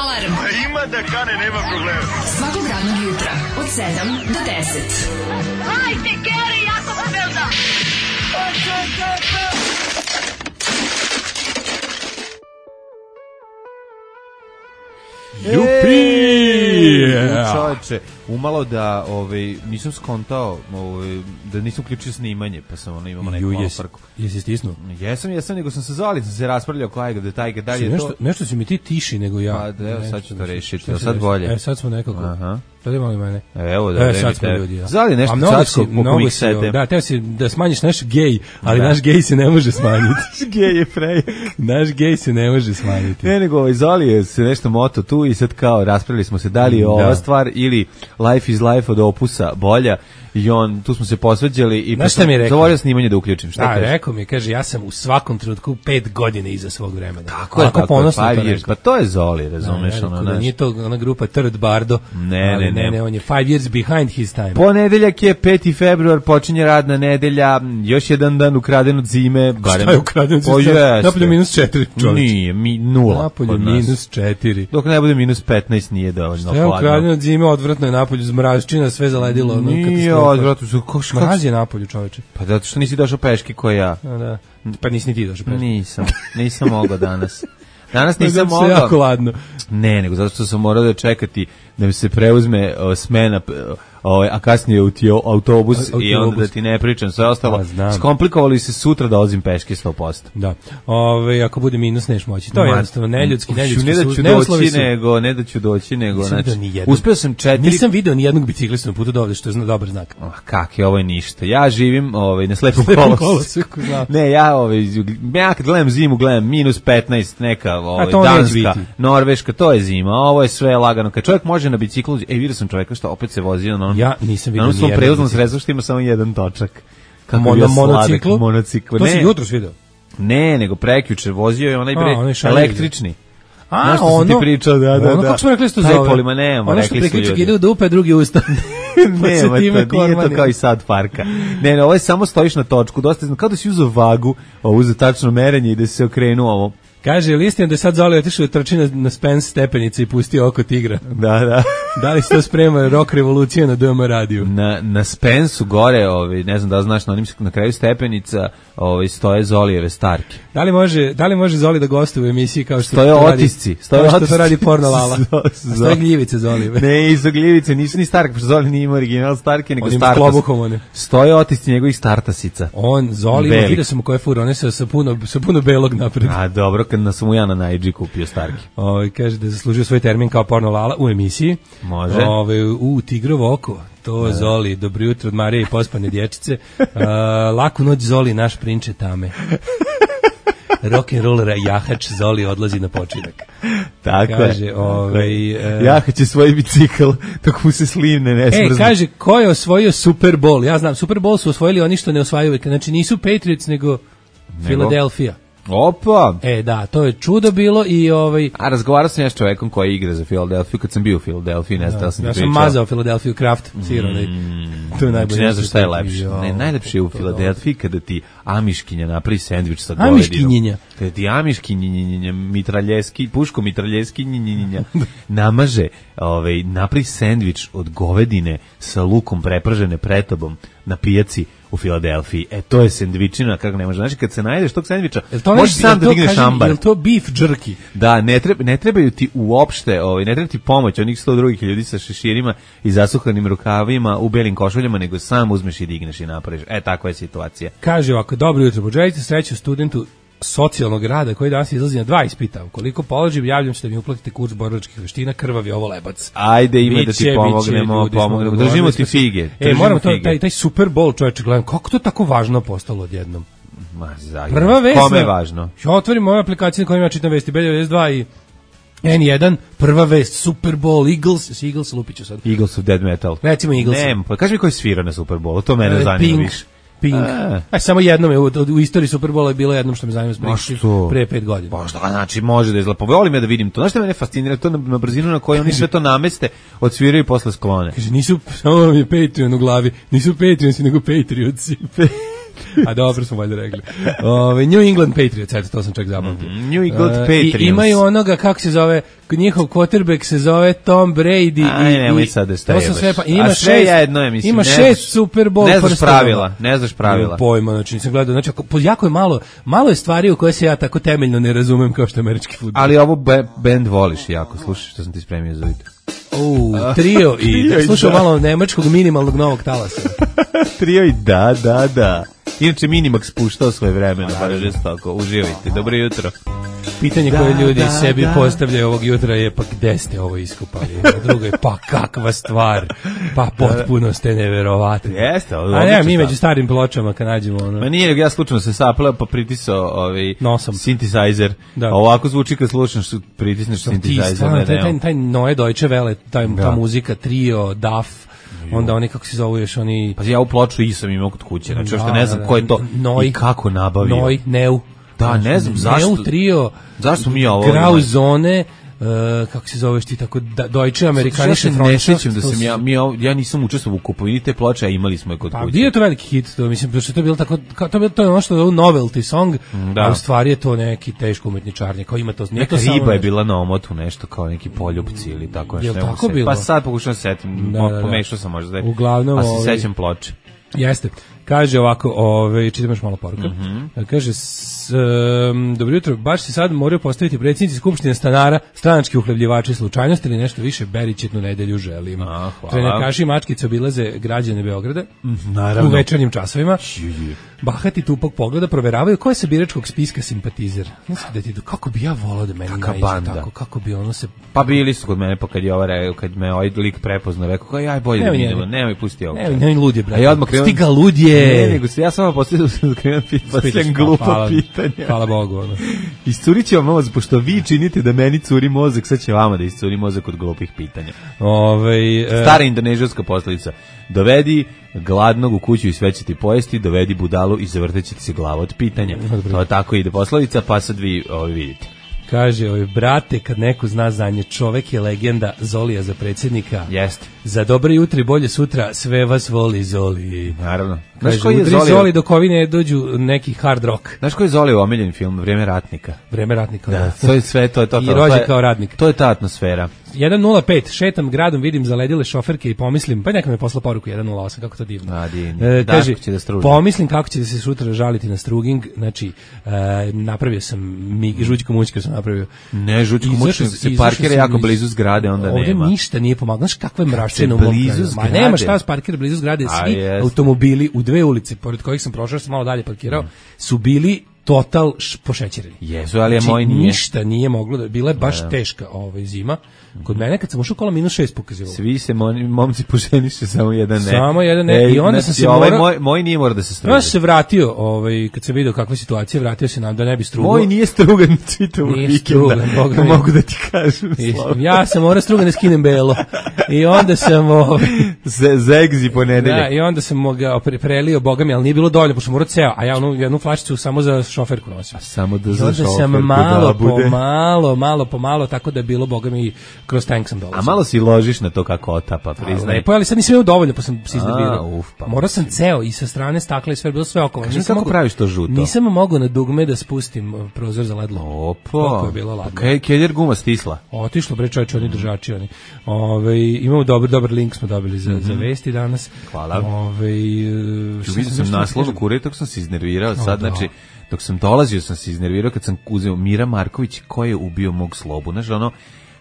Alarm. Ima da kane, nema problema. Svakog radnog jutra od 7 do 10. Hajde, Geri, jako se velda. Jupi! Čovječe, umalo da nisam skontao da nisam uključio snimanje, pa sam imamo neku malu frku. Jesi stisnuo? Jesam, nego sam se zvali, sam se raspravljao ko ajga, detajke, dalje je to. Nešto si mi ti tiši nego ja. Pa da, evo sad ću to rešiti, evo sad bolje. Sad smo nekako. Aha. Da li mali mene? Evo da sad smo ljudi. Zvali nešto cacko po komiksete. Da, teo si da smanjiš naš gej, ali naš gej se ne može smanjiti. Gej je prej. Naš gej se ne može smanjiti. Ne, nego Zoli je se nešto moto tu i sad kao raspravili smo se da li je ova stvar ili Life is Life od Opusa bolja. I tu smo se posveđali i zavolio snimanje da uključim. Šta kaže? Rekao mi, kaže, ja sam u svakom trenutku 5 godina iza svog vremena. Tako je, pa to je Zoli, razumeš? Nije to ona grupa Third Bardo. Ne, on je 5 years behind his time. Ponedeljak je 5. februar, počinje radna nedelja, još jedan dan ukraden od zime. Šta je ukraden od zime? Napolju -4, čovječ. Nije, 0. Napolju -4. Dok ne bude -15 nije dovoljno hladno. Šta je ukraden od zime, odvratno je napolju, zmračina, sve zaledilo. Nije odvratno su mraz je napolju, čoveče. Pa zato što nisi došao peški ko ja. Da. Pa nisi ni ti došao peški. Nisam mogao danas. Danas nisam mogao. Zato jako ladno. Ne, nego zato što sam morao da čekati da mi se preuzme smena, a kasnije u autobus i onda da ti ne pričam sve ostalo. Skomplikovali se sutra da ozim peške 100%. Da. Ako bude minus neš moći. To je jednostavno neljudski. Ne da ću doći, nego uspeo sam 4. Nisam video ni jednog biciklistu na putu do ovde, što je dobar znak. Kak je, ovo je ništa. Ja živim na slepom koloseku. Ne, ja kad gledam zimu, gledam -15, neka Danska, Norveška, to je zima. Ovo je sve lagano. Kad čovjek može na biciklu, vidio sam čovjeka što opet se vozio na ja nisam vidio ni jedan. Prevoznom sredstvu što ima samo jedan točak. Monociklu? To si jutros vidio? Ne, nego prekjuče vozio je onaj električni. Ono ti pričao, da. Kako smo rekli što zove? Tajpolima nemamo, rekli su ljudi. Ono što priključak ide u dupe, drugi usta. Nema, nije to kao i sad parka. Ne, ovo je samo stojiš na točku, dosta kao da si uzeo vagu, uzeo tačno merenje i da si se okrenuo ovo. Kaže, ili istina da je sad Zoli otišao da trči na Spence stepenice i pustio oko tigra? Da. Da li se to sprema rock revolucija na DM radiju? Na Spensu gore, ne znam da znaš, na kraju stepenica stoje Zolijeve starke. Da li može Zoli da gostuje u emisiji kao što stoje otisci? Kao što to radi Porno Lala. Stoje gljivice Zolijeve. Ne, izo gljivice, nisu ni starke, pošto Zoli nije ima original starke, nego startas. Stoje otisci njegovih startasica. Zoli, vidio sam u koje fura, one sa puno belog napred. A dobro, kad sam mu ja na Najdži kupio starke. Kaže da je zaslužio svoj termin kao Porno Lala u emisiji. Može. Tigrovo oko, to Zoli, dobro jutro od Marije i pospane dječice. Laku noć Zoli, naš prinče tame. Rock'n'rollera jahač Zoli odlazi na počinak. Tako kaže, je. Jahač je svoj bicikl, dok mu se slivne ne smrzne. Kaže, ko je osvojio Super Bowl? Ja znam, Super Bowl su osvojili oni što ne osvajaju. Znači nisu Patriots, nego Philadelphia. Opa! Da, to je čudo bilo i A razgovarao sam ja s čovekom koji igra za Philadelphia kad sam bio u Philadelphia, ne znam da sam ti pričao. Ja sam mazao Philadelphia Kraft, sironaj. To je najbolje. Ne znam šta je lepše. Najlepše je u Philadelphia kada ti amiškinja napravi sendvič sa govedinom. Amiškinjenja. Kada ti amiškinjenja, puško mitraljeski namaže, napravi sendvič od govedine sa lukom prepržene pretobom na pijaci u Filadelfiji. To je sendvičina, kako ne može. Znači, kad se najdeš tog sendviča, možeš sam da digneš ambar. Je li to beef jerky? Da, ne trebaju ti uopšte, ne treba ti pomoć onih 100 drugih ljudi sa šeširima i zasuhanim rukavima u belim košuljama, nego sam uzmeš i digneš i napraviš. Takva je situacija. Kaže ovako, dobro jutro, poželite sreću studentu socijalnog rada koji danas izlazi na 2 ispita. Ukoliko položim, javljam se da mi uplatite kurs borilačkih veština, krvav je ovo lebac. Ajde, ima da ti pomognemo. Držimo ti fige. Moramo taj Super Bowl, čovječe, gledam, kako to tako važno postalo odjednom? Prva vest. Kome je važno? Ja otvorim moju aplikaciju na kojoj ja čitam vesti, B92 i N1, prva vest, Super Bowl, Eagles, lupiću sad. Eagles of Dead Metal. Recimo Eagles. Kaži mi koji svira na Super Bowlu, to mene zanima više. Pink. Samo jednom je u istoriji Super Bowla je bilo jednom što me zanima pre 5 godina. Pa što, znači može da izgleda. Volim ja da vidim to. Znaš što mene fascinira? To na brzinu na kojoj oni sve to nameste, odsviraju i posle sklone. Kaže, nisu, samo vam je Patreon u glavi, nisu Patreonsi, nego Patriotsi. A dobro smo valjda rekli. New England Patriots, eto, to sam čak zabavio. New England Patriots. I imaju onoga, kako se zove, njihov quarterback se zove Tom Brady. Aj, nemoj sad da to su sve, pa ima a sve jedno je, mislim. Ima 6 Super Bowl prstenova. Ne znaš pravila. Pojma, znači nisam gledao, znači jako je malo je stvari u koje se ja tako temeljno ne razumem kao što je američki fudbal. Ali ovo band voliš jako, slušaj što sam ti spremio za jutro. Trio i slušao malo nemačkog minimalnog novog talasa. Trio i da. Inače Minimax puštao svoje vremena, baš žestoko. Uživajte, dobro jutro. Pitanje koje ljudi sebi postavljaju ovog jutra je pa gde ste ovo iskupali? Drugo je pa kakva stvar, pa potpuno ste neverovatni. Jeste, a ne, mi među starim pločama kad nađemo ono. Ma nije, ja slučajno se sapleo pa pritisao synthesizer. A ovako zvuči kad slušaš pritisneš synthesizer. Taj Neue Deutsche Welle, ta muzika, Trio, Duff, onda oni kako se zovu još oni. Pa ja u ploču i sam imao kod kuće, znači što ne znam ko je to i kako nabavio. Neu. Da, ne znam zašto. Neu Trio. Zašto mi ovo? Grauzone, kako se zoveš ti tako Deutsche Amerikanische Freundschaft. Ne sjećam da sam ja nisam učestvovao u kupovini te ploče, a imali smo je kod kuće. Pa bio je to veliki hit, to mislim da to je bilo tako, to je ono što je novelty song, a u stvari je to neki teško umetničarnje, kao ima to. Neka riba je bila na omotu, nešto kao neki poljupci ili tako nešto. Je tako bilo? Pa sad pokušam se setim, pomešao sam možda. Uglavnom, a se sećam ploče. Jeste. Kaže ovako, čitam još malo poruka. Kaže, dobro jutro, baš se sad moraju postaviti predsjednici Skupštine stanara, stranački uhlebljivači, slučajnosti ili nešto više, beričetnu nedelju želim. Trenakaši i mačkice obilaze građane Beograda u večernjim časovima. Bahati tupog pogleda proveravaju ko je sa biračkog spiska simpatizer. Kako bi ja volao da meni naiđe tako, kako bi ono se... Pa bili su kod mene, pa kad me ovaj lik prepoznao, rekao kao aj bolje da idemo, nemoj pusti ovo. Nemoj ludje, brate. Stiga ludje. Ne, nego se ja samo postavljam da krenem pitanje glupa pitanja. Hvala Bogu. Iscurit će vam mozak, pošto vi činite da meni curi mozak, sad će vama da iscuri mozak od glupih pitanja. Stara indonežanska poslovica. Dovedi gladnog u kuću i sve će ti pojesti, dovedi budalu i zavrteće ti se glava od pitanja. To tako ide poslovica, pa sad vi vidite. Kaže, brate, kad neko zna za nje, čovek je legenda, Zolija za predsjednika. Jeste. Za dobro jutro i bolje sutra, sve vas voli Zoli. Naravno. Kaže, udri Zoli dok ovi ne dođu neki hard rock. Znaš koji je Zoli omiljeni film? Vrijeme ratnika. Vrijeme ratnika. Da, to je sve, to je to. I rođe kao radnik. To je ta atmosfera. 1.05, šetam gradom, vidim zaledile šoferke i pomislim, pa neka me posla poruku 1.08, kako to divno. Kaže, pomislim kako će da se sutra žaliti na struging, znači, napravio sam, žućku mućku sam napravio. Ne, žućku mućku se parkira jako blizu zgrade, onda nema. Ovdje ništa nije pomagalo, znaš kakva je mračina u mom kraju. Ma nema šta, parkira blizu zgrade, svi automobili u dve ulice, pored kojih sam prošao, sam malo dalje parkirao, su bili total pošećereni. Jesu, ali moj nije. Ništa nije moglo da, bila je baš teška zima. Kod mene kad sam ušao kola -6 pokazivalo. Svi se momci poženiše, samo jedan ne. Samo jedan ne. I onda sam se moj nije mora da se struga. Ja sam se vratio, kad sam video kakva je situacija, vratio se nam da ne bi strugao. Moj nije strugan čitavog vikenda. Mogu da ti kažem. Ja sam morao strugan da skinem belo. I onda sam zegzi ponedeljak. Da, i onda sam ga prelio, boga mi, ali nije bilo dovoljno, pošto sam morao ceo, a ja jednu flašicu samo za šoferku nosim. Samo da za šoferku sam malo po malo, tako da je bilo, boga mi, kroz tank sam dolazio. A malo si ložiš na to kako otapa, priznaj. Lepo, ali sad nisam imao dovoljno, pa sam se iznervirao. Morao sam ceo i sa strane stakla i sve, bilo sve okolo. Kaži kako praviš to žuto? Nisam mogao na dugme da spustim prozor za ledlo. Opo. Je bilo ladno. Keljer guma stisla. Otišlo, bre čovječe, oni držači, oni. Imamo dobar link smo dobili za vesti danas. Hvala. Vidio sam naslov kure, tako sam se iznervirao sad, znači, dok sam dolazio sam se iznervirao kad sam uzeo Mira Marković, ko je ubio mog Slobu, znaš, ono,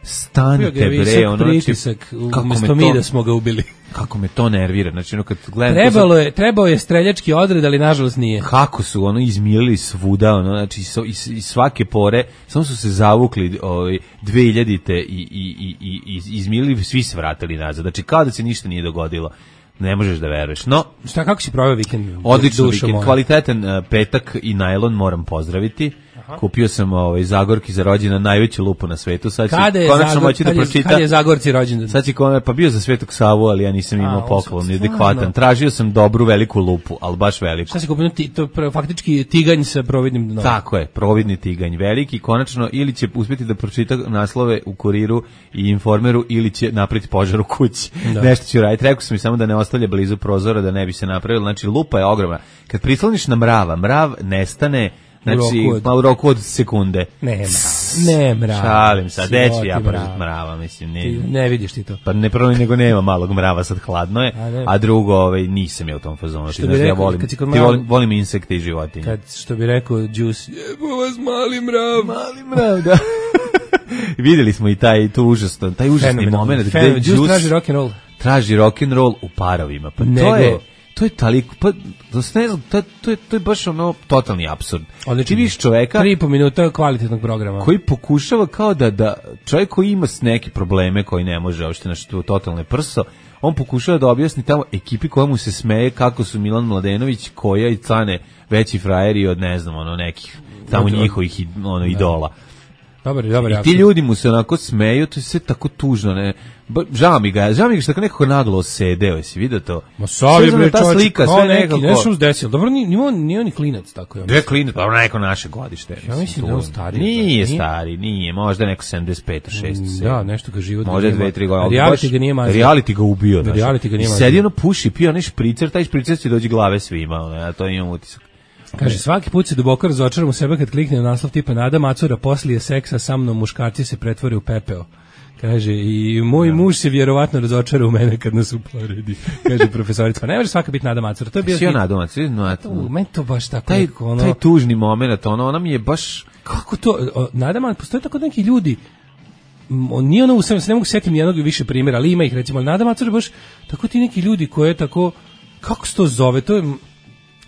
stanite bre, ono, pritisak, umjesto mi da smo ga ubili. Kako me to nervira, znači ono kad gledam... Trebao je streljački odred, ali nažalost nije. Kako su ono izmilili svuda, ono, znači iz svake pore, samo su se zavukli 2000-te i izmilili, svi se vratili nazad, znači kao da se ništa nije dogodilo. Ne možeš da veruješ. No, šta, kako si proveo vikend? Odlično vikend, kvalitetan petak i najlon moram pozdraviti. Kupio sam Zagorki za rođendan najveću lupu na svetu. Sad ću Kada je konačno moći da pročitam. Kad je Zagorci rođendan? Sad će pa bio za Svetog Savu, ali ja nisam imao poklon, adekvatan. Tražio sam dobru veliku lupu, ali baš veliku. Šta si kupio? To faktički tiganj sa providnim dnom. Tako je, providni tiganj, veliki, konačno ili će uspjeti da pročita naslove u Kuriru i Informeru ili će napraviti požar u kući. Da. Nešto ću raditi. Rekao sam mi samo da ne ostavlja blizu prozora da ne bi se napravilo. Znači, lupa je ogromna. Kad prisloniš na mrav nestane u roku od sekunde. Ne mrav. Šalim sad, deći ja mrava, mislim. Ne vidiš ti to. Pa ne prvo nego nema malog mrava, sad hladno je, a drugo nisam ja u tom fazonu. Ja volim insekte i životinje. Što bi rekao Juice, jebo vas mali mrav, da. Videli smo i taj užasni moment gde Juice traži rock'n'roll u parovima. Pa to je toliko, pa ne znam, to je baš totalni apsurd. Ti vidiš čoveka 3,5 minuta kvalitetnog programa koji pokušava kao da čovjek koji ima neke probleme koji ne može uopšte nešto totalne prso, on pokušava da objasni tamo ekipi koja mu se smeje kako su Milan Mladenović, Koja i Cane veći frajeri od ne znam nekih tamo njihovih idola. Dobar. I ti ljudi mu se onako smeju, to je sve tako tužno, ne. Žao mi ga što tako nekako naglo sedeo, jesi vidio to? Ma savi bre, ta slika, sve nekako. Nešto se desilo. Dobro, nije on klinac tako je. Dve klinac, pa neko naše godište. Ja mislim da je on stari. Nije stari, nije, možda neko 75, 6. Da, nešto ga život. Možda 2-3 godine. Reality ga nije mazio. Reality ga ubio, znači. Reality ga nije mazio. Sedi ono puši, pio onaj špricer, taj špricer će dođi glave svima, ja to imam utisak. Kaže, svaki put se duboko razočaram u sebe kad kliknem na naslov tipa Nada Macura poslije seksa sa mnom muškarci se pretvore u pepeo. Kaže, i moj muž se vjerovatno razočara u mene kad nas uporedi. Kaže profesorica, pa ne može svaka biti Nada Macura. To je bio Nada Macura, meni to baš tako taj tužni moment, ona mi je baš kako to Nada Macura, postoje tako neki ljudi. Nije ono, se ne mogu setiti ni jednog više primjera, ali ima ih recimo, Nada Macura baš tako ti neki ljudi koje tako, kako se to zove, to je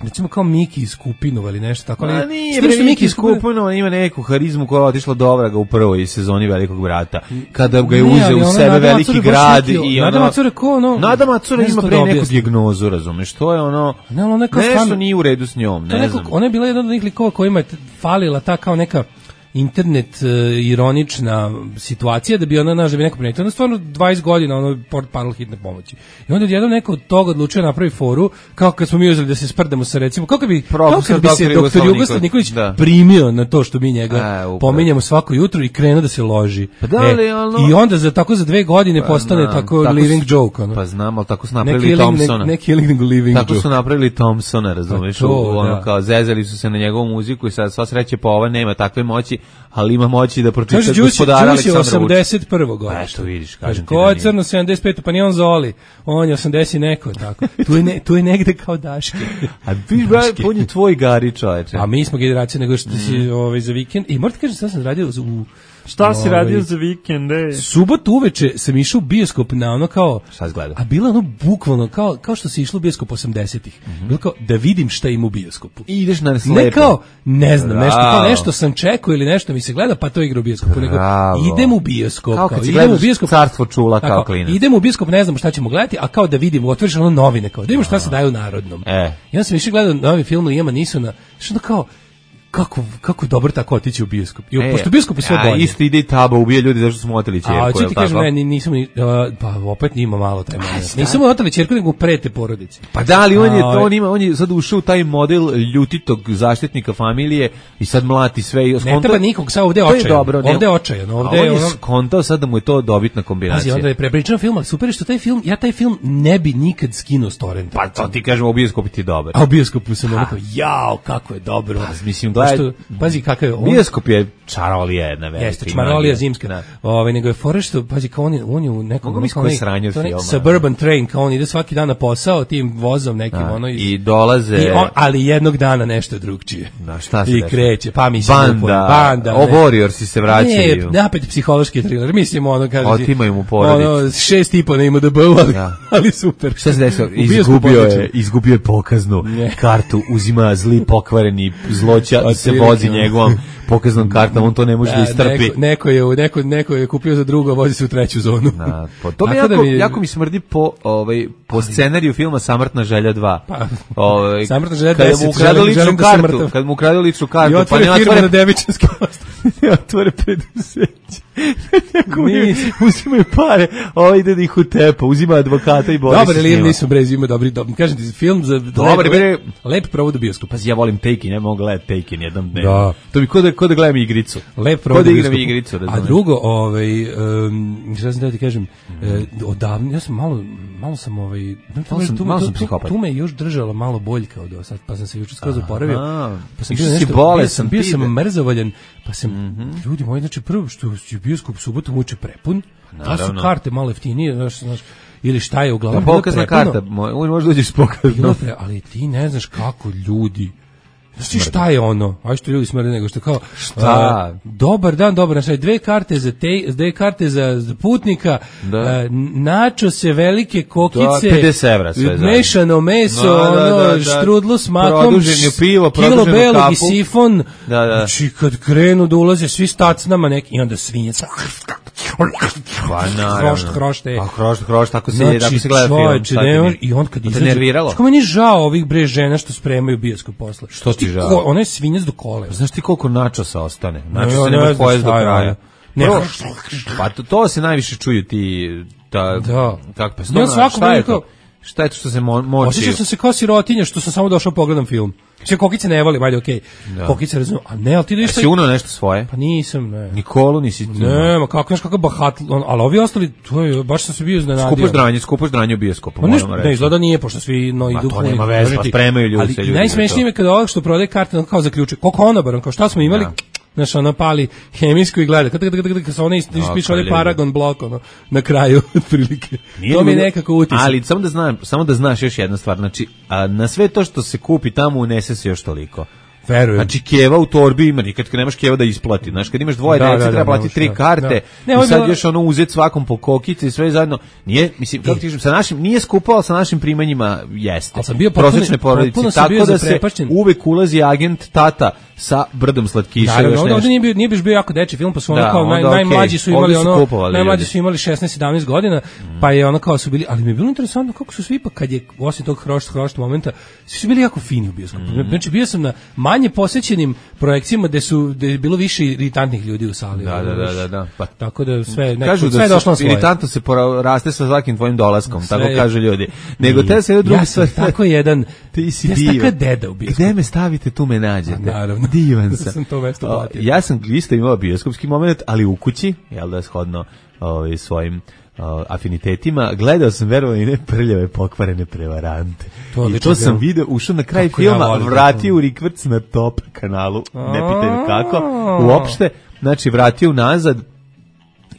recimo kao Miki iz Kupinova ili nešto tako. Ali nije bre, Miki iz Kupinova ima neku harizmu koja je otišla do vraga u prvoj sezoni Velikog brata. Kada ga je uzeo u sebe veliki grad i Nada Macura ko ono... Nada Macura ima pre neku dijagnozu, razumeš, to je ono... Nešto nije u redu s njom, ne znam. Ona je bila jedan od onih likova kojima je falila ta kao neka internet ironična situacija da bi ona da bi neko primetio. Ona stvarno 20 godina portal hitne pomoći. I onda jedan neko od toga odlučio napravi foru kao kad smo mi uzeli da se sprdamo sa recimo kako bi se doktor Jugoslav Nikolić primio na to što mi njega pominjemo svako jutro i krenuo da se loži. I onda za 2 godine postane tako living joke. Pa znam, ali tako su napravili Thompsona. Ne killing nego living joke. Tako su napravili Thompsona, razumeš? Kao zezali su se na njegovu muziku i sad sva sreće pa ova nema takve moći, ali ima moći da pročita Gospodara Aleksandra Vučića. 81. godište. Eto vidiš, kažem ti. Ko je crno 75, pa nije on Zoli. On je 80 neko, tako. Tu je negde kao Daške. A viš, on je tvoj Gari, čoveče. A mi smo generacija nego što si za vikend. I morate kažem, šta sam radio Šta si radio za vikend, Subotu uveče sam išao u bioskop na ono kao... Šta si gledao? A bilo ono bukvalno kao što si išlo u bioskop 80-ih. Bilo kao da vidim šta ima u bioskopu. I ideš na slepo. Ne kao, ne znam, nešto sam čekao ili nešto mi se gleda, pa to igra u bioskopu. Nego idem u bioskop. Kao kad si gledaš Carstvo čula kao klinac. Idem u bioskop, ne znam šta ćemo gledati, a kao da vidim, otvoriš ono novine, kao da vidimo šta se daje u Narodnom. I onda sam išao gledao novi film Lijama Nisona, što kao kako dobro tako otići u bioskop. I pošto bioskop je sve bolje. Isto ide i Taba, ubije ljudi zašto smo oteli ćerku. A ću ti kažem, ne, nisam pa opet ima malo taj moment. Nisam oteli ćerku, nego prete porodici. Pa da, ali on je sad ušao u taj model ljutitog zaštitnika familije i sad mlati sve. Ne treba nikog, sad ovde je očajan. Ovde je očajan. On je skontao sad da mu je to dobitna kombinacija. Onda je prepričan film, ali super što taj film ne bi nikad skinuo s torrenta. Pa to ti kažem, u bioskopu ti je dobar. A u bioskopu sam onako, jao, kako je dobro. Mislim, pazi kakav je bioskop je čarolija jedna velika. Jeste, čarolija zimska. Nego je fora što, pazi, kao on je u nekom suburban train, kao on ide svaki dan na posao tim vozom nekim, i dolaze... ali jednog dana nešto drugčije. Šta se i kreće, pa mislim... Banda, Warriorsi se vraćaju. Ne, napet psihološki thriller, mislim, kaže... Otimaju mu porodicu. 6,5 na IMDb-u, ali super. Šta se desilo? Izgubio je pokaznu kartu, uzima zli pokvareni zloća i se vozi njegovom pokaznom kartom, on to ne može da istrpi. Neko je kupio za drugo, vozi se u treću zonu. To bi jako mi smrdi po scenariju filma Samrtna želja 2. Samrtna želja 10. Kad mu ukradu ličnu kartu, pa ne otvore na Devičanski ostrv. Ne otvore preduzeće. Uzimaju pare, ide da ih utepa, uzima advokata i bori se s njima. Dobar, ali nisu brez, ima dobri. Kažem ti, film za lep provod u bioskopu. Pazi, ja volim Taken, ne mogu gledati Taken jednom dnevno. To bi ko da gledam igricu. Lep provod u bioskopu. A drugo, šta sam da ti kažem, odavno, ja sam malo sam tu me još držala malo boljka od sad, pa sam se juče skroz oporavio. Pa sam bio sam mrzavoljan, pa sam, ljudi moji, znači prvo što je bioskop subotom uče prepun, da su karte malo jeftinije, znaš, ili šta je uglavnom bilo prepuna. Pokazna karta, možda dođeš s pokaznom. Ali ti ne znaš kako ljudi, znači šta je ono? Aj što ljudi smrde nego što kao dobar dan, znači dve karte za putnika, načo se velike kokice, 50 evra sve zajedno. Mešano meso, štrudlu s makom, kilo belog i sifon. Znači kad krenu da ulaze svi stacnama neki i onda svinjac. Hrošte. Tako se gleda film. I on kad izađe, što meni žao ovih žena što spremaju bioskop posle. Što ti žao? Ona je svinjac do kolena. Znaš ti koliko načosa ostane? Načos se nema pojesti do kraja. Pa to se najviše čuju ti... Kako šta je to? Šta je to što se moči? Osjećao sam se kao sirotinja što sam samo došao pogledam film. Sve kokice ne volim, ajde, okej. Kokice razumem, a ne, ali ti dođeš... Si uno nešto svoje? Pa nisam, ne. Nikolu nisi... Ne, ma kako, znaš kakav bahat, ali ovi ostali, to je, baš sam se bio iznenadio. Skupoš dranje u bioskopu, moramo reći. Ne, izgleda nije, pošto svi idu... Ma to nema veze, pa spremaju ljudi se ljudi. Ali najsmešnije mi kada ovak što prodaje karte, kao zaključe, koliko onobarom, kao šta smo imali... Znaš, ona pali hemijsku i gleda. Kad se ona ispiše ovdje Paragon blok, na kraju, otprilike. To mi je nekako utisak. Ali samo da znaš još jedna stvar. Znači, na sve to što se kupi tamo unese se još toliko. Verujem. Znači keva u torbi ima, nikad nemaš keva da isplati. Znaš, kad imaš dvoje dece, treba platiti 3 karte. I sad još uzeti svakom po kokice i sve zajedno. Nije, mislim, kako ti kažem, sa našim nije skupo, ali sa našim primanjima jeste. Prosječne porodice, tako da se uvek ulazi agent tata sa brdom slatkiša. Naravno, ovdje nije bio jako deči film, pa su ono kao najmlađi su imali najmlađi su imali 16-17 godina, pa je ono kao su bili, ali mi je bilo interesantno kako su svi, pa kad je osim tog hrošt momenta, svi su bili jako fini u bioskopu. Znači bio sam na manje posećenim projekcijama gde je bilo više iritantnih ljudi u sali. Da. Pa tako da sve kažu sve da došlo na svoje. Iritantno se raste sa svakim tvojim dolaskom, tako kažu ljudi. Nego te se drugi sve tako jedan ti si divan. Deda u bioskopu. Gde me stavite, tu me nađete. Naravno. Divan sam. Sam to mesto platio. Ja sam isto imao bioskopski moment, ali u kući, jel da, shodno svojim afinitetima, gledao sam verovali ne prljave pokvarene prevarante. I to sam video, ušao na kraj filma, vratio u rikvrc na Top kanalu, ne pitaj me kako, uopšte, znači vratio nazad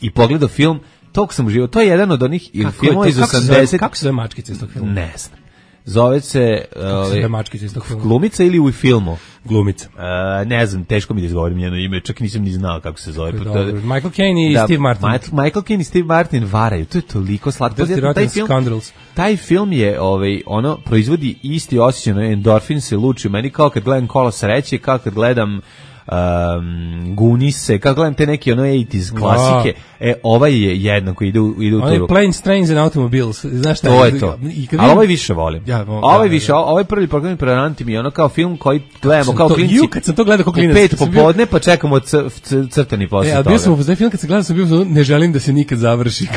i pogledao film, tog sam uživao, to je jedan od onih filmova iz 80. Kako se zove mačkica iz tog filma? Ne znam. Zove se glumica ili u filmu? Glumica. Ne znam, teško mi da izgovorim njeno ime, čak nisam ni znao kako se zove. Michael Caine i Steve Martin. Michael Caine i Steve Martin varaju, to je toliko slatko. Taj film je, ono, proizvodi isti osjećaj, endorfin se luči u meni, kao kad gledam Kolo sreće, kao kad gledam Gunise, kako gledam te neke 80s klasike, ovaj je jedan koji ide u turu. Planes, Trains and Automobiles, znaš šta? To je to. Ali ovaj više volim. Ovaj prvi program Prevaranti mi je ono kao film koji gledamo kao klinci. Kad sam to gledao kao klinac. 5 popodne, pa čekamo crtani posle toga. A bio sam u film kad sam gledao, sam bio ne želim da se nikad završi.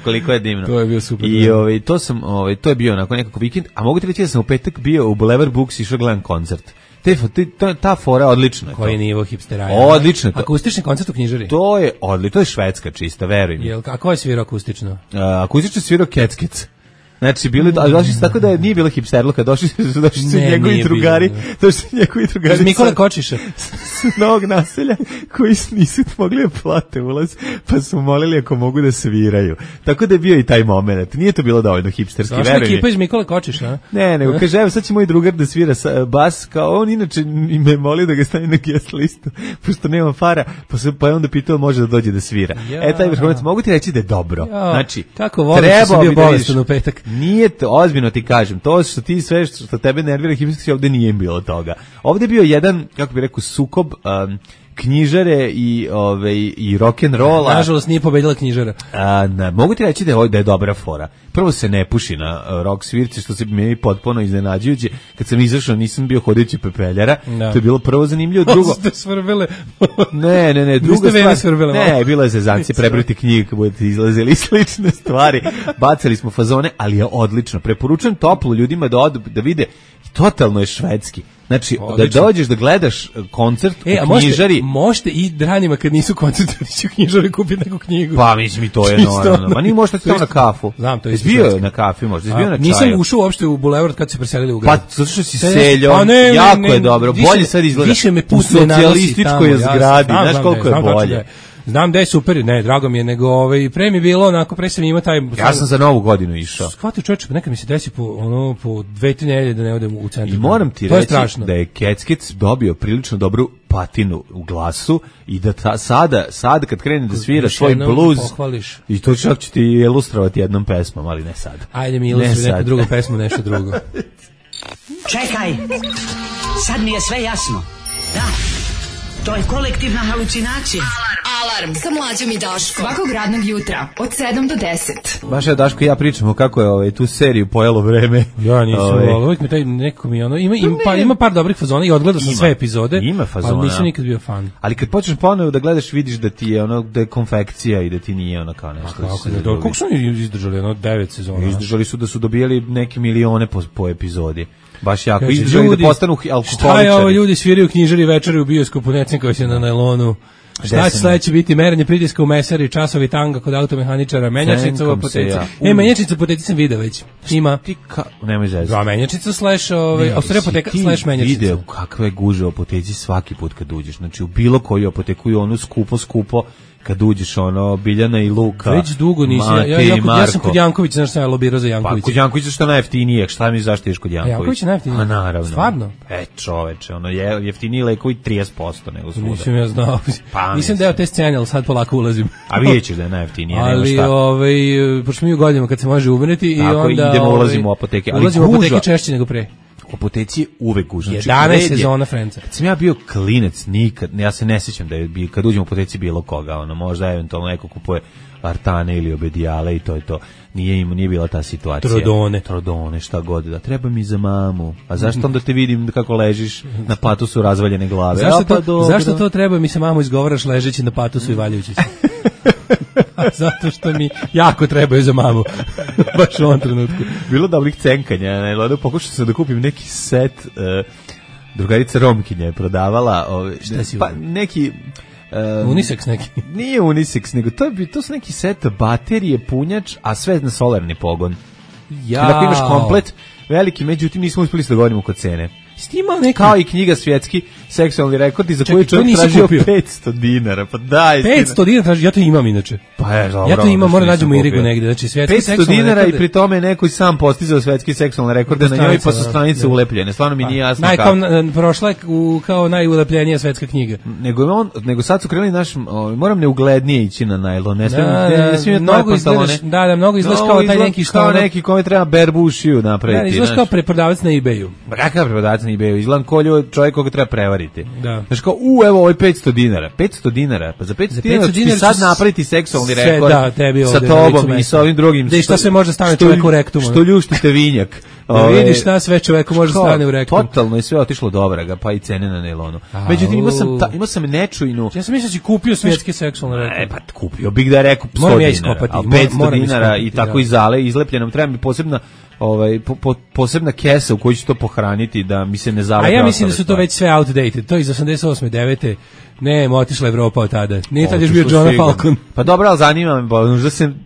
Koliko je divno. To je bio super. I to je bio onako nekako vikend, a mogu ti reći da sam u petak bio u Boulevard Books i išao gledam koncert. Ta fora odlična. Koji nivo hipstera? Odlično. Akustični koncert u knjižari? To je odlično, to je švedska čista, veruj mi. A ko je svirao akustično? Akustično svirao Kec. Znači, došli su tako da nije bilo hipsterluka, došli su njegovi drugari. Iz Mikole Kočiša. S novog naselja koji nisu mogli da plate ulaz, pa su molili ako mogu da sviraju. Tako da je bio i taj moment. Nije to bilo dovoljno hipsterski, veruj mi. Došla ekipa iz Mikole Kočiša, a? Ne, nego kaže, evo sad će moj drugar da svira bas, kao on inače me molio da ga stavim na guest listu, pošto nema para, pa je onda pitao može da dođe da svira. Taj vrhunac, mogu ti reći da je dobro. Znači, kako volim što si bio bolestan u petak. Nije to, ozbiljno ti kažem, to što ti sve što tebe nervira hipsterski, ovde nije bilo toga. Ovde je bio jedan, kako bih rekao, sukob knjižare i rock'n'rolla. Nažalost nije pobedila knjižara. Mogu ti reći da je dobra fora. Prvo se ne puši na rock svirci, što se meni potpuno iznenađujuće. Kad sam izašao nisam bio hodajući pepeljara. Da. To je bilo prvo zanimljivo. Drugo, ste svrbele. Ne, druga stvar. Ne, bilo je zezancije, prebrati knjige kad budete izlazili i slične stvari. Bacali smo fazone, ali je odlično. Preporučujem toplo ljudima da odu da vide. Totalno je švedski. Znači, odlično. Da dođeš da gledaš koncert u knjižari. Možete i danima kad nisu koncerti otići u knjižari kupiti neku knjigu. Pa mislim i to je normalno. Ma nije možete tamo na kafu. Znam, to je isto. Bio na kafi možda, bio na čaju. Nisam ušao uopšte u Bulevard kad se preselili u grad. Pa zato što si seljom, jako je dobro. Bolje sad izgleda u socijalističkoj zgradi. Znaš koliko je bolje. Znam da je super, ne, drago mi je, nego pre mi je bilo onako, pre sam imao taj... Ja sam za Novu godinu išao. Shvatio čovječe, pa nekad mi se desi po 2-3 nedelje da ne odem u centru. I moram ti reći da je Keckic dobio prilično dobru patinu u glasu i da sada kad krene da svira svoj bluz, i to čak ću ti ilustrovati jednom pesmom, ali ne sad. Ajde mi ilustruj neku drugu pesmu, nešto drugo. Čekaj, sad mi je sve jasno. Da, to je kolektivna halucinacija. Alarm sa Mlađom i Daškom. Svakog radnog jutra od 7 do 10. Baš je Daško i ja pričamo kako je tu seriju pojelo vreme. Ja nisam, uvijek mi taj neko mi ima par dobrih fazona i odgledao sam sve epizode. Ima fazona. Ali nisam nikad bio fan. Ali kad počneš ponovo da gledaš, vidiš da ti je da je konfekcija i da ti nije kao nešto. Kako su oni izdržali 9 sezona? Izdržali su da su dobijali neke milione po epizodi. Baš jako izdržali da postanu alkoholičari. Šta je ovo, ljudi sviraju knjižari večeri u bioskopu, Necinkovi se na najlonu. Šta će sledeće biti? Merenje pritiska u mesari, časovi tanga kod automehaničara, menjačnica u apoteci. Menjačnica u apoteci sam video već. Ima. Nemoj zezati. Da, menjačnica / Austrija apoteka / menjačnica. Video kakve guže u apoteci svaki put kad uđeš. Znači u bilo koju apoteku i onu skupo kad uđeš Biljana i Luka. Već dugo nisi. Ja sam kod Jankovića, znaš šta je lobirao za Jankovića. Pa kod Jankovića što je najjeftinije, šta mi zašto ješ kod Jankovića? Janković je najjeftinije. A naravno. Stvarno? Čoveče, je jeftiniji lekovi 30% nego svuda. Nisam ja znao. Nisam deo te scene, ali sad polako ulazim. A vidjet ćeš da je najjeftinije, nema šta. Ali, pošto mi u godinama kad se može umreti i onda... Idemo, ulazimo u apoteke. Ulazimo u apoteke češće nego pre. U apoteci je uvek gužva. 11 sezona Friendsa. Kad sam ja bio klinec, nikad, ja se ne sjećam da je kad uđem u apoteci bilo koga, možda eventualno neko kupuje Artane ili Obedijale i to je to. Nije bila ta situacija. Trodone, šta god da. Treba mi za mamu. A zašto onda te vidim kako ležiš na patusu razvaljene glave? Zašto to treba mi se mamu izgovaraš ležeći na patusu i valjajući se? Zato što mi jako trebaju za mamu. Baš u ovom trenutku. Bilo dobrih cenkanja. Pokušao sam da kupim neki set. Drugarica Romkinja je prodavala. Šta si neki... unisex neki. Nije unisex, nego to su neki set baterije, punjač, a sve na solarni pogon. Dakle imaš komplet veliki, međutim nismo uspjeli se dogovorimo kod cene. Kao i knjiga Svjetski seksualni rekordi za koju čovjek tražio $500. Pa daj, $500 traži, ja to imam inače. Pa je, dobro. Ja to imam, moram nađemo Irigu negdje, znači Svjetski seksualni $500 rekorde. I pri tome neko sam postizao Svjetski seksualni rekorde na njoj, pa su stranice ulepljene. Stvarno mi nije jasno kako. Prošla je kao najulepljenija svetska knjiga. Nego sad su krenuli moram neuglednije ići na najlon. Ne smijem mnogo pantalone. Da, mnogo izgledaš kao taj neki što neki kome treba berbušiju napraviti. Izgledaš kao preprodavac na eBayu. Kakav preprodavac na eBayu? Izgledam kolju čovjek koga treba prevariti. Da. Znaš kao, evo ovo je $500. $500, pa za $500 ću ti sad napraviti seksualni rekord sa tobom i sa ovim drugim. Da i šta sve može stane čovjeku u rektumu. Što ljuštite vinjak. Da vidiš šta sve čoveku može stane u rektumu. Totalno je sve otišlo dobro, pa i cene na nailonu. Međutim, imao sam nečujnu... Ja sam mislio da si kupio svjetski seksualni rekord. Pa kupio bih da je rekao $100. A $500 i tako izale, izlepljenom, treba mi posebna kesa u kojoj ću to pohraniti da mi se ne zalepe. A ja mislim da su to već sve outdated. To iz 88. 9. Ne, otišla Evropa od tada. Nije tad još bio John Falcon. Pa dobro, ali zanima me,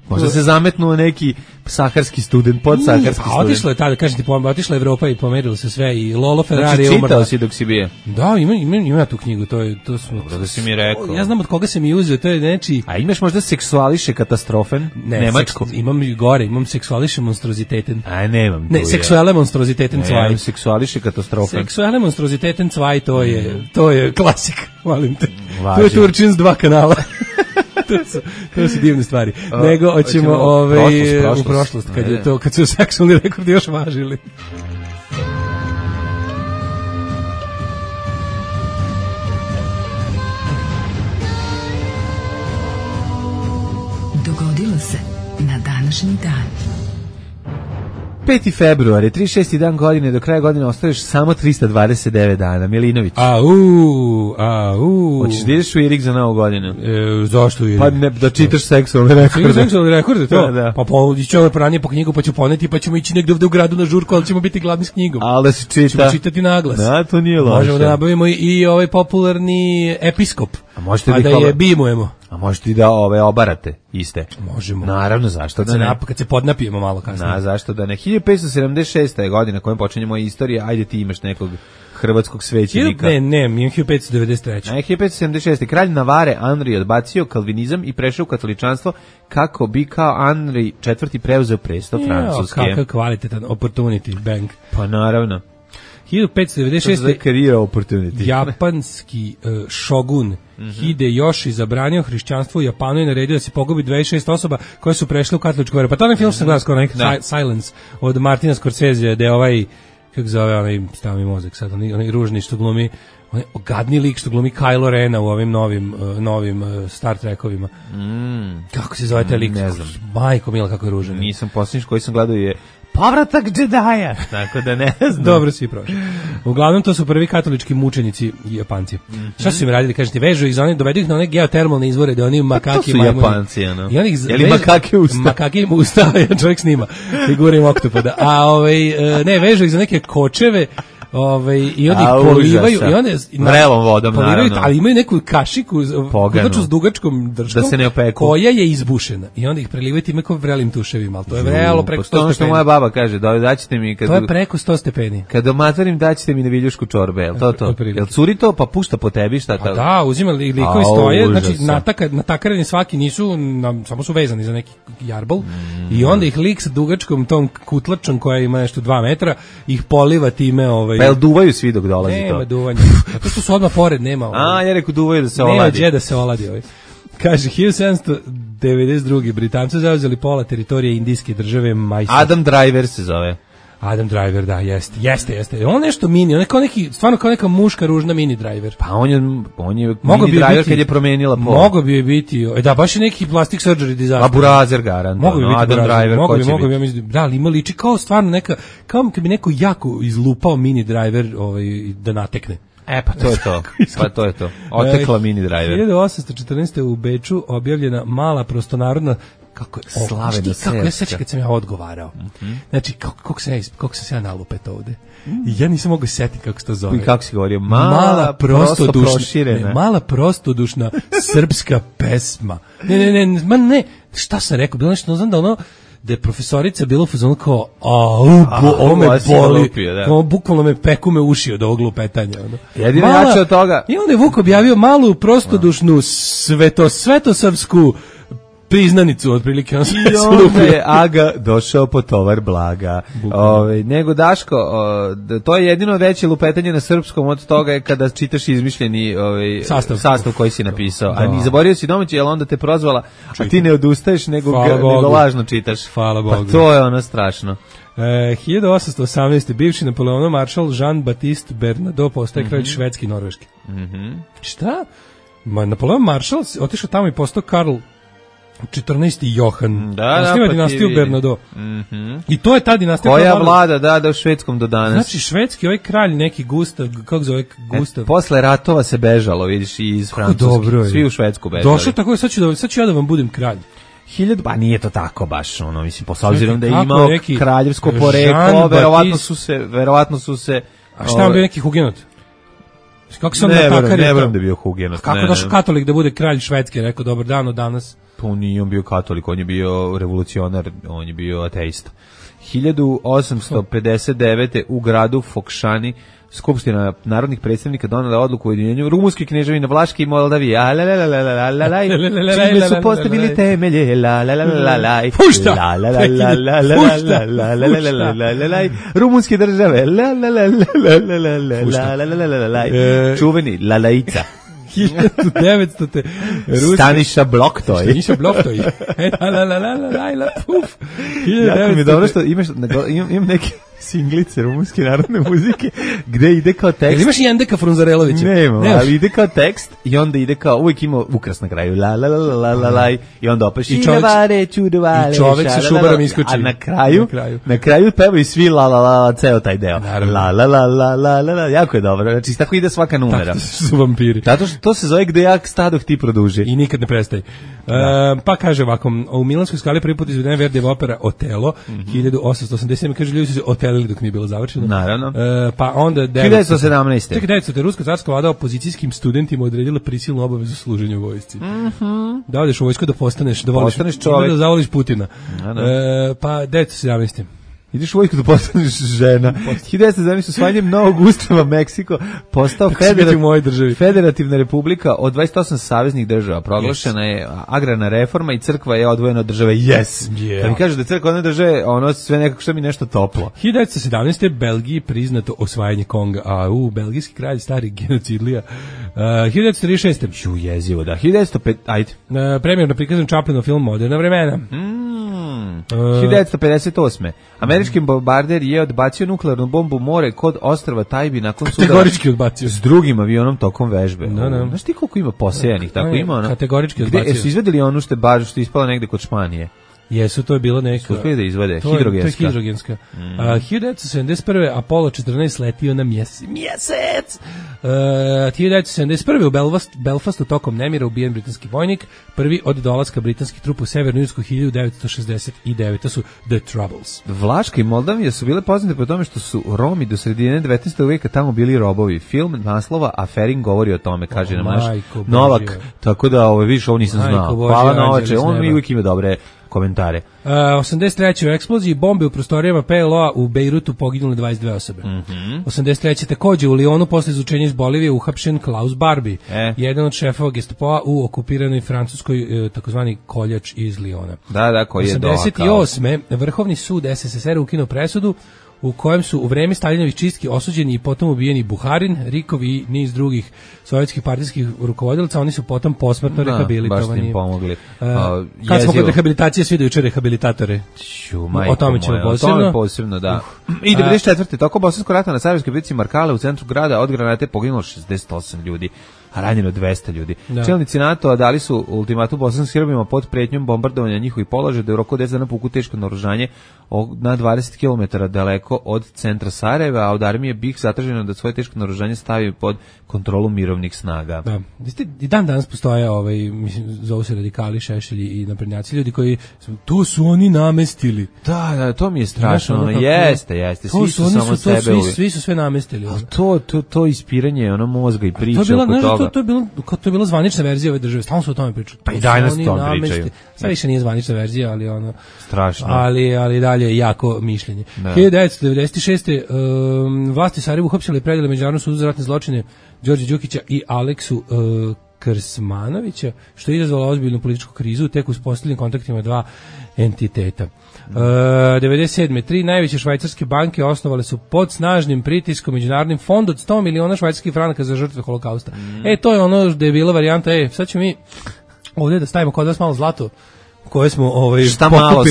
možda se zametnuo neki saharski student, podsaharski student. Pa otišla je tada, kažem ti, otišla Evropa i pomerilo se sve i Lolo Ferrari je umrla. Čitao si dok si bio? Da, ima tu knjigu, to smo... Dobro da si mi rekao. Ja znam od koga sam i uzeo, to je neči... A imaš možda seksuališe katastrofen? Ne, Nemačko? Imam seksuališe monstroziteten. A nemam tu. Ne, seksuale monstroziteten cvaj. Ne, seksuališe katastrofen. Seksuale monstroziteten cvaj, to je klasik, molim te. To je Turčin s 2 kanala. to su divne stvari. Nego hoćemo u prošlost kad su seksualni rekordi još važili. Dogodilo se na današnji dan. 5. februar je 36. dan godine, do kraja godine ostaješ samo 329 dana. Milinović. Hoćeš da ideš u Irig za novu godinu? Zašto Irig? Pa ne, da čitaš seksualne rekorde. Seksualne rekorde, to? Da. Pa ići ovo ranije po knjigu, pa ću poneti, pa ćemo ići negde ovde u gradu na žurku, ali ćemo biti gladni s knjigom. Ali da se čita. Ćemo čitati naglas. Da, to nije loše. Možemo da nabavimo i ovaj popularni episkop. A da je bimujemo. A možete i da obarate iste. Možemo. Naravno, zašto da ne? Kad se podnapijemo malo kasnije. Zašto da ne? 1576. je godina kojom počinje moja istorija. Ajde, ti imaš nekog hrvatskog svećenika. Ne, imam 1593. 1576. Kralj Navare Anri odbacio kalvinizam i prešao u katoličanstvo kako bi kao Anri IV preuzeo presto Francuske. Kakav kvalitetan opportunity bank. Pa naravno. 1596. Career opportunity. Japanski šogun Hideyoshi zabranio hrišćanstvo u Japanu i naredio da se pogubi 26 osoba koje su prešle u katoličku veru. Pa to je film što sam gledao skoro, Silence od Martina Scorsese, gde ovaj, kako zove onaj, stavi mozak sad, onaj ružni što glumi, onaj ogadni lik što glumi Kylo Rena u ovim novim Star Trekovima. Kako se zove taj lik? Ne znam. Majko mila, kako je ružan. Nisam posljednji koji sam gledao je Povratak Jedi'a, tako da ne znam. Dobro, svi prošli. Uglavnom, to su prvi katolički mučenici i Japanci. Šta su im radili? Kažete, vežu ih za one, dovedu ih na one geotermalne izvore, da oni makaki majmuni. To su Japanci, ono. Je li makake usta? Makake im usta, jedan čovjek snima. Figura im oktopoda. A ne, vežu ih za neke kočeve, i onda ih polivaju i onda vrelom vodom naravno, ali imaju neku kašiku kutlaču s dugačkom držkom da se ne opeku, koja je izbušena i onda ih prelivaju time kao vrelim tuševima, ali to je vrelo preko 100 stepeni. Što moja baba kaže, daćete mi to je preko 100 stepeni. Kad domatvarim daćete mi na viljušku čorbe, jel to? Jel curi to pa pušta po tebi, šta to? Da, uzimali likovi stoje, znači natakareni svaki nisu, samo su vezani za neki jarbol i onda ih lik sa dugačkom tom kutlačom koja ima nešto 2 metra ih poliva time Pa jel duvaju svi dok dolazi to? Nema duvanja. Zato što su odmah pored, nema. Ja rekao duvaju da se oladi. Nema gdje da se oladi ovaj. Kaže, 1792. Britanci zauzeli pola teritorije indijske države Mysore. Adam Driver se zove. Adam Driver, da, jeste. On nešto mini, on je kao neki, stvarno kao neka muška ružna mini driver. Pa on je mini driver kad je promenila pol. Mogo bi biti, da, baš je neki plastic surgery disaster. A Burazer garant. Mogo bi biti Adam Driver, ko će biti? Ja mislim, da, ali ima liči kao stvarno neka, kao kad bi neko jako izlupao mini driver da natekne. Pa to je to. Otekla mini driver. 1814. u Beču objavljena mala prostonarodna kako ja sećam kad sam ja odgovarao. Znači, kako sam se ja nalupet ovde. Ja nisam mogu setiti kako se to zove. I kako si govorio? Mala prostodušna srpska pesma. Ne, šta sam rekao? Bilo nešto, znam da ono, da je profesorica bila u fazonu kao, ovo me boli, bukvalno me peku me uši od ovog lupetanja. Jedino jače od toga. I onda je Vuk objavio malu prostodušnu svetosavsku priznanicu, otprilike. I onda je Aga došao po tovar blaga. Nego Daško, to je jedino veće lupetanje na srpskom od toga je kada čitaš izmišljeni sastav koji si napisao. A ni zaborio si domaći, jer onda te prozvala, a ti ne odustaješ, nego lažno čitaš. Hvala Bogu. Pa to je ono strašno. 1818. bivši Napoleonov maršal Jean-Baptiste Bernadotte postaje kralj Švedski i Norveški. Šta? Napoleon maršal otišao tamo i postao Karl 14. Johan. Osniva dinastiju Bernadotte. I to je ta dinastija koja vlada, da u švedskom do danas. Znači, švedski ovaj kralj, neki Gustav, kako zove Gustav? Posle ratova se bežalo, vidiš, i iz Francuske. Svi u Švedsku bežali. Došao tako, sad ću ja da vam budem kralj. Pa nije to tako baš, mislim, s obzirom da je imao kraljevsko poreklo, verovatno su se... A šta vam bio neki hugenot? Kako sam ne verujem da je bio hugenot. Kako došao katolik da bude kralj Švedske, rekao dobar dan od danas? Pa nije on bio katolik, on je bio revolucionar, on je bio ateista. 1859. u gradu Fokšani Skupština narodnih predstavnika donela odluku o ujedinjenju rumunske kneževine Vlaške i Moldavije. Čime su postavili temelje. Pušta! Rumunske države. Čuveni Lalajica. 1900. Staniša Bloktoj. Puf. Jako mi je dobro što imam singlice rumunske narodne muzike, gde ide kao tekst. Jel imaš Jendeka Frunzarelovića? Nema, ali ide kao tekst i onda ide kao, uvijek ima ukras na kraju, la la la la la la i onda opet i čovek sa šubarom iskoči. A na kraju pevaju svi la la la, ceo taj deo. La la la la la la, jako je dobro. Znači, tako ide svaka numera. Tako su vampiri. Zato što to se zove gde jak stadoh ti produži. I nikad ne prestaje. Pa kaže ovako, u Milanskoj Skali prvi put izvedena Verdijeva opera Otelo, 1887, kaže, ljudi su se otelili dok nije bilo završeno. Naravno. Pa onda 1917. Tek 1900. Ruska carska vlada opozicijskim studentima odredila prisilnu obavezu služenja u vojsci. Da odeš u vojsku da postaneš, da voliš čovjek, da zavoliš Putina. Pa 1917. Ideš u vojsku da postaneš žena. 1917. usvajanjem novog ustava Meksiko postao federativna republika od 28 saveznih država. Proglašena je agrarna reforma i crkva je odvojena od države. Kad mi kažeš da je crkva od države, ono sve nekako što mi nešto toplo. 1917. Belgiji priznato osvajanje Konga. Belgijski kralj, stari genocidlija. 1936. Jezivo, da. 1905. Ajde. Premijerno prikazan Chaplinov film Moderna vremena. 1958. Američki bombarder je odbacio nuklearnu bombu u more kod ostrva Tajbi nakon sudara. Kategorički odbacio. S drugim avionom tokom vežbe. No. Znaš ti koliko ima posejanih? Tako ima ono. Kategorički odbacio. Su izvedeli onu što je ispala negde kod Španije? Jesu, to je bilo neka... Su uspjeli da izvede, hidrogenska. To je hidrogenska. 1971. Apollo 14 letio na mjesec. 1971. u Belfastu tokom nemira ubijen britanski vojnik, prvi od dolaska britanskih trupa u Severnu Irsku 1969. To su The Troubles. Vlaška i Moldavija su bile poznate po tome što su Romi do sredine 19. veka tamo bili robovi. Film naslova Aferin govori o tome, kaže nam naš Novak. Tako da, vidiš, ovo nisam znao. Hvala na oče, on mi uvijek ima dobre komentare. 83. u eksploziji bombe u prostorijama PLO-a u Bejrutu poginule 22 osobe. 83. takođe u Lionu posle izučenja iz Bolivije uhapšen Klaus Barbie, jedan od šefova Gestapoa u okupiranoj Francuskoj takozvani koljač iz Liona. Da, koji je 88. Vrhovni sud SSSR ukinuo presudu u kojem su u vreme Staljinovih čistki osuđeni i potom ubijeni Buharin, Rikov i niz drugih sovjetskih partijskih rukovodilaca. Oni su potom posmrtno rehabilitovani. Baš im pomogli. Kad smo kod rehabilitacije, svi do juče rehabilitatore. O tome ćemo posebno. Da. I 94. Tokom Bosanskog rata na Sarajevskoj bici Markale u centru grada od granate poginulo 68 ljudi, a ranjeno 200 ljudi. Čelnici NATO-a dali su ultimatum bosanskim Srbima pod pretnjom bombardovanja njihovih položaja da je u roku 10 dana povuku teško naoružanje na 20 km daleko od centra Sarajeva, a od armije BiH zatraženo da svoje teško naoružanje stavi pod kontrolu mirovnih snaga. Da. I dan danas postoje, zovu se radikali, šešelji i naprednjaci, ljudi koji tu su oni namestili. Da, to mi je strašno. Jeste. Svi su samo sebe. Svi su sve namestili. To ispiranje mozga i priča oko toga. To je bila zvanična verzija ove države. Stalno su o tome pričali. Pa i dalje nas o tome pričaju. Sad više nije zvanična verzija, ali strašno. Ali dalje jako mišljenje. 1996. Vlasti Sarajevu uhapsile i predale Međunarodnom sudu za ratne zločine Đorđe Đukića i Aleksu Krsmanovića, što je izazvalo ozbiljnu političku krizu tek uz posljednjim kontaktima dva entiteta. 97. 3 najveće švajcarske banke osnovale su pod snažnim pritiskom Međunarodnim fond od 100 miliona švajcarskih franaka za žrtve holokausta. To je ono da je bila varijanta, sad ćemo mi ovdje da stavimo kod vas malo zlato koje smo šta malo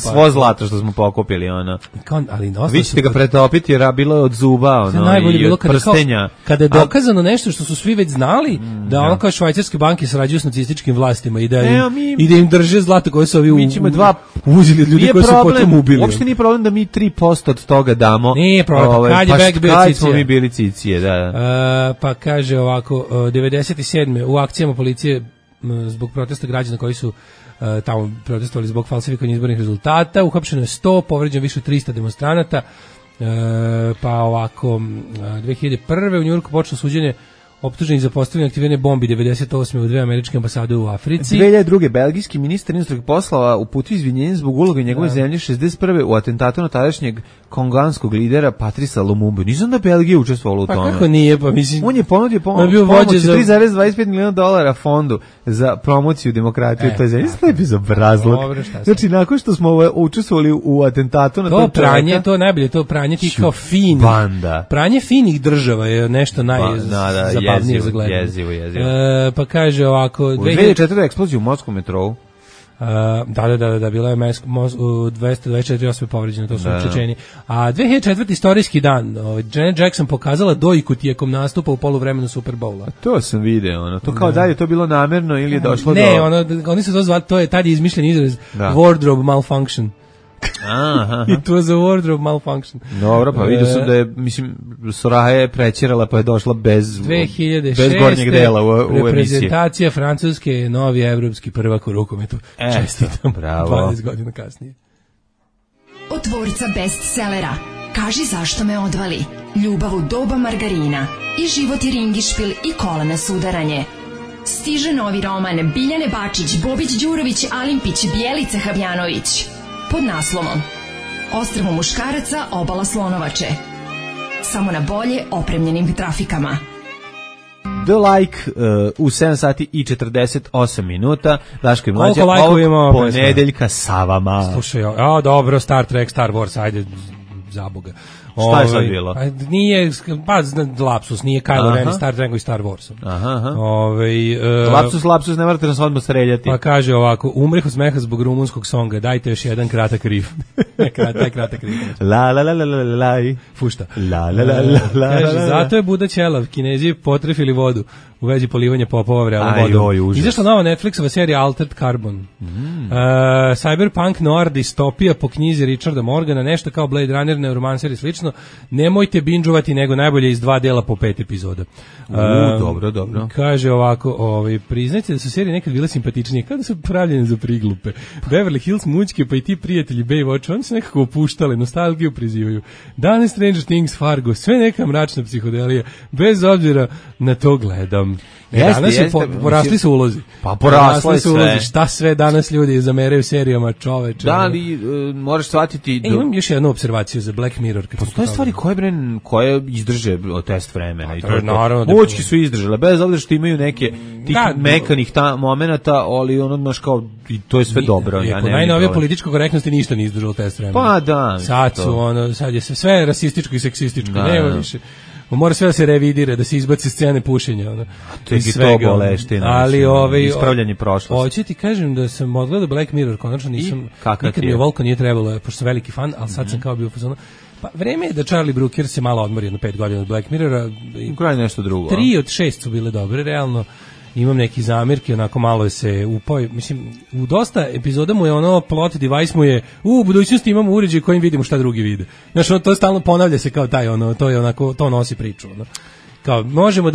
svo zlato što smo pokupili ali vi ćete ga pretopiti jer bilo je od zuba i od prstenja. Kada je dokazano nešto što su svi već znali da kao švajcarske banke sarađuju s nacističkim vlastima i da im drže zlato koje su ovi uzeli od ljudi koji su potom ubili. Uopšte nije problem da mi 3% od toga damo. Nije problem, kad smo mi bili cicije. Pa kaže ovako, 97. u akcijama policije zbog protesta građana koji su tamo protestovali zbog falsifikovanja izbornih rezultata, uhapšeno je 100, povređeno više od 300 demonstranata, pa ovako 2001. u Njujorku počelo suđenje optuženih za postavljanje aktivirane bombi 98. u 2 američke ambasade u Africi. 2002. belgijski ministar inostranih poslova uputio izvinjenje zbog uloge njegove zemlje 61. u atentatu na tadašnjeg konganskog lidera Patrisa Lumumbu. Nisam da Belgija učestvovala u tome. Pa kako nije, pa mislim... On je ponudio pomoć $3,25 miliona fondu za promociju demokratije u toj zemlji. Sve je bezobrazluk. Znači, nakon što smo učestvovali u atentatu na to pranje, to najbolje, to pranje tih kao finih. Banda. Pranje finih država je nešto zabavnije za gledanje. Jezivo. Pa kaže ovako... U 2004. eksploziju u morskom metrou. Da, bila je 224 osobe povređene, to su učečeni. A 2004. istorijski dan, Janet Jackson pokazala dojku tijekom nastupa u poluvremenu Super Bowla. To sam video, to kao da je to bilo namerno ili je došlo do... Ne, oni su to zvali, to je tad izmišljen izraz wardrobe malfunction. Aha. It was a wardrobe malfunction. Dobro, pa vidio sam da je, mislim, Soraha je prećerala pa je došla bez gornjeg dela u emisiji. Reprezentacija Francuske je novi evropski prvak u rukometu. Čestitam, bravo. 20 godina kasnije. Od tvorca bestsellera Kaži zašto me odvali, Ljubav u doba margarina i Život je ringišpil i kolena sudaranje. Stiže novi roman Biljane Bačić, Bobić Đurović, Alimpić, Bjelica Habjanović. Pod naslovom Ostrvo muškaraca, obala Slonovače. Samo na bolje opremljenim trafikama. The Like u 7 sati i 48 minuta. Daško i Mlađa ovog ponedeljka sa vama. Slušaj, dobro, Star Trek, Star Wars, ajde, zaboga. Šta je sad bilo? Nije, lapsus, nije Kylo Ren, Star Trek i Star Wars. Lapsus, ne morate nas odmah streljati. Pa kaže ovako, umreh od smeha zbog rumunskog songa, dajte još jedan kratak rif. Kratak rif. La la la la la la. Fušta. La la la la la. Kaže, zato je Buda ćelav, Kinezi potrefili vodu u vezi polivanja popova vrelom vodom. Izašla nova Netflixova serija Altered Carbon. Cyberpunk noir distopija po knjizi Richarda Morgana, nešto kao Blade Runner, neuromancer i slično. Nemojte binđovati, nego najbolje iz 2 dela po 5 epizoda. Dobro. Kaže ovako, priznajte da su serije nekad bile simpatičnije, kao da su pravljene za priglupe. Beverly Hills, Mućke, pa i ti prijatelji Baywatch, oni su nekako opuštali, nostalgiju prizivaju. Danas Stranger Things, Fargo, sve neka mračna psihodelija, bez obzira na to gledam. Danas porasli su ulozi. Pa porasli su ulozi. Šta sve danas ljudi zameraju serijama, čoveče. Da li moraš shvatiti... Imam još jednu observaciju za Black Mirror. Postoje stvari koje izdrže test vremena. Naravno. Mućki su izdržale, bez obzira što imaju neke tih mekanih momenata, ali ono baš kao, i to je sve dobro. Po najnovije političkoj korektnosti ništa nije izdržalo test vremena. Pa da. Sad je sve rasističko i seksističko. Nema više. Mora sve da se revidira, da se izbaci scene pušenja. To je to boleština. Ali ispravljanje prošlosti. Hoće ti kažem da sam odgledao Black Mirror, konačno nisam, nikad mi je volko nije trebalo, pošto sam veliki fan, ali sad sam kao bio fazonu. Pa vreme je da Charlie Brooker se malo odmori jedno 5 godina od Black Mirrora. Kraj nešto drugo. 3 od 6 su bile dobre, realno. Imam neki zamirke, onako malo je se upao, mislim, u dosta epizoda mu je ono plot device mu je, u budućnosti imamo uređaj kojim vidimo šta drugi vide. Znači, to stalno ponavlja se kao taj, to je onako, to nosi priču, kao, možemo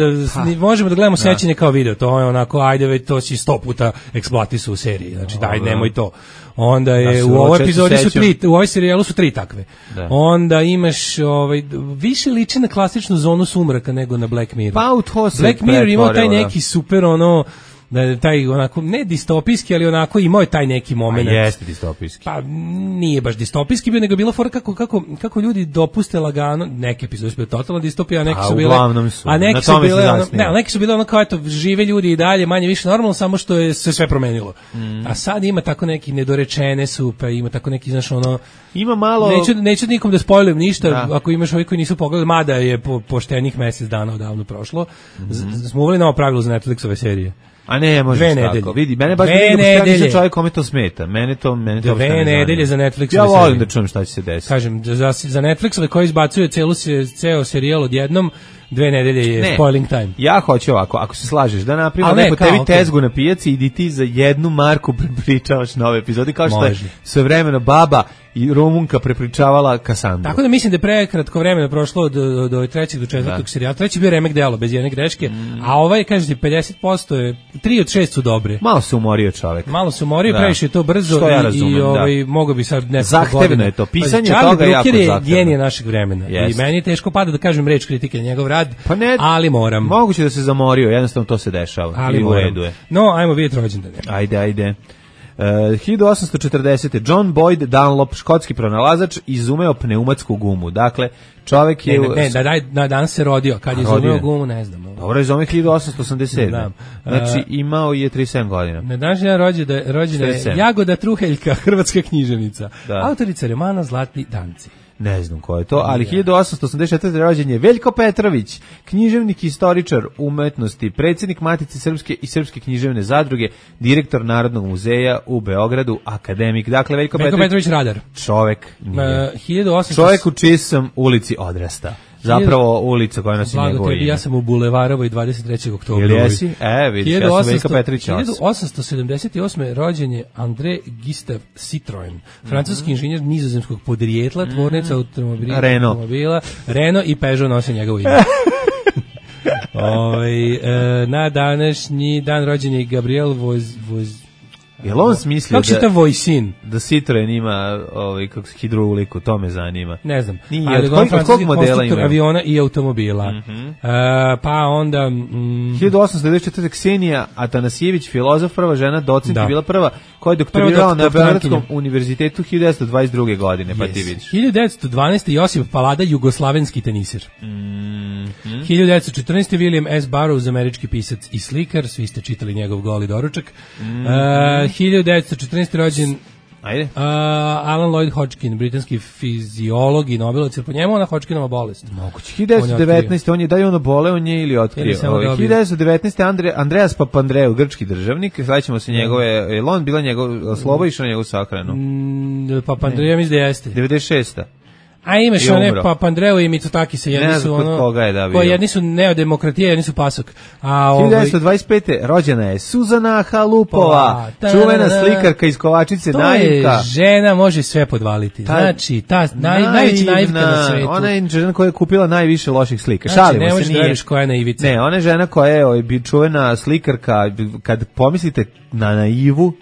da gledamo sećanje kao video, to je onako, ajde već to si 100 puta eksploatisao u seriji, znači daj, nemoj to. Onda je u ovoj epizodi u ovoj serijalu su 3 takve. Onda imaš više liči na klasičnu zonu sumraka nego na Black Mirror. Pa Black Mirror imao taj neki super taj onako ne distopijski, ali onako imao je taj neki momenat. A jeste distopijski. Pa nije baš distopijski bio, nego bilo fora kako ljudi dopuste lagano, neke epizode su bile totalna distopija, a neke su bile, a neki su bile ono kao eto žive ljudi i dalje manje više normalno, samo što je se sve promenilo. A sad ima tako neki nedorečene su, pa ima tako neki, znaš, ono, ima malo, neću nikom da spojlujem ništa, ako imaš ovi koji nisu pogledali, mada je poštenih mesec dana odavno prošlo, smo uveli novo pravilo za Netflixove serije. A ne, može tako. Vidi, mene baš nisam čovjek kome to smeta. Mene to 2 nedelje za Netflix. Ja volim da čujem šta će se desiti. Kažem, za Netflix koji izbacuje ceo serijal odjednom, 2 nedelje je spoiling time. Ja hoću ovako, ako se slažeš, da napravimo neko tebi tezgu na pijaci, idi ti za 1 marku prepričavaš nove epizode, kao što je sve vremeno baba i Rumunka prepričavala Kasandru. Tako da mislim da je prekratko vremena prošlo od 3. do 4. serijala. 3. bio remek delo, bez jedne greške, a ovaj, kažete, 50% je, 3 od 6 su dobre. Malo se umorio čovek. Previše je to brzo i mogo bi sad nekoliko godina. Zahtevno je to, pisanje toga je jako zahtevno. Charlie Brooker je genije našeg vremena i meni je teško pada da kažem reč kritike na njegov rad, ali moram. Moguće da se zamorio, jednostavno to se dešava. Ali moram. No, ajmo vidjeti rođendane. Ajde. 1840. John Boyd Dunlop, škotski pronalazač, izumeo pneumatsku gumu. Dakle, čovjek je... Ne, danas se rodio. Kad je izumeo gumu, ne znam. Dobro, izumeo 1887. Znači, imao je 37 godina. Na današnji rođena je Jagoda Truheljka, hrvatska književnica. Autorica romana Zlatni danci. Ne znam ko je to, ali 1884. rođen je Veljko Petrović, književnik, istoričar umetnosti, predsjednik Matice Srpske i Srpske književne zadruge, direktor Narodnog muzeja u Beogradu, akademik. Dakle, Veljko Petrović radar. Čovek nije. Čovek u čiji sam ulici odrasta. Zapravo ulica koja nosi njegovo ime. Ja sam u Bulevarovoj 23. oktobra. Ili jesi? Vidiš, ja sam Veljko Petrović. 1878. rođen je André Gustave Citroën, francuski inženjer nizozemskog podrijetla, tvornica automobila, Renault i Peugeot nose njegovo ime. Na današnji dan rođen je Gabriel Jel on smislio kako čita Vojsin? Da Citroen ima hidrouliku, to me zanima. Ne znam. Nije, ali od kog modela ima? Aviona i automobila. Pa onda... 1894. Ksenija Atanasijević, filozof, prva žena, docent, je bila prva koja je doktorirala na Beogradskom univerzitetu 1922. godine, pa ti vidiš. 1912. Josip Palada, jugoslavenski tenisir. 1914. William S. Burroughs, američki pisac i slikar, svi ste čitali njegov Goli doručak. 1914. rođen Alan Lloyd Hodgkin, britanski fiziolog i nobelovac, jer po njemu ona Hodgkinova bolest. Moguće. 1919. on je, da li on obole, on je ili otkrio. 1919. Andreas Papandreou, grčki državnik, sledećemo se njegove, je on bila njegov, slobo išao na njegovu sahranu? Papandreou mislim da jeste. 96. A imaš one Papandreou i Mitsotakis, jedni su ono, jedni su neodemokratije, jedni su pasok. 1925. rođena je Suzana Halupova, čuvena slikarka iz Kovačice, naivka. To je žena, može sve podvaliti. Znači, ta najveća naivka na svetu. Ona je žena koja je kupila najviše loših slika. Znači, šalimo ne se, možeš da veriš koja je naivica. Ne, ona je žena koja je čuvena slikarka, kad pomislite na naivu,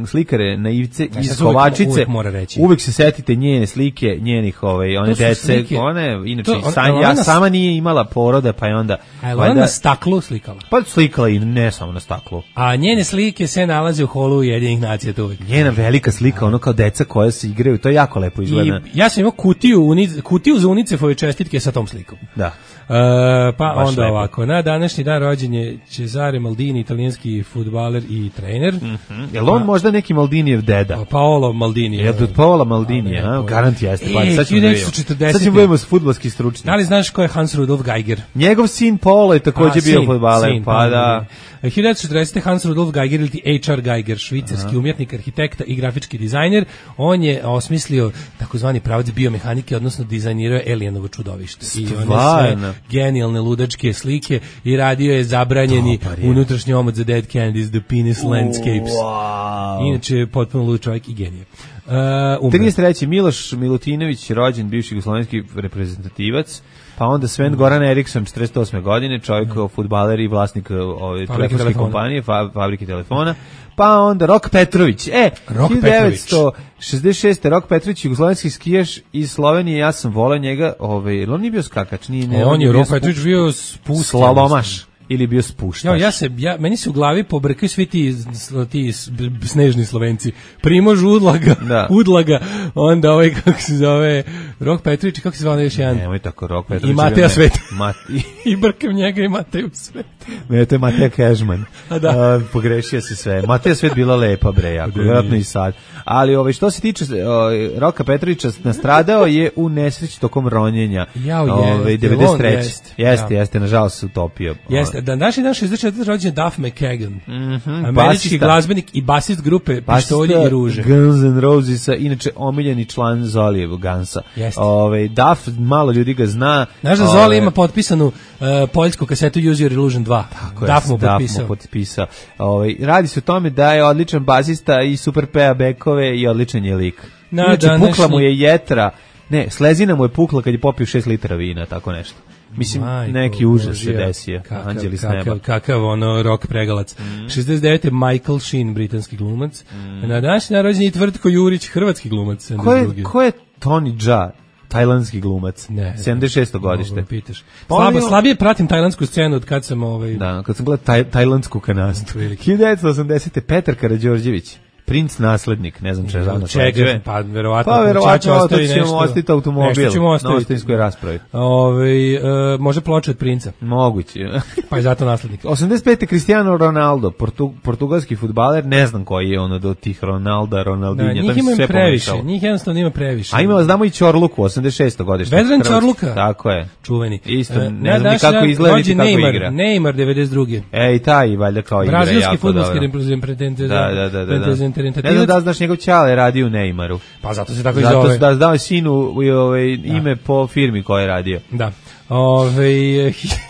slikare naivce iz Kovačice, uvek se setite njene slike, njenih one dece, one inače sama nije imala poroda, pa je onda ona na staklu slikala. Pa slikala i ne samo na staklu. A njene slike se nalaze u holu Ujedinjenih nacija uvek. Njena velika slika, ono kao deca koja se igraju, to je jako lepo izgleda. Ja sam imao kutiju za UNICEF-ove čestitke sa tom slikom. Da. Pa baš onda lepo. Ovako, na današnji dan rođen je Cesare Maldini, italijanski fudbaler i trener. Jel on možda neki Maldinijev deda? Paolo Maldini. Jel od Paola Maldini, garant jeste. Sad ćemo budemo s fudbalski stručni. Da li znaš ko je Hans Rudolf Geiger? Njegov sin Paolo je također bio fudbaler. Pa da. 1940. Hans Rudolf Geiger ili H.R. Geiger, švicarski umjetnik, arhitekta i grafički dizajner. On je osmislio takozvani pravac biomehanike, odnosno dizajnirao je Alienovo čudovište. I one sve genijalne ludačke slike i radio je zabranjeni unutrašnji omot za Dead Candies, The Penis Landscapes. Inače, potpuno lud čovjek i genije. 33. Miloš Milutinović, rođen bivši jugoslovenski reprezentativac, pa onda Sven Goran Eriksson, 48. godine, čovjek fudbaler i vlasnik telefonske kompanije, fabrike telefona, pa onda Rok Petrović. 1966. Rok Petrović, jugoslovenski skijaš iz Slovenije, ja sam voleo njega, on nije bio skakač, on je Rok Petrović bio spust, slalomaš. Ili bio spuštaš. Meni se u glavi pobrkaju svi ti snežni Slovenci. Primož Udlaga, onda kako se zove, Rok Petrović, kako se zove još jedan? Nemoj tako, Rok Petrović. I Mateja Svet. I brkam njega i Mateju Svet. Ne, to je Mateja Kežman. Pogrešio si sve. Mateja Svet bila lepa, bre, jako, vjerojatno i sad. Ali što se tiče Roka Petrovića, nastradao je u nesreći tokom ronjenja. 93. Jeste, nažalost se utopio. Jeste, današnji dan 64. rođen Duff McKagan, američki glazbenik i basist grupe Pištolji i ruže. Guns N' Rosesa, inače omiljeni član Zolijevog Gansa. Duff, malo ljudi ga zna. Znaš da Zoli ima potpisanu poljsku kasetu Use Your Illusion 2. Duff mu potpisao. Radi se o tome da je odličan basista i super peva bekove i odličan je lik. Inače, pukla mu je jetra, slezina mu je pukla kad je popio 6 litara vina, tako nešto. Mislim, neki užas se desio. Anđeli s neba. Kakav rock pregalac. 69. Michael Sheen, britanski glumac. Na današnji narođen je Tvrtko Jurić, hrvatski glumac. Ko je Tony Jaa? Tajlandski glumac. 76. godište. Slabije pratim tajlandsku scenu od kad sam kad sam gledao tajlandsku kanastu. 1980. Petar Karađorđević. princ naslednik, ne znam čega čega, pa verovatno ćemo ostaviti automobil na ostavinskoj raspravi. Može ploča od princa. Moguće. Pa je zato naslednik. 85. Cristiano Ronaldo, portugalski fudbaler, ne znam koji je ono do tih Ronaldinja. Njih ima previše, njih jednostavno ima previše. A ima, znamo i Ćorluku, 86. godište. Vedran Ćorluka. Tako je. Čuveni. Isto, ne znam ni kako izgleda, niti kako igra. Neymar, 92. I taj, valjda kao igra jako dobro. Brazilski fudbalski reprezentativni. Ne znam da znaš njegov čale radi u Neymaru. Pa zato se tako i zove. Zato da dao sinu ime po firmi koja je radio. Da.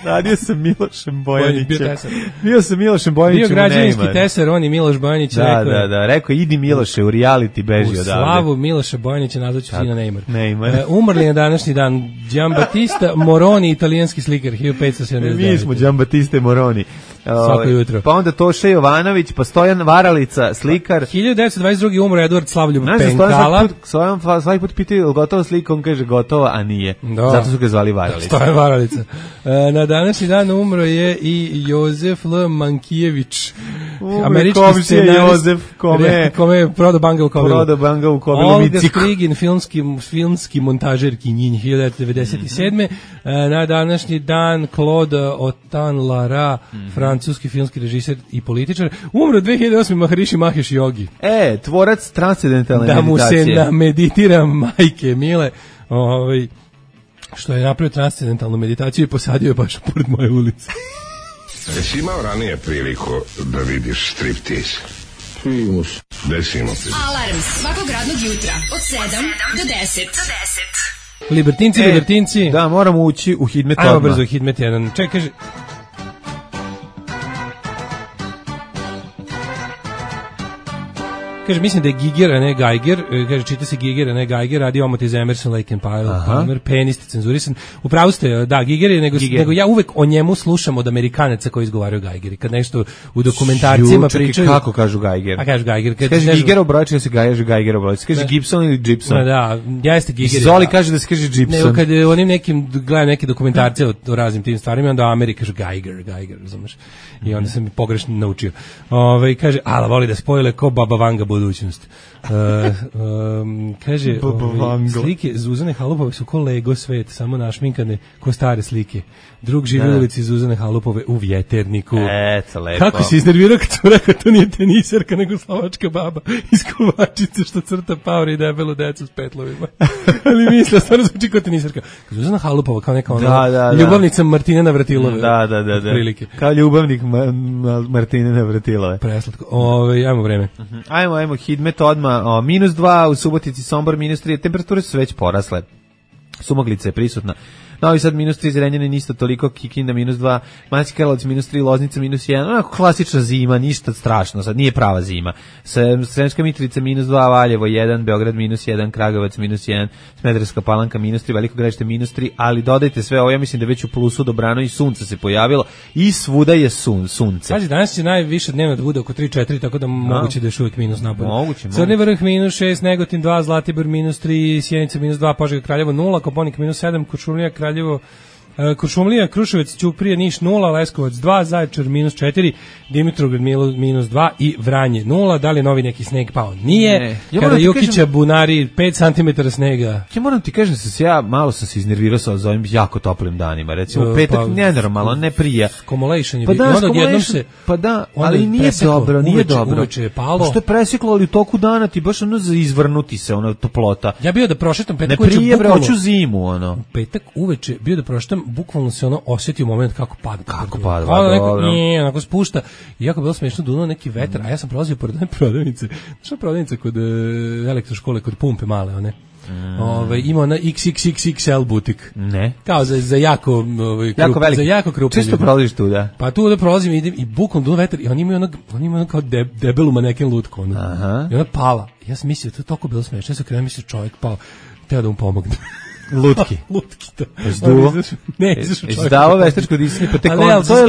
Radio sam Milošem Bojanićem. Bio sam Milošem Bojanićem u Neymaru. Bio građevinski tesar, on i Miloš Bojanić rekao. Da, rekao idi Miloše u reality, beži odavde. U slavu Miloša Bojanića nazvaću sina Neymar. Umrli na današnji dan Giambattista Moroni, italijanski slikar, 1579. Mi smo Giambattista Moroni. Svako jutro. Pa onda Toša Jovanović, pa Stojan Varalica, slikar. 1922. umro Eduard Slavljub Penkala. Svaki put pitaju gotova slika, on kaže gotova, a nije. Zato su ga zvali Varalica. Stojan Varalica. Na današnji dan umro je i Jozef L. Mankijević. Američki scenarist. Jozef, kome Prodo Banga u Kovilu. Olga Strigin, filmski montažer Kinjinj, 1997. Na današnji dan Claude Autant-Lara, francuski filmski režiser i političar. Umro 2008. Maharishi Mahesh Yogi. Tvorac transcendentalne meditacije. Da mu se nameditira majke mile, što je napravio transcendentalnu meditaciju i posadio je baš pored moje ulice. Jesi imao ranije priliku da vidiš striptease? Primus. Desimo se. Alarm svakog radnog jutra od 7 do 10. Libertinci. Da, moramo ući u Hidmet odmah. Ajmo brzo Hidmet jedan. Čekaj, kaže... Kaže, mislim da je Giger, a ne Geiger. Kaže, čita se Giger, a ne Geiger. Radi omot iz Emerson, Lake and Palmer. Penist, cenzurisan. Upravo ste, da, Giger je, nego ja uvek o njemu slušam od Amerikanaca koji izgovaraju Geigeri. Kad nešto u dokumentarcima pričaju... Kako kažu Geiger? A kažu Geiger. Kaže Giger obrojče, da se kaže Geiger obrojče. Kaže Gibson ili Gibson. Da, jeste Giger. Zoli kaže da se kaže Gibson. Nego kad onim nekim, gledam neke dokumentarce o raznim tim stvarima, onda u Ameriki kažu Geiger, razumeš? I onda sam pogrešno naučio. Kaže, ala voli da spojile ko Baba Vanga budućnost. Kaže, slike Zuzane Halupove su ko Lego svet, samo našminkane ko stare slike. Drug živi u ulici Zuzane Halupove u Vjeterniku. Lepo. Kako si iznervirao kad su rekao to nije tenisarka nego slovačka baba iz Kovačice što crta paure i debelu decu s petlovima. Ali misle, stvarno zvuči kao tenisarka. Zuzana Halupova kao neka ljubavnica Martine Navratilove. Da. Prilike. Kao ljubavnik Martine Navratilove. Preslatko. Ajmo vreme. Ajmo, Hidmet odmah. -2 u Subotici, Sombor -3. Temperature su već porasle. Sumaglica je prisutna. Novi Sad -3, Zrenjanin isto toliko, Kikinda -2, Banjski Karlovac -3, Loznica -1, onako klasična zima, ništa strašno, sad nije prava zima. Sremska Mitrovica -2, Valjevo 1, Beograd -1, Kragujevac -1, Smederevska Palanka -3, Veliko Gradište -3, ali dodajte sve ovo, ja mislim da već u plusu dobrano i sunce se pojavilo i svuda je sunce. Pazi, danas će najviše dnevno da bude oko 3-4, tako da moguće da je uvijek minus napad. Crni Vrh -6, Negotin 2, Zlatibor -3, Sjenica -2, Požega Kraljevo 0, Koponik -7, Kuršumlija Kraljevo, Kuršumlija, Kruševac, Ćuprija, Niš 0, Leskovac 2, Zaječar -4, Dimitrovgrad -2 i Vranje 0. Da li je novi neki sneg pao? Nije. Kada Jukića bunari 5 cm snega. Ja moram ti kažem da ja malo sam se iznervirao sa ovim jako toplim danima. Recimo petak nenormalno, ne prija. Stimulation je bio. Onda odjednom se... Pa da, ali nije dobro, nije dobro. Uveče je palo. Što je preseklo, ali u toku dana ti baš ono za izvrnuti se, ono toplota. Ja bio da prošetam petak uveče bukvalno. Ne prije, hoću zimu, ono. Petak uveče bio da prošetam, bukvalno se ono osjetio moment kako pada. Kako pada, onako spušta. I jako bilo smiješno, dunuo neki vetar, a ja sam prolazio pored one prodavnice. Što je prodavnica kod elektroškole, kod pumpe male, one? Ima ona XXXXL butik. Ne. Kao za jako za jako krupne. Čisto prolaziš tu, da. Pa tu da prolazim, idem i bukvalno dunuo vetar i oni imaju ono kao debelu maneken lutku. I ona pala. Ja sam mislio, to je toliko bilo smiješno. Ja sam krenuo mislio čovjek pao. Teo da mu pomogne. Lutki, to. Izduo? Ne, izašao čovjek. Izdavo veštačko disanje, pa tek on, to je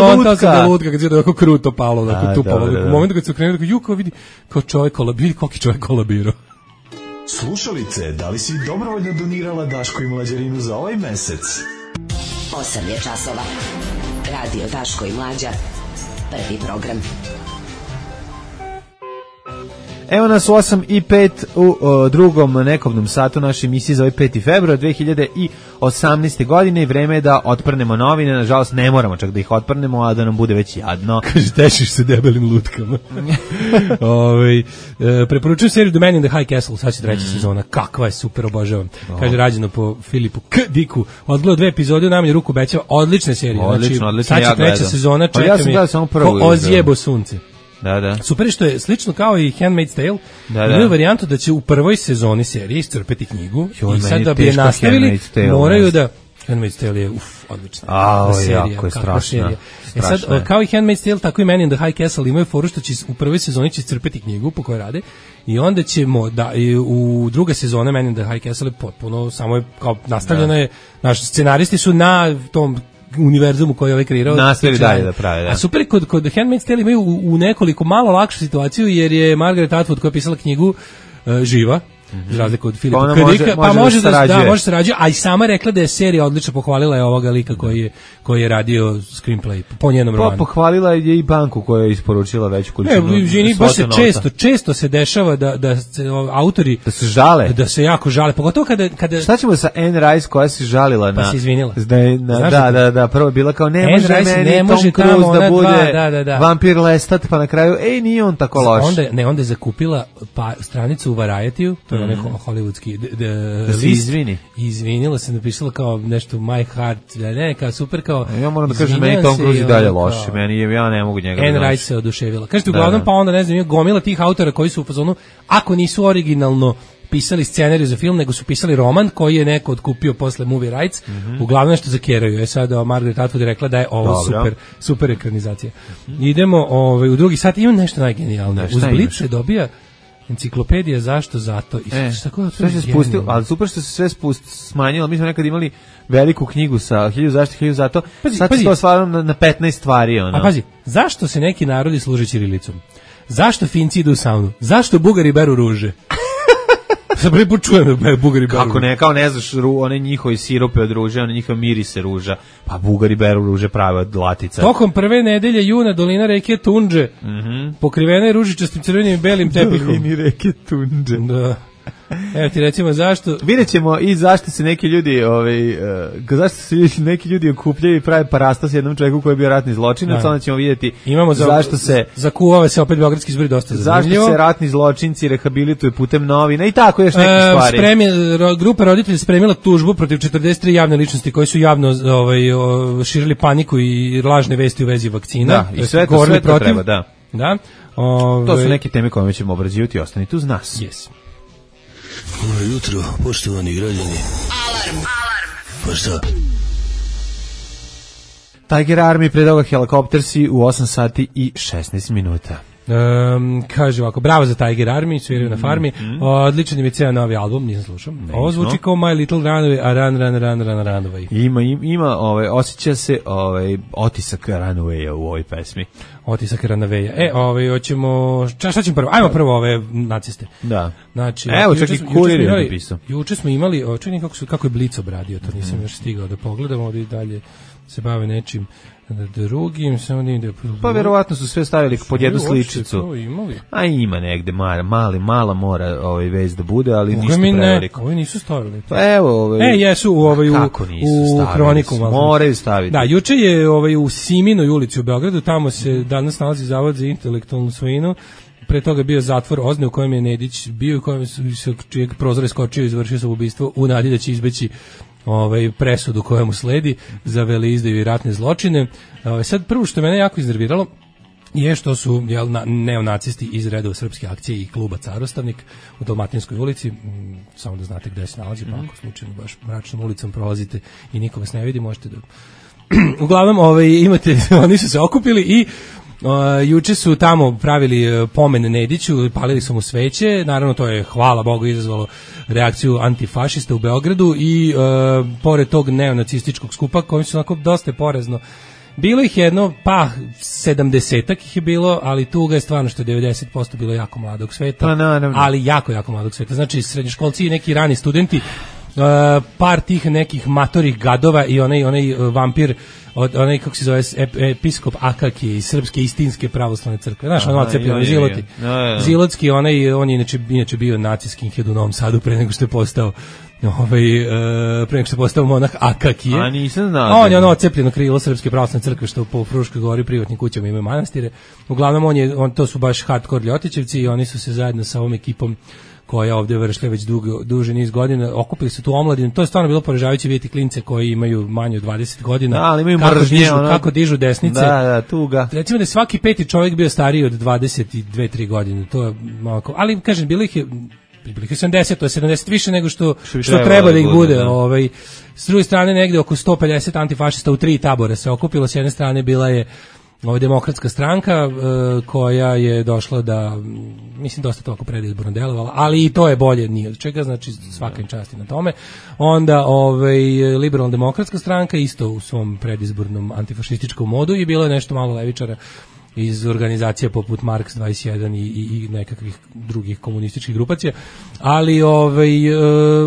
lutka. Kad je tako kruto palo, tu palo. U momentu kad se okrenuo, kao vidi, kao čovjek kolabirao, koliki čovjek kolabirao. Slušalice, da li si dobrovoljno donirala Daško i Mlađarinu za ovaj mesec? 8 je časova. Radio Daško i Mlađa. Prvi program. Evo nas u 8:05 u drugom nekobnom satu naše emisije za ovaj 5. februar 2018. godine i vreme je da otprnemo novine. Nažalost, ne moramo čak da ih otprnemo, a da nam bude već jadno. Kaže, tešiš se debelim lutkama. Preporučujem seriju The Man in the High Castle, sad će treća sezona. Kakva je, super, obožavam. Kaže, rađeno po Filipu K. Diku. Odgledao 2 epizode, u najmanju ruku obećava. Odlične serije. Odlično, sad će treća sezona, čeka ja sam samo prvu. Ko ozjebo sunce. Da. Super je što je slično kao i Handmaid's Tale. Imaju varijantu da će u prvoj sezoni serije iscrpeti knjigu i sad da bi je nastavili, moraju da... Handmaid's Tale je odlična serija. Jako je strašna. Sad, kao i Handmaid's Tale, tako i Man in the High Castle imaju foru što će u prvoj sezoni će iscrpeti knjigu po kojoj rade i onda ćemo u druga sezona Man in the High Castle je potpuno, samo je kao nastavljeno je, naši scenaristi su na tom univerzumu koji je ovaj kreirao. Nastavi dalje da pravi, da. A super, kod Handmaid's Tale imaju u nekoliko malo lakšu situaciju, jer je Margaret Atwood koja je pisala knjigu živa, za razliku od Filipa K. Dicka, pa može da sarađuje, a i sama rekla da je serija odlično, pohvalila je ovoga lika koji je radio screenplay po njenom romanu. Pohvalila je i banku koja je isporučila veću količinu. Baš se često se dešava da se autori da se žale, da se jako žale, pogotovo kada šta ćemo sa Anne Rice koja se žalila pa se izvinila. Da, prvo je bila kao ne može Tom Cruise da bude vampir Lestat, pa na kraju nije on tako loš. Onda je zakupila stranicu u Variety-u, to je onaj hollywoodski da se izvini. Izvinila se, napisala kao nešto My Heart, kao super, kao ja moram da kažem, meni Tom Cruise i dalje loš, ja ne mogu njega da Anne Rice se oduševila. Kažete, uglavnom, pa onda ne znam, ima gomila tih autora koji su u fazonu, ako nisu originalno pisali scenariju za film, nego su pisali roman koji je neko otkupio posle movie rights, uglavnom nešto zakeraju. Sad Margaret Atwood je rekla da je ovo super ekranizacija. Idemo u drugi sat, ima nešto najgenijalnije. Uz Blitz se dobija enciklopedija zašto zato i sve se spustilo, ali super što se sve smanjilo. Mi smo nekad imali veliku knjigu sa 1000 zašto 1000 zato, sad se to stvarno na 15 stvari. A pazi, zašto se neki narodi služe ćirilicom? Zašto Finci idu u saunu? Zašto Bugari beru ruže? Sad prvi put čujem da Bugari beru. Kako ne, kao ne znaš one njihovi sirope od ruže, one njihove mirise ruža, pa Bugari beru ruže prave od latica. Tokom prve nedelje juna dolina reke Tundže pokrivena je ružičastim crvenim i belim tepihom. Dolini reke Tundže. Da. Evo ti recimo zašto. Vidjet ćemo i zašto se neki ljudi okupljaju i prave parasta s jednom čovjeku koji je bio ratni zločinac, onda ćemo vidjeti zašto se zakuvava se opet beogradski izbori dosta zanimljivo. Zašto se ratni zločinci rehabilituju putem novina i tako još neke stvari. Grupa roditelja spremila tužbu protiv 43 javne ličnosti koji su javno širili paniku i lažne vesti u vezi vakcina. Da, i sve to treba, da. To su neke teme koje ćemo obrađivati, ostanite uz nas. Yes. Dobro jutro, poštovani građani. Alarm. Pa šta? Tiger Army, pre toga Helikoptersi u 8 sati i 16 minuta. Kaže ovako, bravo za Tiger Army, sviraju na farmi. Odličan im je cijel novi album, nisam slušao. Ovo zvuči kao My Little Runaway, a Run Away. Ima osjeća se otisak Runawaya u ovoj pesmi. Otisak Runawaya. Hoćemo, šta ćemo prvo? Ajmo prvo ove naciste. Da. Znači, evo, čak i Kurir je napisao. Juče smo imali, čekaj kako je Blic obradio, to nisam još stigao da pogledam, ovdje dalje se bave nečim drugim, samo da pa verovatno su sve stavili pod jednu sličicu. A ima negde mala mora vez da bude, ali ništa preveliko. Ovi nisu stavili. Pa evo, jesu u Hroniku. Moraju staviti. Da, juče je u Siminoj ulici u Beogradu, tamo se danas nalazi Zavod za intelektualnu svojinu. Pre toga je bio zatvor Ozne u kojem je Nedić bio, u kojem se čijeg prozor iskočio i izvršio samoubistvo u nadi da će izbeći presudu koja mu sledi za veleizdaju i ratne zločine. Sad prvo što mene jako iznerviralo je što su neonacisti iz redova Srpske akcije i kluba Carostavnik u Dalmatinskoj ulici, samo da znate gde se nalazi, pa ako slučajno baš mračnom ulicom prolazite i niko vas ne vidi, možete da... Uglavnom, imate, oni su se okupili i juče su tamo pravili pomen Nediću, palili su mu sveće, naravno to je, hvala Bogu, izazvalo reakciju antifašista u Beogradu i pored tog neonacističkog skupa koji su onako dosta porazno. Bilo ih jedno, 70-ak ih je bilo, ali tuga je stvarno što je 90% bilo jako mladog sveta, ali jako mladog sveta. Znači, srednjoškolci i neki rani studenti par tih nekih matorih gadova i onaj vampir onaj, kako se zove, episkop Akakije iz Srpske istinske pravoslavne crkve. Znaš, ono ocepljeno, Ziloti. Zilotski, on je inače bio nacijski skinhead u Novom Sadu pre nego što je postao pre nego što je postao monah Akakije. A nisam znao. On je ono ocepljeno krilo Srpske pravoslavne crkve što po Fruškoj gori privatnim kućama imaju manastire. Uglavnom, to su baš hardcore ljotićevci i oni su se zajedno sa ovom ekipom koja ovdje vršlja već duže niz godina, okupili su tu omladinu. To je stvarno bilo poražavajuće vidjeti klince koji imaju manje od 20 godina. Da, ali imaju mržnje, kako dižu desnice. Da, tuga. Recimo da je svaki peti čovjek bio stariji od 22-3 godine. To je malo, ali kažem, bilo ih je 70, to je 70 više nego što treba da ih bude. S druge strane, negde oko 150 antifašista u 3 tabora se okupilo. S jedne strane bila je Demokratska stranka koja je došla da, mislim, dosta toliko predizborno delovala, ali i to je bolje nije od čega, znači svaka im časti na tome. Onda Liberalno demokratska stranka isto u svom predizbornom antifašističkom modu i bilo je nešto malo levičara iz organizacija poput Marks 21 i nekakvih drugih komunističkih grupacija, ali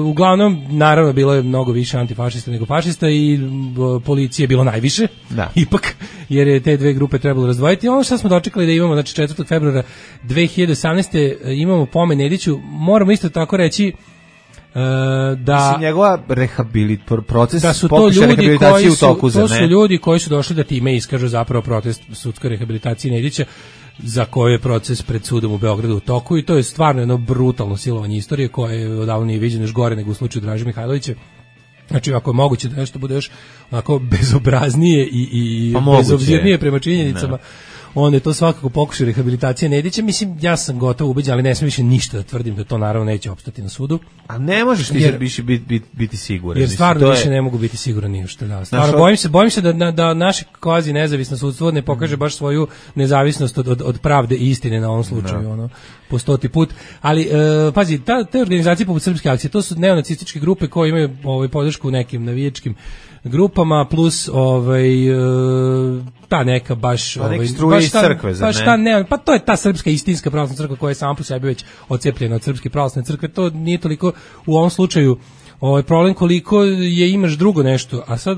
uglavnom naravno bilo je mnogo više antifašista nego fašista i policije je bilo najviše, ipak, jer je te dve grupe trebalo razdvojiti. Ono što smo dočekali da imamo, znači 4. februara 2018. imamo pomen Nediću, moramo isto tako reći da mislim, njegova proces da su to ljudi koji su ljudi koji su došli da time iskažu zapravo protest sudskoj rehabilitaciji Nedića, za koje je proces pred sudom u Beogradu u toku, i to je stvarno jedno brutalno silovanje istorije koje je odavno nije viđeno, još gore nego u slučaju Draže Mihajlovića. Znači, ako je moguće da nešto bude još onako bezobraznije i bezobzirnije prema činjenicama, onda je to svakako pokušaj rehabilitacije Nedića. Mislim, ja sam gotovo ubeđen, ali ne smijem više ništa da tvrdim da to naravno neće opstati na sudu. A ne možeš ti biti siguran. Jer stvarno više ne mogu biti siguran ni u što. Da. Stvarno, bojim se da naše kvazi nezavisno sudstvo ne pokaže baš svoju nezavisnost od pravde i istine na ovom slučaju, po 100. put. Ali, pazi, te organizacije poput Srpske akcije, to su neonacističke grupe koje imaju podršku u nekim navijačkim grupama, plus ta neka baš struje iz crkve, zar ne? Pa to je ta Srpska istinska pravoslavna crkva koja je sama po sebi već odcepljena od Srpske pravoslavne crkve. To nije toliko u ovom slučaju problem koliko je imaš drugo nešto. A sad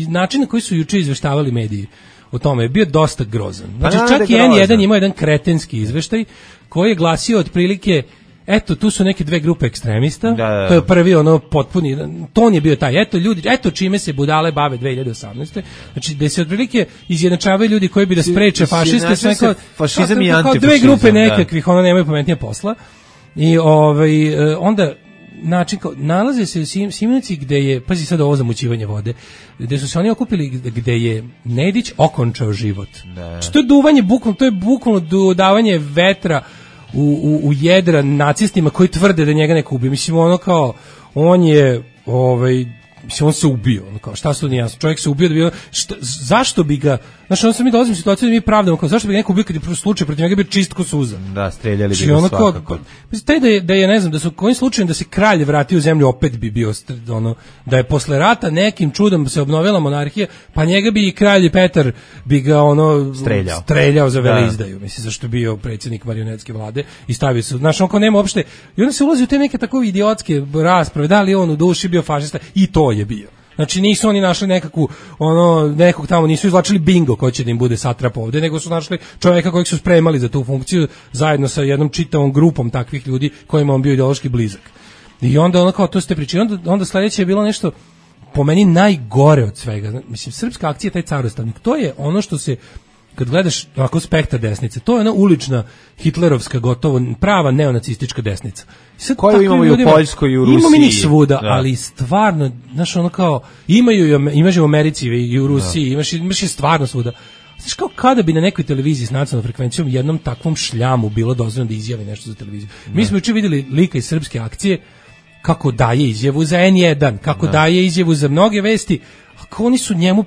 način na koji su juče izveštavali mediji o tome je bio dosta grozan. Znači čak i N1 imao jedan kretenski izveštaj koji je glasio otprilike: eto, tu su neke dve grupe ekstremista, to je prvi potpuni, ton je bio taj, eto čime se budale bave 2018. Znači, da se otprilike izjednačavaju ljudi koji bi da spreče fašiste, fašizam i antifašizam. Dve grupe nekakvih, nemaju pametnije posla. I onda način, nalaze se u Simenici gde je, pazi sad ovo zamućivanje vode, gde su se oni okupili, gde je Nedić okončao život. Znači, to je duvanje, to je bukvalno dodavanje vetra u jedra nacistima koji tvrde da njega neko ubio. Mislim, on je mislim, on se ubio, šta su nijasno, čovjek se ubio da bi, zašto bi ga, znači, onda mi dolazimo u situaciju da mi pravdamo, zašto bi ga neko ubio kad je slučaj protiv njega bio čist ko suza. Da, streljali bi ga svakako. Taj da je, ne znam, da su kojim slučajem da se kralj vratio u zemlju, opet bi bio, da je posle rata nekim čudom se obnovila monarhija, pa njega bi i kralj Petar bi ga streljao za veleizdaju, mislim, zašto je bio predsjednik marionetske vlade i stavio se, znači, nema uopšte, i onda se ulazi u te neke tako idiotske rasprave, da li on u duši bio fašista, i to je bio. Znači, nisu oni našli nekog tamo, nisu izvlačili bingo ko će da im bude satrap ovde, nego su našli čovjeka kojeg su spremali za tu funkciju zajedno sa jednom čitavom grupom takvih ljudi kojima on bio ideološki blizak. I onda to ste pričali, onda sledeće je bilo nešto po meni najgore od svega. Mislim, Srpska akcija, taj carostavnik, to je ono što se, kad gledaš ovako spektar desnice, to je ona ulična hitlerovska, gotovo prava neonacistička desnica. Koju imamo i u Poljskoj i u Rusiji. Imamo mi svuda, ali stvarno, znaš, imaš u Americi i u Rusiji, imaš i stvarno svuda. Znaš, kao kada bi na nekoj televiziji s nacionalnom frekvencijom jednom takvom šljamu bilo dozvoljeno da izjavi nešto za televiziju. Mi smo juče vidjeli lika iz Srpske akcije kako daje izjavu za N1, kako daje izjavu za mnoge vesti, kako oni su njemu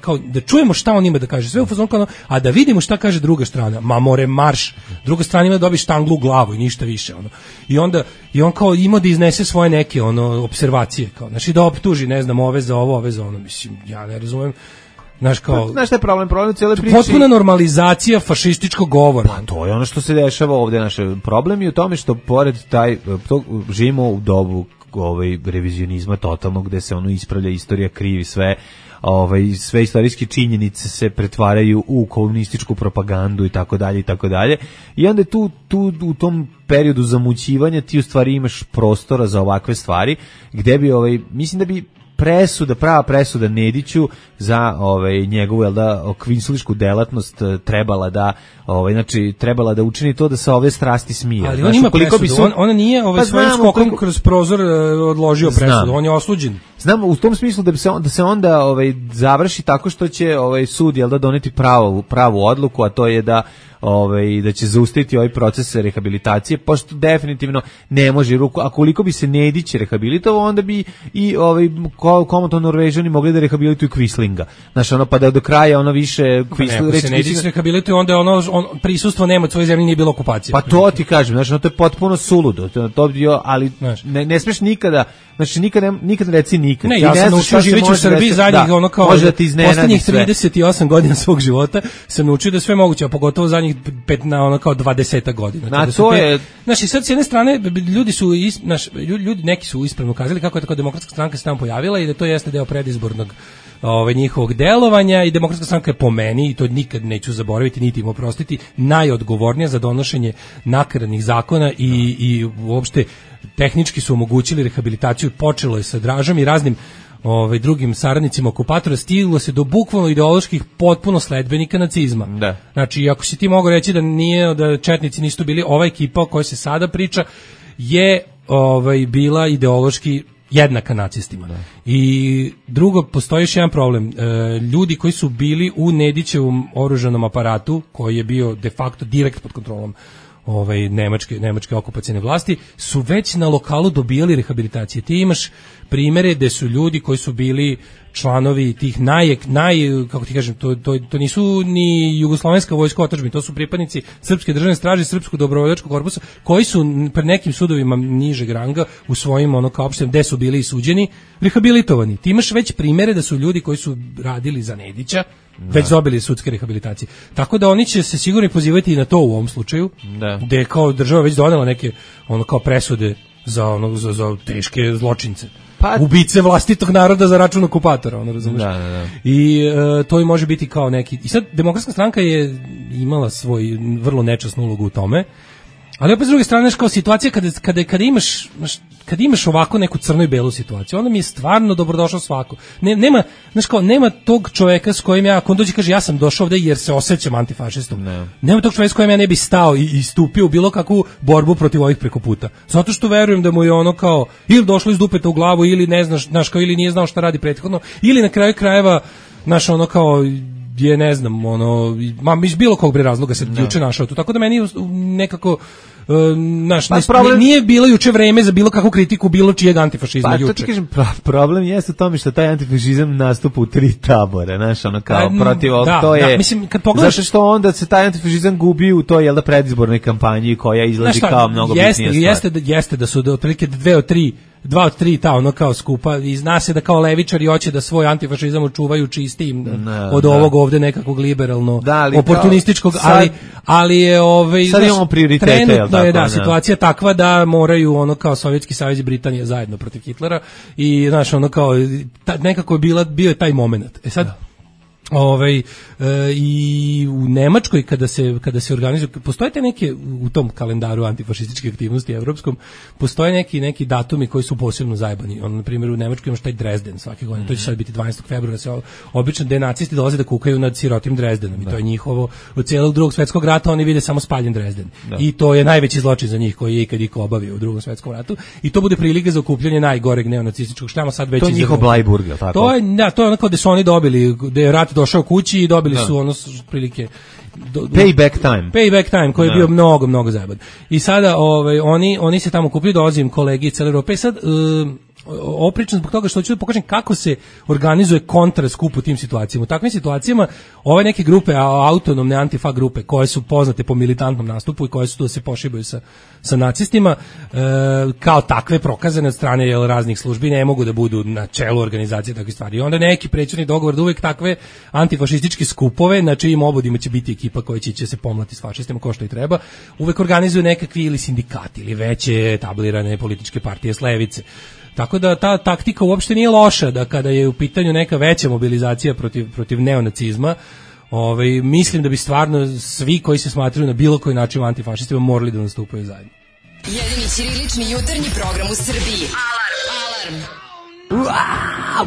kao da čujemo šta on ima da kaže, sve u fazonu kao, a da vidimo šta kaže druga strana, marš, druga strana ima da dobi štanglu u glavu i ništa više, i on kao ima da iznese svoje neke opservacije, kao, znači da optuži, ne znam, ove za ovo, ove za ono, mislim, ja ne razumem. Znaš šta je problem u cijeloj priči? Potpuna normalizacija fašističkog govora. Pa to je ono što se dešava ovdje. Naš problem je u tome što pored živimo u dobu revizionizma totalnog, gde se ono ispravlja istorija, krivi sve, sve istorijske činjenice se pretvaraju u komunističku propagandu i tako dalje i tako dalje. I onda tu u tom periodu zamućivanja ti u stvari imaš prostora za ovakve stvari, gde bi mislim da bi prava presuda Nediću za njegovu kvinsulišku delatnost trebala da učini to da se ove strasti smije. Ali on ima presudu, ona nije svojim skokom kroz prozor odložio presudu, on je osuđen. Znam, u tom smislu da se onda završi tako što će sud doneti pravu odluku, a to je da će zaustaviti ovaj proces rehabilitacije, pošto definitivno ne može ruku, a koliko bi se Nedić rehabilitovao, onda bi i komoto Norvežani mogli da rehabilituju Quislinga. Znaš, pa da do kraja više Quisling... Ako se Nedić rehabilituje, onda prisustvo nema od svoje zemlje, nije bilo okupacije. Pa to ti kažem, znači, to je potpuno suludo, ali ne smeš nikada, znači nikada reci nikad. Ne, ja sam naučio živeći u Srbiji zadnjih, poslednjih 38 godina svog života, sam naučio da sve moguće, a pogotovo zadnjih 20 godina. Znači, sad s jedne strane, ljudi neki su ispravno kazali kako je tako Demokratska stranka se tamo pojavila i da to jeste deo predizbornog njihovog delovanja i Demokratska stranka je po meni, i to nikad neću zaboraviti niti im oprostiti, najodgovornija za donošenje nakaradnih zakona i uopšte tehnički su omogućili rehabilitaciju. Počelo je sa Dražom i raznim drugim saradnicima okupatora, stiglo se do bukvalno ideoloških potpuno sledbenika nacizma. Da. Znači, ako si ti mogu reći da četnici nisu bili, ova ekipa o kojoj se sada priča je bila ideološki jednaka nacistima. Da. I drugo, postoji još jedan problem. Ljudi koji su bili u Nedićevom oružanom aparatu, koji je bio de facto direkt pod kontrolom nemačke okupacione vlasti, su već na lokalu dobijali rehabilitacije. Ti imaš primere gde su ljudi koji su bili članovi tih kako ti kažem, to nisu ni jugoslovenska vojska otadžbine, to su pripadnici Srpske državne straže, Srpskog dobrovoljačkog korpusa, koji su pred nekim sudovima nižeg ranga u svojim opštinama gde su bili suđeni, rehabilitovani. Ti imaš već primere da su ljudi koji su radili za Nedića već dobili sudske rehabilitacije. Tako da oni će se sigurno pozivati i na to u ovom slučaju, gde je kao država već donela neke presude za teške zločince. Ubice vlastitog naroda za račun okupatora, razumiješ? Da. I to i može biti kao neki... I sad, Demokratska stranka je imala svoj vrlo nečasnu ulogu u tome, ali opet s druge strane, kao situacija kad imaš ovako neku crno i belu situaciju, onda mi je stvarno dobrodošao svako. Nema tog čoveka s kojim ako on dođe kaže ja sam došao ovde jer se osjećam antifašistom. Nema tog čoveka s kojim ja ne bi stao i stupio u bilo kakvu borbu protiv ovih preko puta. Zato što verujem da mu je ili došlo iz dupeta u glavu ili ne znaš, ili nije znao šta radi prethodno, ili na kraju krajeva je ne znam, iz bilo kog razloga se juče našao tu. Tako da meni nekako nije bilo juče vreme za bilo kakvu kritiku bilo čijeg antifašizma juče. Pa to ti kažem, problem jeste u tome što taj antifašizam nastupa u 3 tabora, protiv ovog, to je... Mislim, kad pogledaš... Zato što onda se taj antifašizam gubi u toj, predizbornoj kampanji koja izlazi kao mnogo bitnija stvar. Jeste da su otprilike 2 od 3 skupa i zna se da kao levičari hoće da svoj antifašizam očuvaju čistijim od ovog ovde nekakvog liberalno oportunističkog, ali je sad imamo prioritete, trenutno je situacija takva da moraju kao Sovjetski savez i Britanija zajedno protiv Hitlera i nekako je bio je taj moment. Sad i u Nemačkoj kada se organizuju, postoje te neke u tom kalendaru antifašističke aktivnosti evropskom, postoje neki datumi koji su posebno zajebani. Na primjer u Nemačkoj imaš taj Dresden svake godine, to će sad biti 12. februara, obično denacisti dolaze da kukaju nad sirotim Dresdenom i to je njihovo, od cijelog drugog svjetskog rata oni vide samo spaljen Dresden i to je najveći zločin za njih koji je ikad iko obavio u drugom svjetskom ratu i to bude prilika za okupljanje najgoreg neonacističkog štama sad već. To je njihov Blajburg, tako? To je onako gde su oni dobili, gde je rat došao kući i dobili su prilike Payback time koji je bio mnogo zajeban. I sada oni se tamo kupili, dolazim kolegi iz cele Europe i sad opričan zbog toga što hoću da pokažem kako se organizuje kontraskup u tim situacijama. U takvim situacijama ove neke grupe, autonomne antifa grupe koje su poznate po militantnom nastupu i koje su tu da se pošibaju sa nacistima, kao takve prokazane od strane raznih službi ne mogu da budu na čelu organizacije takve stvari. I onda neki prećeni dogovor da uvek takve antifašističke skupove, na čijim obodima će biti ekipa koja će se pomlati s fašistima kao što i treba, uvek organizuju nekakvi ili sindikati ili veće etablirane političke partije s levice. Tako da ta taktika uopšte nije loša, da kada je u pitanju neka veća mobilizacija protiv neonacizma, mislim da bi stvarno svi koji se smatraju na bilo koji način antifašistima morali da nastupaju zajedno. Jedini ćirilični jutarnji program u Srbiji. Alarm!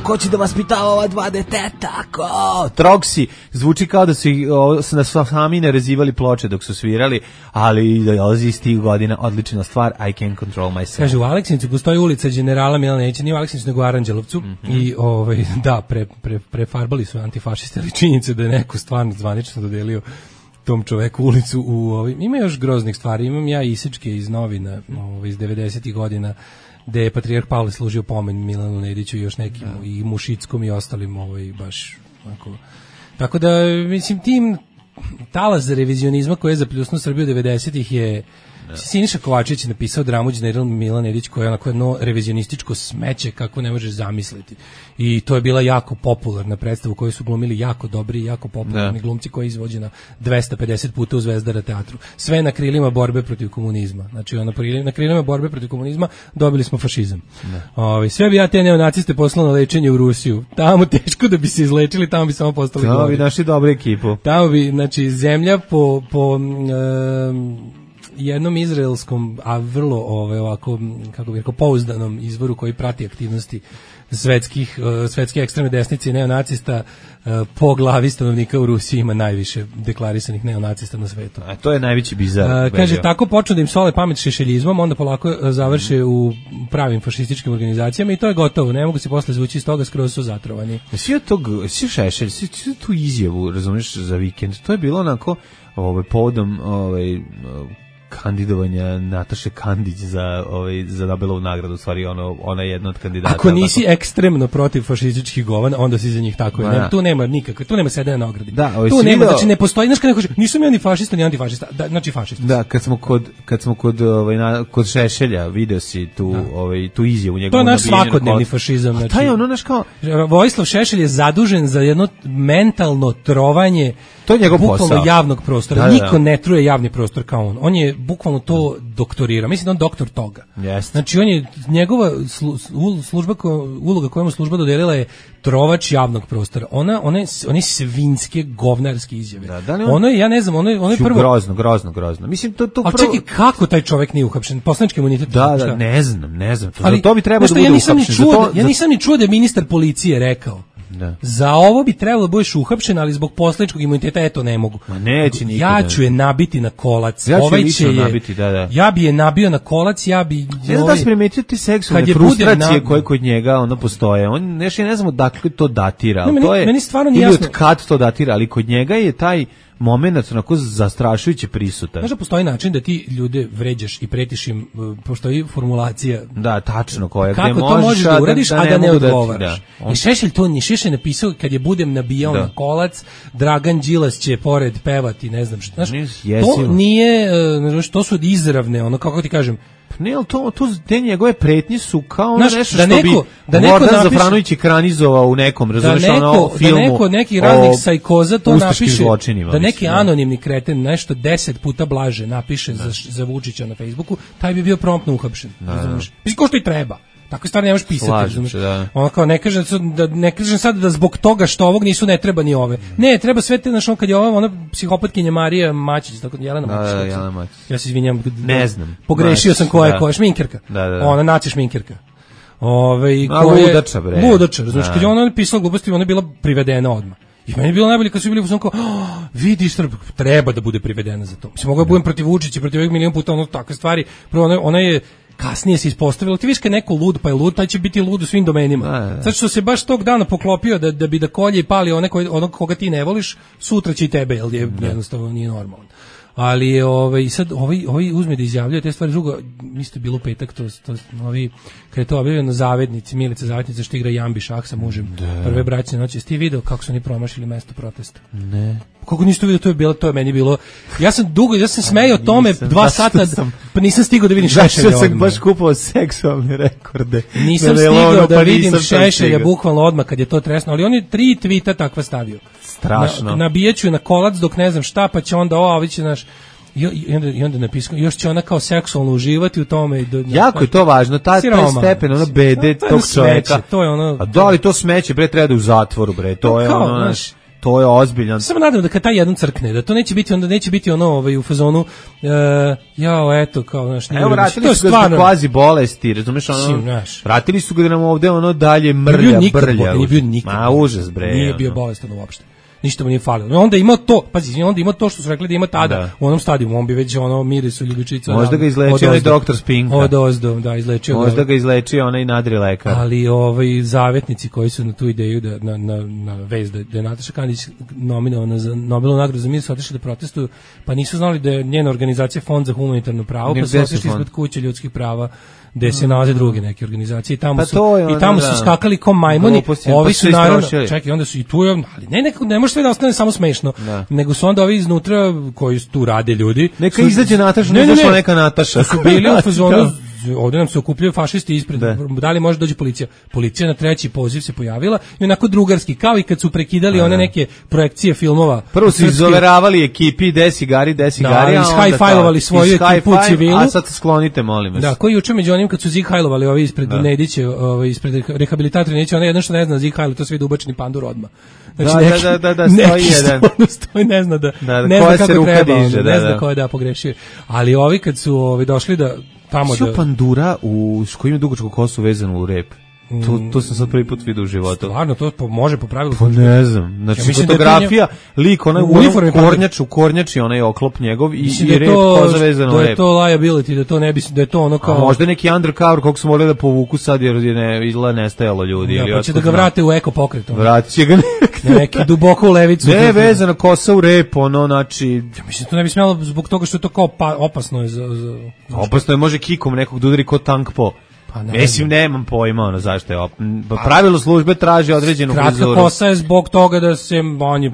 Ko će da vaspitava ova dva deteta? Troksi, zvuči kao da su sami narezivali ploče dok su svirali, ali dolazi iz tih godina, odlična stvar, I can control myself. Kaže, u Aleksinicu postoji ulica Generala Milana Nedića, nije u Aleksinicu, nego u Aranđelovcu, i da, prefarbali su antifašisti, ali činjenica da je neko stvarno zvanično dodelio tom čoveku ulicu ima još groznih stvari, imam ja isečke iz novina iz 90-ih godina gde je patrijarh Pavle služio pomen Milanu Nediću i još nekim i Mušickom i ostalim baš onako. Tako da mislim tim talas za revizionizma koji je zapljusnuo Srbiju 90-ih je Siniša Kovačević je napisao dramu General Milan Nedić koja je onako jedno revizionističko smeće kako ne možeš zamisliti. I to je bila jako popularna predstava u kojoj su glumili jako dobri i jako popularni glumci koji je izvođena 250 puta u Zvezdara teatru. Sve na krilima borbe protiv komunizma. Znači na krilima borbe protiv komunizma dobili smo fašizam. Sve bi ja te neonaciste poslao na lečenje u Rusiju. Tamo teško da bi se izlečili, tamo bi samo postali gori. Tamo bi našli dobru ekipu. Tamo bi, znači, zemlja po jednom izraelskom, a vrlo ovako, kako bih rekao, pouzdanom izvoru koji prati aktivnosti svetske ekstremne desnice i neonacista, po glavi stanovnika u Rusiji ima najviše deklarisanih neonacista na svetu. A to je najveći bizar. Kaže, tako počnu da im sole pamet šešeljizmom, onda polako završe u pravim fašističkim organizacijama i to je gotovo, ne mogu se posle zvući iz toga, skroz su zatrovani. Svi Šešelj, svi tu izjavu, razumiješ, za vikend, to je bilo onako povodom kandidovanja Nataše Kandić za Nobelovu nagradu, u stvari ona je jedna od kandidata. Ako nisi ekstremno protiv fašističkih govana, onda si za njih tako. Tu nema nikakve, tu nema sedenja na ogradi. Tu nema, znači ne postoji, znaš kada neko kaže, nisam ja ni fašista, ni antifašista, znači fašista. Da, kad smo kod Šešelja, video si tu izjavu njegovu. To je naš svakodnevni fašizam. Znači, taj naš kao Vojislav Šešelj je zadužen za jedno mentalno trovanje. To je njegov posao. Javnog prostora. Niko ne truje javni prostor kao on. On je bukvalno to doktorirao. Mislim da on doktor toga. Znači on je, njegova uloga koju mu služba dodelila je trovač javnog prostora. One svinjske govnarske izjave. Ono je, ja ne znam, ono je prvo... Grozno. Mislim, to prvo... Ali čekaj, kako taj čovjek nije uhapšen? Poslanički imunitet? Da, ne znam. Ali, to bi trebalo da bude uhapšen. Ja nisam ni čuo da je ministar policije rekao. Za ovo bi trebalo da budeš uhapšen, ali zbog poslaničkog imuniteta eto ne mogu. Ja ću je nabiti na kolac. Ja bi je nabio na kolac, ja bi... Ne znam da si primetio ti seksualne frustracije koje kod njega postoje. Ja ne znam odakle to datira. Meni stvarno nije jasno. Ili od kad to datira, ali kod njega je taj momenat onako zastrašujuće prisutan. Znaš da postoji način da ti ljude vređaš i pretiš im, postoji formulacija. Da, tačno koja. Kako to možeš da uradiš, a da ne odgovaraš. I Šešelj napisao kad je budem nabijao na kolac, Dragan Đilas će pored pevati, ne znam što. To nije, to su izravne, kako ti kažem, ne, ali te njegove pretnje su kao nešto što bi Gordan Zafranović ekranizovao u nekom, razumiješ, filmu. Da neko neki raznih sajkoza to napiše, da neki anonimni kreten nešto 10 puta blaže napiše za Vučića na Facebooku, taj bi bio promptno uhapšen, razumiješ. Mislim, ko što i treba. Tako stvari nemaš pisati, razumiješ. Ono kao, ne kažem sad da zbog toga što ovog nisu, ne treba ni ove. Ne, treba sve te, znaš, kad je ona psihopatkinja Marija Mačić, tako Jelena Mačić. Ja se izvinjam. Ne znam. Pogrešio sam koja je šminkerka. Ona naci šminkerka. Ludača, bre. Ludača, razumiješ. Kad je ona pisala gluposti, ona je bila privedena odmah. I meni je bilo najbolje kad su bili u kao, vidiš, treba da bude privedena za to. Mislim, mogu da budem protiv Vučića, protiv ovih milion puta, takve stvari. Prvo, ona je kasnije se ispostavilo, ti viš kad neko lud pa je lud, taj će biti lud u svim domenima. Sad što se baš tog dana poklopio da bi da kolje i pali onog koga ti ne voliš, sutra će i tebe, jer je jednostavno nije normalno. Ali sad ovaj uzme da izjavljuje te stvari. Drugo, isto bilo u petak, kad je to objavljeno, Zavednici, Milica Zavetnica što igra Jambi šah sa mužem prve bračne noći. Jesi ti video kako su oni promašili mesto protesta? Ne. Kako niste vidio, to je meni bilo. Ja sam smejao o tome 2 sata, pa nisam stigao da vidim Šešelja. Zašto sam baš kupovao seksualne rekorde? Nisam stigao da vidim Šešelja bukvalno odmah kad je to tresno, ali on je 3 tvita takva stavio. Strašno. Nabijaću na kolac dok ne znam šta, pa će onda ovi će naš... I onda napisao, još će ona kao seksualno uživati u tome. Jako je to važno, taj stepen, ono bede tog čoveka. To je ono... A da li to smeće, bre, treba da u zatvoru, bre, to je ono, znaš, to je ozbiljan. Samo nadam da kad taj jednom crkne, da to neće biti ono u fazonu, eto, kao, znaš, evo, vratili su ga zbog kvazi bolesti, razumeš, ono, vratili su ga da nam ovde, ono, dalje brlja. Nije bio nikad. Ma, užas, bre. Nije bio bolestan uopšte. Ništa mu nije falilo. Onda ima to, pazi, onda ima to što su rekli da ima tada u onom stadijumu, on bi već ono mirisu ljubičica. Možda ga izlečio onaj doktor Spinka. Da, izlečio. Možda ga izlečio onaj nadri lekar. Ali zavetnici koji su na tu ideju da na vez da je Nataša Kandić nominovana za Nobelovu nagradu za mir su otišli da protestuju, pa nisu znali da je njena organizacija Fond za humanitarno pravo, pa su otišli ispred kuće ljudskih prava gde se nalaze druge neke organizacije i tamo su skakali kao majmuni. Ovi su naravno, čekaj, onda su i tu, ali ne može sve da ostane samo smešno, nego su onda ovi iznutra koji tu rade ljudi. Neka izađe Nataša, ne došla neka Nataša. Su bili u fazonu, ovdje nam se okupljaju fašisti ispred, da li može doći policija? Policija na treći poziv se pojavila i onako drugarski, kao i kad su prekidali one neke projekcije filmova. Prvo su izoveravali ekipi, desigari, ishajfajlovali svoju ekipu u civilu. A sad sklonite, molim vas. Da, koji juče među onim kad su zihajlovali ovi ispred Nediće, ispred rehabilitatora Nediće, ona jedno što ne zna zihajlo, to sve ubačeni pandur odmah. Znači, da, stoji jedan. Stoji, ne zna koja se ruka diže. Ne zna ko je pogrešio. Ali ovi kad su došli da tamo da... pandura koji ima dugačku kosu vezanu u rep. To sam sad prvi put vidio u životu. Stvarno, to može po pravilu. Pa ne znam. Znači, fotografija, lik, onaj u kornjači, onaj oklop njegov i rep koza vezana u rep. Da je to liability, da je to ono kao... A možda neki undercover kog su morali da povuku sad jer je izgleda nestajalo ljudi. Da, pa će da ga vrate u eko pokret. Vratit će ga neki duboko u levicu. Ne, vezana kosa u rep, ono, znači... Ja mislim, to ne bi smjelo zbog toga što je to kao opasno je za... Opasno je, može kikom nekog da udari ko tank po... Mislim, nemam pojma, ono, zašto je pravilo službe traži određenu frizuru. Kratka kosa je zbog toga da se oni,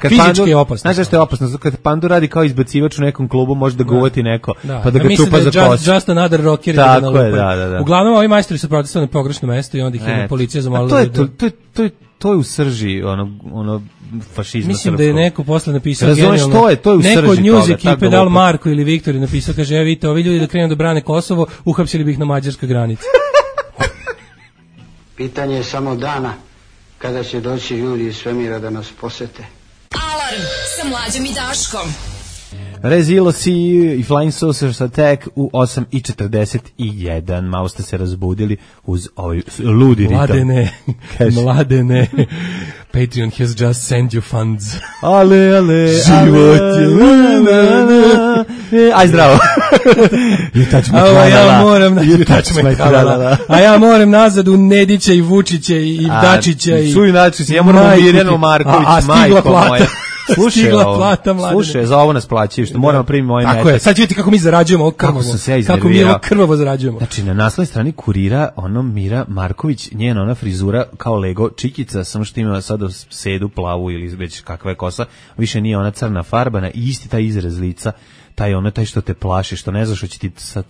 fizički je opasno. Znaš zašto je opasno? Kad pandu radi kao izbacivač u nekom klubu, može da ga uvati neko, pa da ga čupa za kosu. Just another rocker. Tako je, da. Uglavnom, ovi majstori su protestovali na pogrešno mesto i onda ih je policija zamolila. To je u srži, ono, fašizma. Mislim da je neko posle napisao razumeš, to je u srži. Neko od news ekipe, da li Marko ili Viktor je napisao, kaže, vidite, ovi ljudi da krenu da brane Kosovo, uhapsili bi ih na mađarskoj granici. Pitanje je samo dana kada će doći ljudi iz svemira da nas posete. Alarm sa Mlađom i Daškom. Rezilosi i Flying Saucers Attack u 8:41. Malo ste se razbudili uz ovaj ludi ritam. Mladene. Patreon has just sent you funds. Ale. Život je. Aj zdravo. A ja moram nazad u Nedića i Vučića i Dačića i... Ja moram u Mirjanu Marković, majko moja. Slušaj, za ovo nas plaćaju, što moramo primiti ovaj metak. Tako je, sad ću vidjeti kako mi zarađujemo ovo krvavo. Kako mi ovo krvavo zarađujemo. Znači, na naslovnoj strani Kurira, Mira Marković, njena ona frizura kao Lego čikica, samo što ima sada sedu plavu ili već kakva je kosa, više nije ona crna farbana i isti taj izraz lica, taj što te plaši, što ne znaš što će ti sad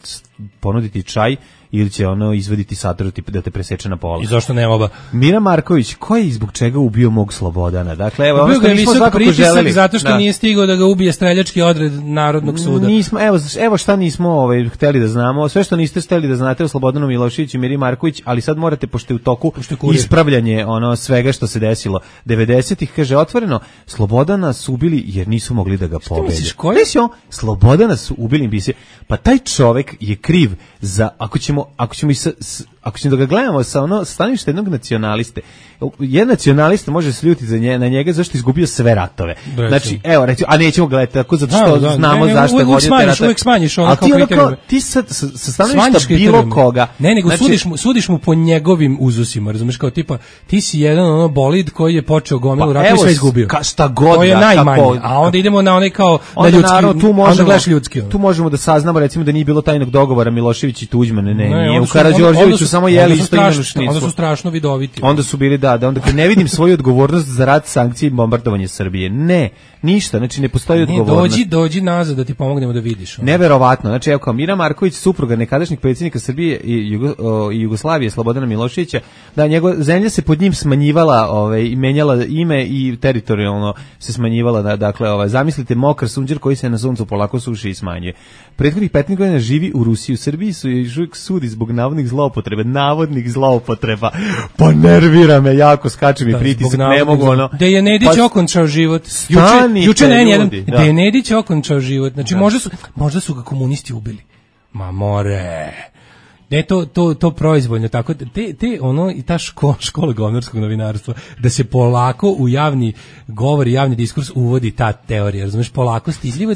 ponuditi čaj ili će izvaditi satru da te preseče na pola. I zašto ne oba? Mira Marković, ko je i zbog čega ubio mog Slobodana? Dakle, evo, ono što nismo svakako želeli. Zato što nije stigao da ga ubije streljački odred Narodnog suda. Nismo, evo šta nismo hteli da znamo. Sve što niste hteli da znate o Slobodanu Miloševiću i Miri Marković, ali sad morate, pošto je u toku ispravljanje svega što se desilo. 90-ih, kaže, otvoreno, Slobodana su ubili jer nisu mogli da ga pobede. Slobodana su ubili, pa taj čovek je kriv za, ako ćemo da ga gledamo sa stanovišta jednog nacionaliste, jedan nacionalista može se ljutiti na njega zašto je izgubio sve ratove. Znači, evo, a nećemo gledati tako zato što znamo zašto je vodio te ratove. Uvijek smanjiš ono kao kriterijum. Ti sa stanovišta bilo koga. Ne, nego sudiš mu po njegovim uzusima, razumiješ, kao tipa, ti si jedan bolid koji je počeo gomilu rata i sve izgubio. Šta god. To je najmanje, a onda idemo na onaj kao na ljudski, onda gledaš ljudski. Tu možemo da saznamo, recimo, da nije bilo tajnog dogovora Milošević i Tuđman, nije u Karađorđeviću samo jeli isto imenu šniclu. Onda su strašno vidoviti. Onda su bili, onda kad ne vidim svoju odgovornost za rat, sankcije i bombardovanje Srbije. Ne, ništa, znači ne postoji odgovornost. Dođi nazad da ti pomognemo da vidiš. Neverovatno, znači evo kao Mira Marković, supruga nekadašnjeg predsjednika Srbije i Jugoslavije, Slobodana Miloševića, da njegova zemlja se pod njim smanjivala, i menjala ime i teritorijalno se smanjivala, dakle, zamislite mokar sunđer koji se na suncu polako suši i smanjuje. Prethodnih 15 godina živi u Rusiji, u Srbiji su još uvijek sudi zbog navodnih zloupotreba. Pa nervira me, jako skače mi pritisak, ne mogu ono. Da je Nedić okončao život. Juče da je Nedić okončao život. Znači možda su ga komunisti ubili. Ma more. Ne, to proizvoljno, tako i ta škola govnarskog novinarstva, da se polako u javni govor i javni diskurs uvodi ta teorija, razumeš, polako stidljivo,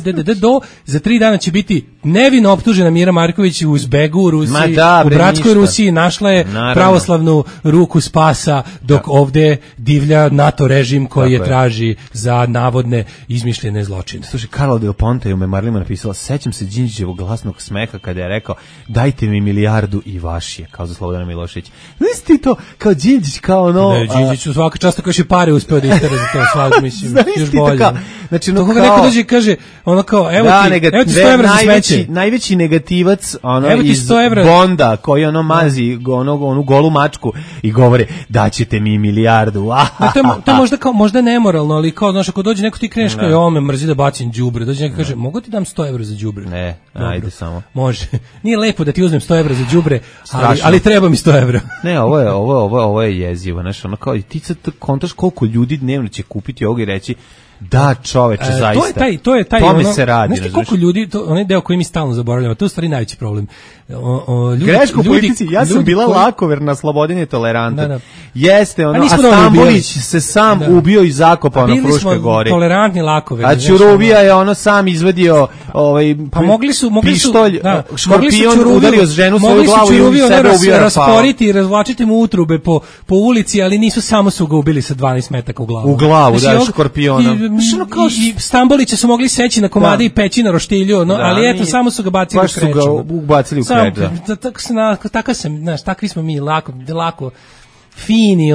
za 3 dana će biti nevino optužena Mira Marković u Uzbegu u Rusiji, u bratskoj Rusiji, našla je pravoslavnu ruku spasa, dok ovde divlja NATO režim koji je traži za navodne izmišljene zločine. Slušaj, Carlo Del Ponte je u memoarima napisala, sećam se Đinđićevog glasnog smeha kada je rekao, dajte mi milijardu i vaš je, kao za Slobodana Miloševića. Znaš ti to, kao Đinđić, kao ono... Ne, Đinđić u svaka čast koji je pare uspeo da istera za to, svak, mislim, još bolje. Znači, to koga neko dođe i kaže, ono kao, evo ti 100 evra za smeće. Najveći negativac, iz Bonda, koji mazi onu golu mačku i govore, daćete mi milijardu. To je možda kao, možda nemoralno, ali kao, znaš, ako dođe neko ti kreneš kao, me mrzi da bacim đubre, dođe neko kaže, mogu ti dam 100 evra za đubre? Ne, ajde samo. Može. Nije lepo da ti uzmem 100 evra za đubre, ali treba mi 100 evra. Ne, ovo je jezivo, znaš, ono kao, ti sad kontaš koliko ljudi dnevno će kupiti ovog i reći, da, čoveče, zaista. To je taj tome se radi. Znaš ti koliko ljudi, onaj deo koji mi stalno zaboravljamo, to je u stvari najveći problem. Greško u politici, ja sam bila lakoverna, slobodan je tolerantan. Jeste, a Stambolić se sam ubio i zakopao na Fruškoj gori. Tolerantni lakoverni. A Ćuruvija je sam izvadio pištolj, škorpion, udario ženu svoju glavu i sebe ubio. Rasporiti i razvlačiti mu utrube po ulici, ali nisu samo su ga ubili sa 12 metaka u glavu. U glavu, da, škorpiona. I Stambolića su mogli seći na komade i peći na roštilju, ali eto, samo su ga bacili u kreču. Baš su ga ubacili u kreč, da. Takvi smo mi, lako fini,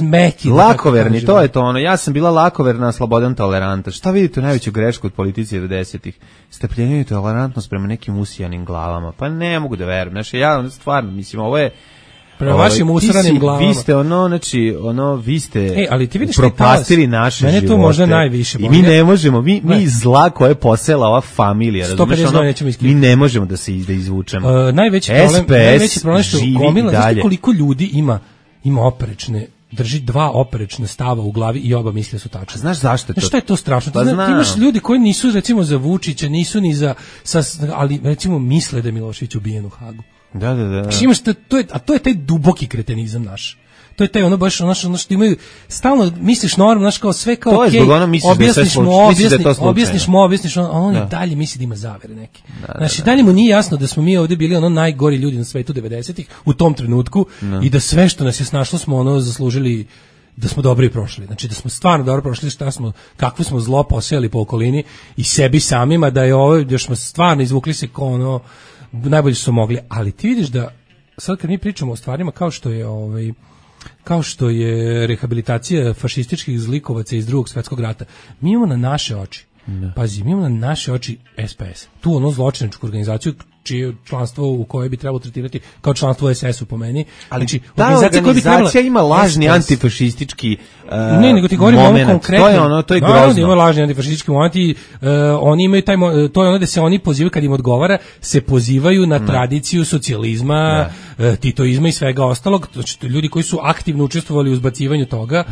meki. Lakoverni, to je to, ja sam bila lakoverna, slobodan, toleranta. Šta vidite u najveću grešku od politici 90-ih? Strpljenje i tolerantnost prema nekim usijanim glavama. Pa ne mogu da verujem, ja stvarno, mislim, ovo je prema vašim usranim glavama. Vi ste vi ste ali ti vidiš propastili naše živote. Mene to možda najviše boli. I mi ne možemo, mi zla koje je posela ova familija, mi ne možemo da se izvučemo. Najveći problem što gomila, znaš koliko ljudi ima oprečne, drži 2 oprečna stava u glavi i oba misle su tačne. Znaš zašto je to? Znaš šta je to strašno? Ti imaš ljudi koji nisu recimo za Vučića, nisu ni ali recimo misle da je Milošević ubijen u Hagu. Da. Imaš to je taj duboki kretenizam naš. To je taj baš što imaju stalno misliš normalno, kao sve kao okej. Objasniš mu, on i dalje misli da ima zavere neke. Znači dalje mu nije jasno da smo mi ovdje bili najgori ljudi na svetu 90-ih u tom trenutku i da sve što nas je snašlo smo zaslužili, da smo dobro i prošli. Znači da smo stvarno dobro prošli, kakvo smo zlo posejali po okolini i sebi samima, da je još smo stvarno izvukli se kao najbolje što su mogli, ali ti vidiš da sad kad mi pričamo o stvarima kao što je rehabilitacija fašističkih zlikovaca iz Drugog svjetskog rata, mi imamo na naše oči, pazi, mi imamo na naše oči SPS, tu zločinačku organizaciju čije članstvo u kojoj bi trebalo tretirati kao članstvo u SS-u po meni. Ali znači, ta organizacija ima lažni antifašistički ne, nego ti govorim ono konkretno. To je grozno. Ima lažni antifašistički moment i oni imaju to je ono da se oni pozivaju kad im odgovara, se pozivaju na tradiciju socijalizma, titoizma i svega ostalog. Znači, ljudi koji su aktivno učestvovali u izbacivanju toga,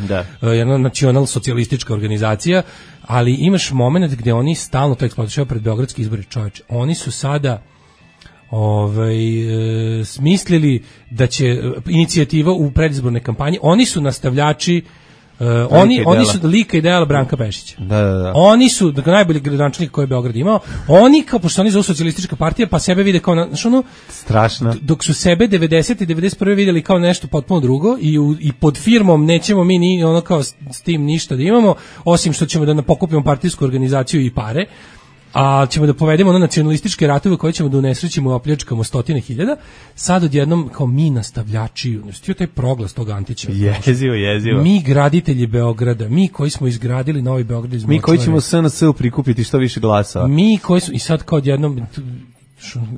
jedna nacional socijalistička organizacija, ali imaš moment gdje oni stalno to eksploatišaju pred beogradski izbori, čoveče. Oni su sada smislili da će inicijativa u predizbornoj kampanji, oni su nastavljači oni su lika i dela Branka Pešića. Da. Oni su najbolji gradonačelnik koji je Beograd imao. Oni kao pošto oni zovu socijalistička partija, pa sebe vide kao strašno. Dok su sebe 90 i 91 vidjeli kao nešto potpuno drugo i pod firmom nećemo mi ni kao s tim ništa da imamo, osim što ćemo da pokupimo partijsku organizaciju i pare. a ćemo da povedemo ono nacionalističke ratove koje ćemo da unesrećimo i opljačkamo stotine hiljada, sad odjednom kao mi nastavljači, stio taj proglas tog Antića. Jezivo. Mi graditelji Beograda, mi koji smo izgradili Novi Beograd iz Močvare. Mi koji ćemo SNS-u prikupiti što više glasova. Mi koji su, i sad kao odjednom,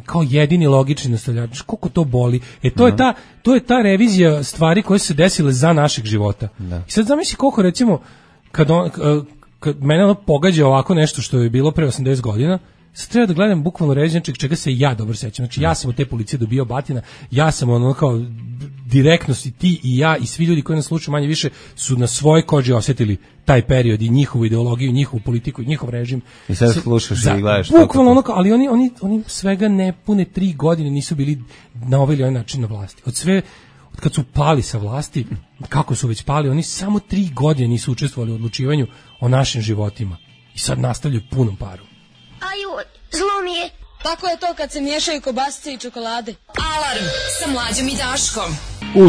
kao jedini logični nastavljač, koliko to boli. To je ta revizija stvari koje su se desile za našeg života. Da. I sad zamisli koliko recimo, kad mene ono pogađa ovako nešto što je bilo pre 80 godina, sad treba da gledam bukvalno reviziju čega se ja dobro sećam. Znači ja sam od te policije dobio batina, ja sam ono kao direktno si ti i ja i svi ljudi koji nas slušaju manje više su na svojoj koži osjetili taj period i njihovu ideologiju, njihovu politiku i njihov režim. I sad slušaš i gledaš. Bukvalno ono kao, ali oni svega nepune 3 godine nisu bili na ovaj ili onaj način na vlasti. Od kad su pali sa vlasti, kako su već pali, oni samo 3 godine nisu učestvovali u odlučivanju o našim životima. I sad nastavljaju punom parom. Aju, zlo mi je. Tako je to kad se miješaju kobasice i čokolade. Alarm sa Mlađom i Daškom.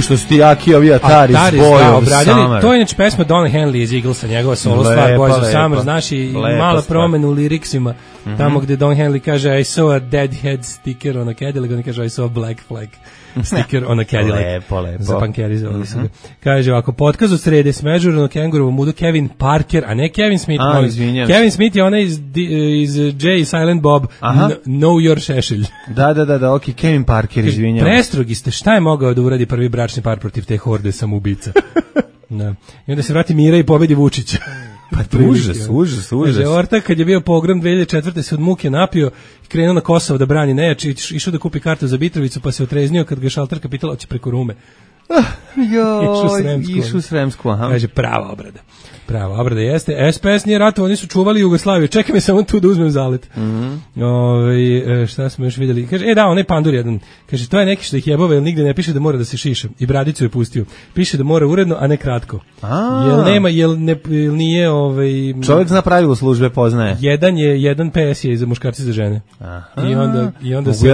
Što su ti jaki ovi Atari s bojom Summer. To je inače pesma Don Henley iz Eaglesa, njegova solo stvar Boys of Summer, znaš, i mala promena u liriksima, tamo gde Don Henley kaže I saw a dead head sticker on a Cadillac, on kaže I saw a black flag sticker on a Cadillac. Lepo. Za pankerizovali su ga. Kaže ovako, potkaz od srede smežurano kengurovo mudu Kevin Parker, a ne Kevin Smith. Kevin Smith je onaj iz Jay Silent Bob, Know Your Šešelj. Da, ok, Kevin Parker, izvinjam. Prestrogi ste, šta je mogao da uradi prvi bračni par protiv te horde samoubica? Da. I onda se vrati Mira i pobedi Vučića. Pa užas. Kaže, Ortak kad je bio pogrom 2004. se od muke napio i krenuo na Kosovo da brani nejač, išao da kupi kartu za Mitrovicu pa se otreznio kad ga šalterka pitala hoće preko Rume. Išao Sremsku, aha. Kaže, prava obrada jeste. SPS nije ratovao, oni su čuvali Jugoslaviju. Čekaj me samo tu da uzmem zalet. Šta smo još vidjeli? Kaže, onaj pandur jedan. Kaže, to je neki što ih jebove, jer nigde ne piše da mora da se šiše. I bradicu je pustio. Piše da mora uredno, a ne kratko. Jel nije čovjek zna pravilo službe, poznaje. Jedan PS je za muškarci za žene. I onda se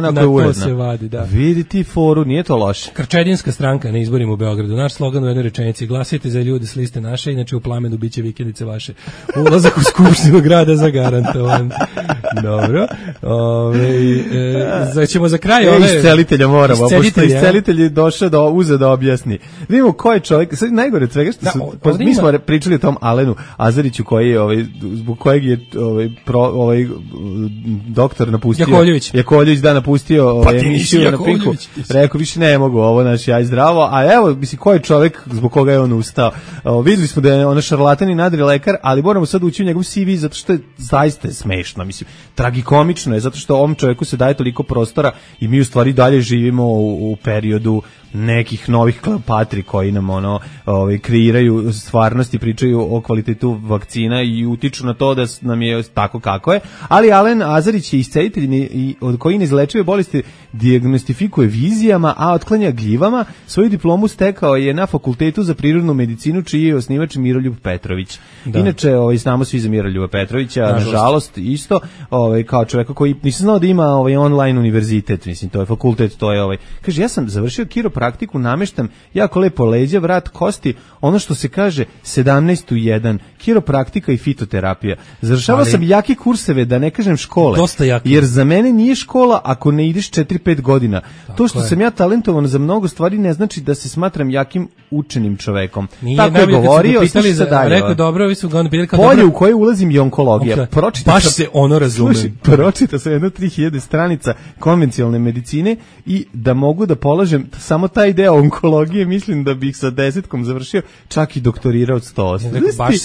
na to se vadi, da. Vidi ti foru, nije to loše. Krčedinska stranka na izborima u Beogradu. Naš slogan u jednoj rečenici: glasajte za ljude s liste naše, inače u plamenu biće vikendice vaše. Ulazak u skupštinu grada zagarantovan. Dobro. Ćemo za kraj iscelitelja moramo, pošto iscelitelj je došao da uze da objasni. Vidimo ko je čovjek, sad najgore od svega što mi smo pričali o tom Alenu Azariću koji je zbog kojeg je doktor napustio Jakovljević napustio emisiju na Pinku. Rekao više ne mogu ovo, ja zdravo, a evo mislim ko je čovjek zbog koga je on ustao. Videli smo da je ona šarlatan i nadri lekar, ali moramo sad ući u njegov CV zato što je zaista smešno, mislim, tragikomično je, zato što ovom čovjeku se daje toliko prostora i mi u stvari dalje živimo u periodu nekih novih Kleopatri koji nam kreiraju stvarnost i pričaju o kvalitetu vakcina i utiču na to da nam je tako kako je, ali Alen Azarić je iscelitelj od koji neizlečive bolesti dijagnostifikuje vizijama, a otklanja gljivama. Svoju diplomu stekao je na Fakultetu za prirodnu medicinu, čiji je osnivač Miroljub Petrović. Da. Inače, znamo svi za Miroljuba Petrovića, nažalost isto, kao čovjeka koji nisam znao da ima online univerzitet, mislim, to je fakultet, to je kaže, ja sam završio kiropraktiku, nameštam jako lepo leđa, vrat, kosti, ono što se kaže 17 u 1, kiropraktika i fitoterapija. Završavao sam jake kurseve, da ne kažem škole, jer za mene nije škola ako ne ideš 4-5 godina. To što sam ja talentovan za mnogo stvari ne znači da se smatram jakim učenim čovekom. Tako je govorio, slušaj se dalje. Rekao, dobro, vi su ga pitali kao polje u koje ulazim je onkologija. Baš se ono razume. Pročita sam jedno 3000 stranica konvencionalne medicine i da mogu da polažem samo taj deo onkologije, mislim da bih sa 10-kom završio, čak i doktorirao od 100. Baš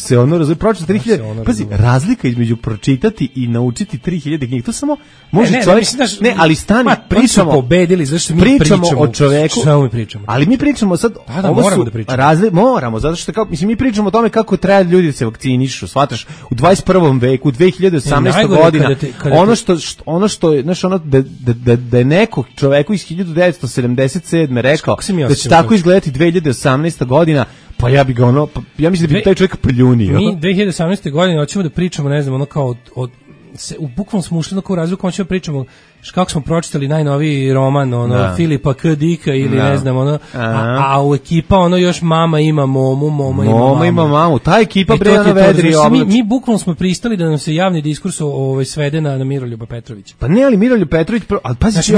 se ono razume. Pročita 3000. Pazi, razlika između pročitati i naučiti 3000 knjiga, to samo može čovjek. Ne, ali stani, pričamo. Pobedili, zašto mi pričamo o čoveku. Šta mi pričamo? Ali mi pričamo sad, moramo da pričamo. Moramo, zato što mi pričamo o tome kako treba ljudi da se vakcinišu, shvataš, u 21. veku, u 2018. godina, ono što je, znaš, da je neko čoveku iz 1977. rekao da će tako izgledati 2018. godina, pa ja bi ga ja mislim da bi taj čovjek pljunio. Mi 2018. godine hoćemo da pričamo, ne znam, kao u bukvalno smo ušli na koju razliku, hoćemo da pričamo kako smo pročitali najnoviji roman, ono, Filipa K. Dika ili ne znam, ono, a u ekipa, ono, još mama ima momu, moma ima mamu. Ta ekipa bre, ono, vedri oblač. Mi bukvalno smo pristali da nam se javni diskurs svede na Miroljuba Petrovića. Pa ne, ali Miroljub Petrović, ali pazi, znači,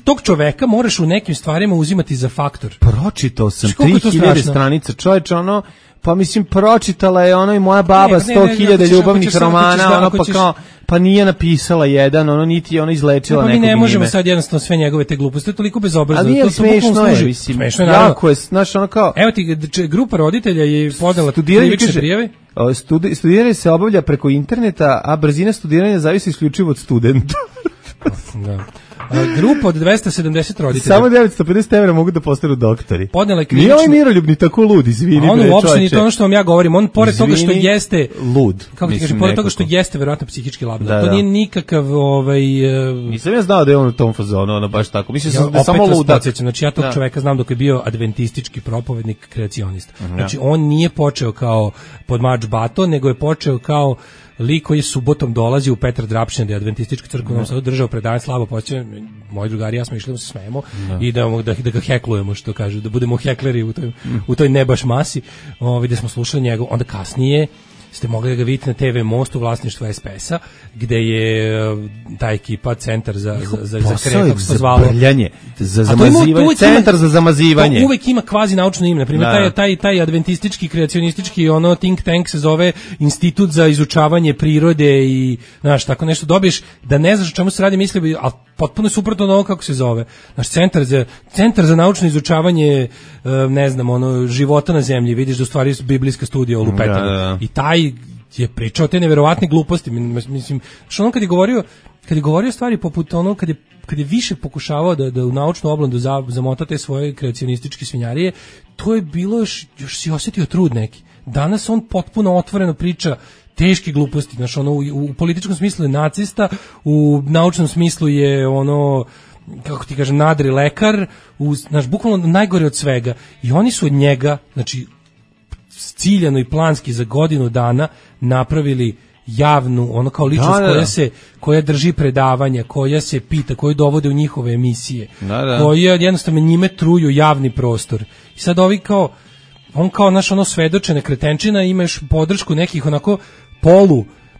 tog čoveka moraš u nekim stvarima uzimati za faktor. Pročitao sam 3000 stranica, čovječe, ono, pa mislim, pročitala je ono i moja baba 100.000 ljubavnih romana, ono, pa kao, pa nije napisala jedan, ono, niti je ono izlečila nekog njime. Mi ne možemo sad jednostavno sve njegove te gluposti, to je toliko bezobrazno. Ali nije smešno je, mislim, smešno je, jako je, znaš, ono kao... Evo ti, grupa roditelja je podnela krivične prijave. Studiranje se obavlja preko interneta, a brzina studiranja zavisi isključivo od studenta. Da. Grupa od 270 roditelja. Samo 950 € mogu da postanu doktori. Podnela je krivičnu... Nije ovaj Miroljub ni tako lud, izvini. On uopšte ni to ono što vam ja govorim. On pored toga što jeste... Lud. Kako ti kažem, pored toga što jeste verovatno psihički labilan. To nije nikakav... Nisam ja znao da je on u tom fazonu, ono baš tako. Mislim da je samo ludak. Znači ja tog čoveka znam dok je bio adventistički propovednik, kreacionista. Znači on nije počeo kao podmač bato, nego je počeo kao lik koji je subotom dolazi u Petar Drapšin, da je adventistička crkva, nam sad držao predavanje, slabo podsjećam, moji drugari ja smo išli da se smejemo i da ga heklujemo, što kažu, da budemo hekleri u toj ne baš masi, gde smo slušali njegov, onda kasnije ste mogli da ga vidite na TV Most u vlasništvu SPS-a, gde je ta ekipa centar za kako se zvalo, za zamazivanje, centar za zamazivanje. To uvek ima kvazi naučno ime, na primjer taj adventistički kreacionistički ono think tank se zove Institut za izučavanje prirode i znaš, tako nešto dobiješ da ne znaš o čemu se radi, misli, ali potpuno suprotno od ovo kako se zove. Naš centar za naučno izučavanje ne znam, ono, života na zemlji, vidiš da u stvari biblijska studija o lupetanju. I taj je pričao te neverovatne gluposti, mislim, što on kad je govorio stvari poput ono, kad je više pokušavao da u naučnu oblandu zamota te svoje kreacionističke svinjarije, to je bilo još si osjetio trud neki. Danas on potpuno otvoreno priča teške gluposti, znaš, ono, u političkom smislu je nacista, u naučnom smislu je ono, kako ti kažem, nadri lekar, znaš, bukvalno najgore od svega. I oni su od njega, znači, ciljano i planski za godinu dana napravili javnu, ono kao ličnost koja drži predavanja, koja se pita, koju dovode u njihove emisije, koja jednostavno njime truju javni prostor. I sad ovi kao, on kao naš ono svedočene kretenčina, imaš podršku nekih onako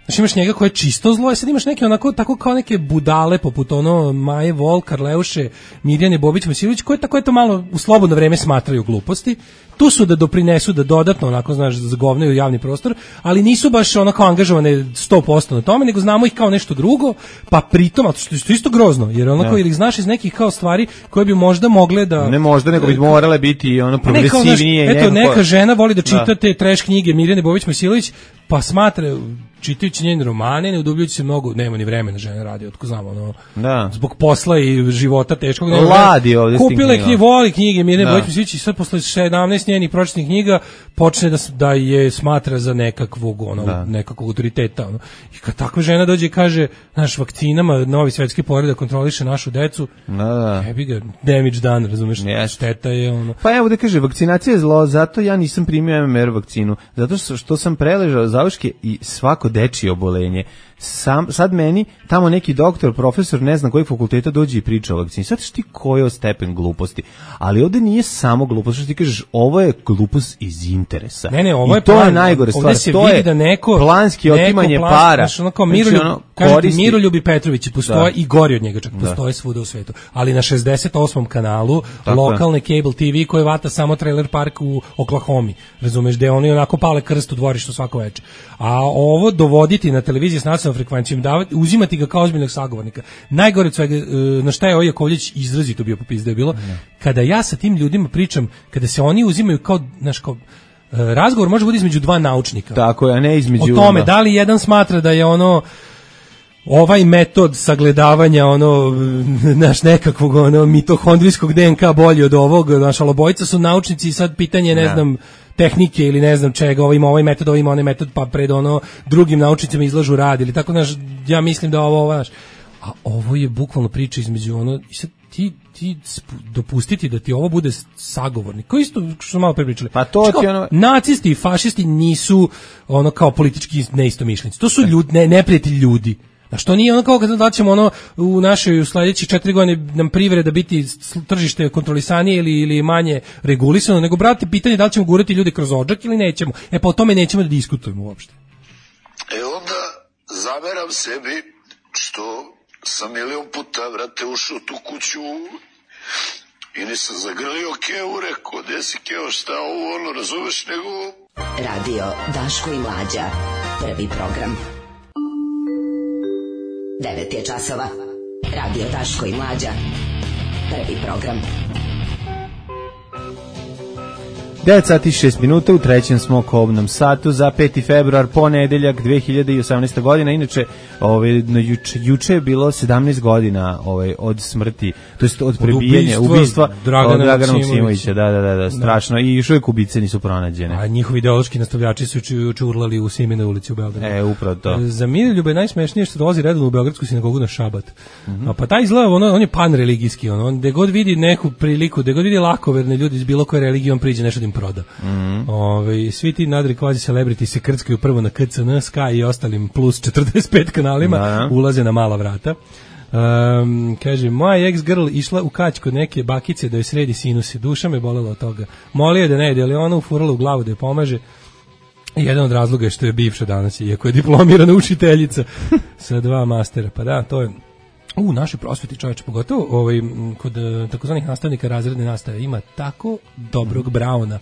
znači imaš njega koje je čisto zlo, i sad imaš neke onako, tako kao neke budale poput ono Maje Vol, Karleuše, Mirjane Bobić-Masilović, koje tako to malo u slobodno vreme smatraju gluposti. Tu su da doprinesu, da dodatno onako, znaš, zagovnaju javni prostor, ali nisu baš onako angažovane 100% na tome, nego znamo ih kao nešto drugo, pa pritom, a to je isto grozno, jer onako, ili znaš iz nekih kao stvari koje bi možda mogle da... Ne možda, nego bi morale biti ono progresivnije. Eto, neka žena voli da čita te trash knjige Mirjane Bobić-Masilović, pa smatra, čitajući njene romane, ne udubljujući se mnogo, nema ni vremena žena radi, otko znamo, ono, zbog posla i života teškog. Ladi ovdje kupila je voli knjige Mirjane Bobić-Masilović i sad posle 17 njenih pročitnih knjiga počne da je smatra za nekakvog autoriteta. Ono. I kad takva žena dođe i kaže, naš vakcinama, novi svetski poredak kontroliše našu decu, jebi ga, damage done, razumeš, šteta je ono. Pa evo da kaže, vakcinacija je zlo, zato ja nisam primio MMR vakcinu, zato što sam preležao zauške i svako dečije obolenje. Sad meni tamo neki doktor, profesor, ne znam kojeg fakulteta dođe i priča o vakcini. Sad ti koji je stepen gluposti. Ali ovdje nije samo glupost, što ti kažeš, ovo je glupost iz interesa. Ne, ovo je to plan, je najgore stvar. Ovdje se vidi da neko planski otimanje para. Znači, ono kao Miroljub i Petrović postoje i gori od njega, čak postoje svuda u svetu. Ali na 68. kanalu lokalne cable TV koje vata samo trailer park u Oklahomi. Razumeš, gde oni onako pale krst u dvorištu svako večer. A ovo dovoditi na televiziji s nacionalnom frekvencijom, uzimati ga kao ozbiljnog sagovornika. Najgore od svega, na šta je ovaj Jakovljević izrazito bio popis da je bilo, kada ja sa tim ljudima pričam, kada se oni uzimaju kao, znaš, kao razgovor može biti između dva naučnika. Tako je, a ne između... O tome, da li jedan smatra da je ono ovaj metod sagledavanja naš nekakvog mitohondrijskog DNK bolji od ovog, naša obojica su naučnici i sad pitanje, ne znam, tehnike ili ne znam čega, ovo ima ovaj metod, ovo ima onaj metod, pa pred drugim naučnicima izlažu rad ili tako, znaš, ja mislim da a ovo je bukvalno priča između i sad ti dopustiti da ti ovo bude sagovornik, koji isto što smo malo prepričali. Pa to ti nacisti i fašisti nisu kao politički neistomišljenici. To su neprijatelji ljudi. A što nije ono kao kad da ćemo ono u našoj sledećih 4 godine nam privreda biti tržište kontrolisanije ili manje regulisano, nego brate pitanje da li ćemo gurati ljude kroz odžak ili nećemo. E pa o tome nećemo da diskutujemo uopšte. Onda zameram sebi što sam milion puta, vrate, ušao u tu kuću i nisam zagrlio Keo, rekao, gde si Keo, šta ovo, ono, razumeš, nego... Radio Daško i Mlađa, prvi program. 9 je časova. Radio Daško i Mlađa, prvi program. 9 sati 6 minuta, u trećem smo kobnom satu za 5. februar, ponedeljak 2018. godina. Inače, juče je bilo 17 godina od smrti, to jest od prebijanja, ubistva Dragana Maksimovića. Da, strašno. I još uvijek ubice nisu pronađene. A njihovi ideološki nastavljači su juče urlali u Simine ulici u Beogradu. Upravo to. Za Miroljube je najsmešnije što dolazi redovno u Beogradsku sinagogu na šabat. Pa taj izgleda, on je panreligijski, gde god vidi neku priliku, gde god vidi lakoverne ljudi iz bilo koje religije, on priđe nešto da im proda. Svi ti nadri kvazi celebrity se krckaju prvo na KCN, Sky i ostalim plus 45 kanalima, ulaze na mala vrata. Kaže, moja ex-girl išla u kać kod neke bakice da joj sredi sinusi, duša me bolela od toga. Molio je da ne ide, ali ona ufurala u glavu da je pomaže. Jedan od razloga je što je bivša danas, iako je diplomirana učiteljica sa 2 mastera. Pa da, to je u našoj prosveti, čoveče, pogotovo kod takozvanih nastavnika razredne nastave ima tako dobrog Brauna.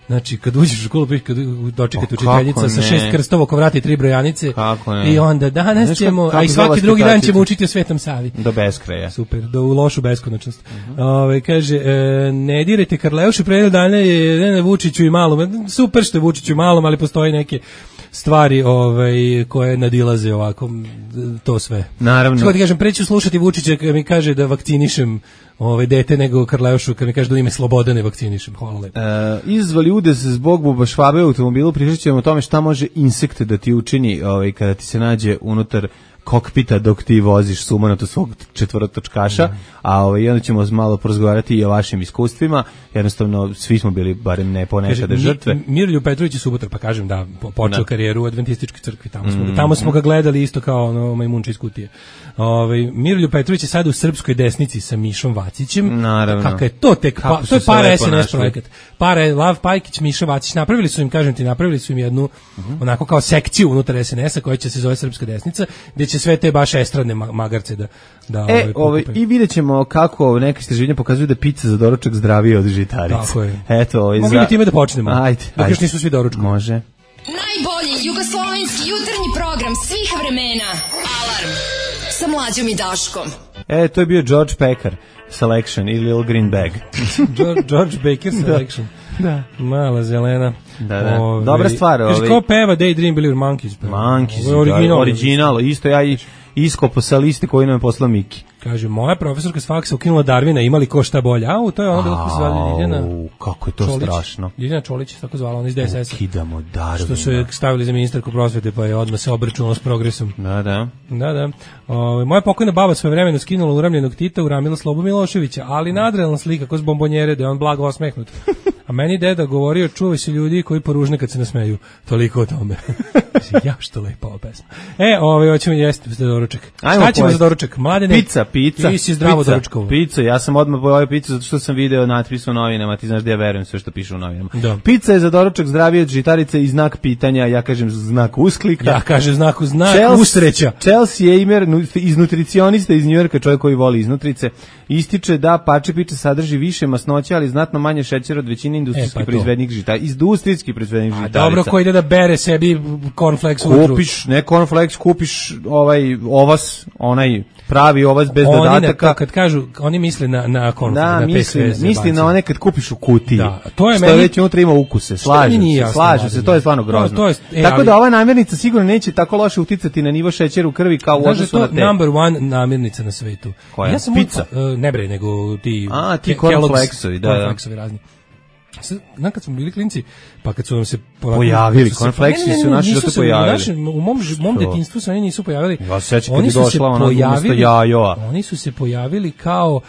Znači, kad uđeš u školu, kad dočekate učiteljica sa 6 krstova oko vrata i 3 brojanice, i onda danas ćemo, a i svaki drugi dan ćemo učiti o Svetom Savi. Do beskraja. Super, do u lošu beskonačnost. Kaže, ne dirajte Karleušu, pre jednog dana je Vučiću i malom. Super što je Vučiću i malom, ali postoji neke stvari koje nadilaze ovako to sve. Naravno. Što ti kažem, preću slušati Vučića kad mi kaže da vakcinišem dete nego Karleušu kad mi kaže da ime Sloboda ne vakcinišem. Hvala lepo. Izvali udes zbog bubašvabe u automobilu, pričat ćemo o tome šta može insekt da ti učini kada ti se nađe unutar kokpita dok ti voziš sumanuto svog četvorotočkaša, a onda ćemo malo porazgovarati i o vašim iskustvima. Jednostavno, svi smo bili, barem ne ponekada, žrtve. Miroljub Petrović je Subotar, pa kažem da, počeo karijeru u Adventističkoj crkvi, tamo smo ga gledali isto kao majmunče iz kutije. Miroljub Petrović je sad u Srpskoj desnici sa Mišom Vacićem. Naravno. Kako je to tek, to je para SNS projekat. Para je Lav Pajkić, Miša Vacić, napravili su im jednu onako kao sekciju unutar SNS-a koja će se zove Srpska desnica, gde će sve te baš estradne magarce da i vidjet ćemo kako neke istraživanja pokazuju da pizza za doručak zdravije od žitarica. Tako je. Mogli bi time da počnemo. Ajde. Dok još nisu svi doručkom. Može. Najbolji jugoslovenski jutarnji program svih vremena. Alarm sa Mlađom i Daškom. To je bio George Becker Selection ili Little Green Bag. George Baker Selection. Da. Mala zelena. Da. Dobra stvar. Kaže, ko peva Daydream Believer Monkeys? Monkeys, original. Isto ja iskopo sa liste koju nam je poslao Miki. Kaže, moja profesorka s faksa ukinula Darvina, imali ko šta bolje. To je ono bilo ko se zvala Ljiljana. Kako je to Čolić, strašno. Ljiljana Čolić, tako zvala, ona iz DSS-a. Ukidamo Darvina. Što su je stavili za ministarku prosvete, pa je odmah se obračunalo s progresom. Da. Moja pokojna baba svoje vremeno skinula uramljenog Tita, uramila Slobu Miloševića, ali nadrealna slika, ko s bombonjere, da je on blago osmehnut. A meni deda govorio, čuvaj se ljudi koji poružne kad se nasmeju. Toliko o tome. Ja, što lepa ova pesma. Hoćemo jesti za doručak. Šta ćemo za doručak? Mladene? Pizza. Ti si zdravo doručkovo. Pizza, ja sam odmah pojavio pizzu zato što sam video natpis u novinama, ti znaš da ja verujem sve što piše u novinama. Da. Pizza je za doručak zdravije od žitarice i znak pitanja, ja kažem znak usklika. Ja kažem znak usreća. Chelsea Eimer, iz nutricionista iz Njujorka, čovjek koji voli iznutrice, ističe da pače piče sadrži više masnoća, ali znatno manje šećera od većine industrijskih proizvednih žitarica. Industrijskih proizvednih žitarica. Dobro, ko ide da bere sebi cornflakes ujutru. Kupiš, ne cornflakes, kupiš ovas, onaj pravi ovas bez dodataka. Kad kažu, oni misle na cornflakes, na misli na one kad kupiš u kutiji. Da, to je što već unutra ima ukuse. Slažem se, to je stvarno grozno. Tako da ova namirnica sigurno neće tako loše uticati na nivo šećera u krvi kao u odnosu na te. To je number one namirnica na svetu. Koja? Pizza? Ne bre, nego ti cornflakesovi, da. Cornflakesovi razni. Kad smo bili klinci, pa kad su nam se pojavili, cornflakesi su naši da to pojavili. U mom detinjstvu se oni nisu pojavili. Ja se sećam kad je došla ona umesto jajoa. Oni su se pojavili kao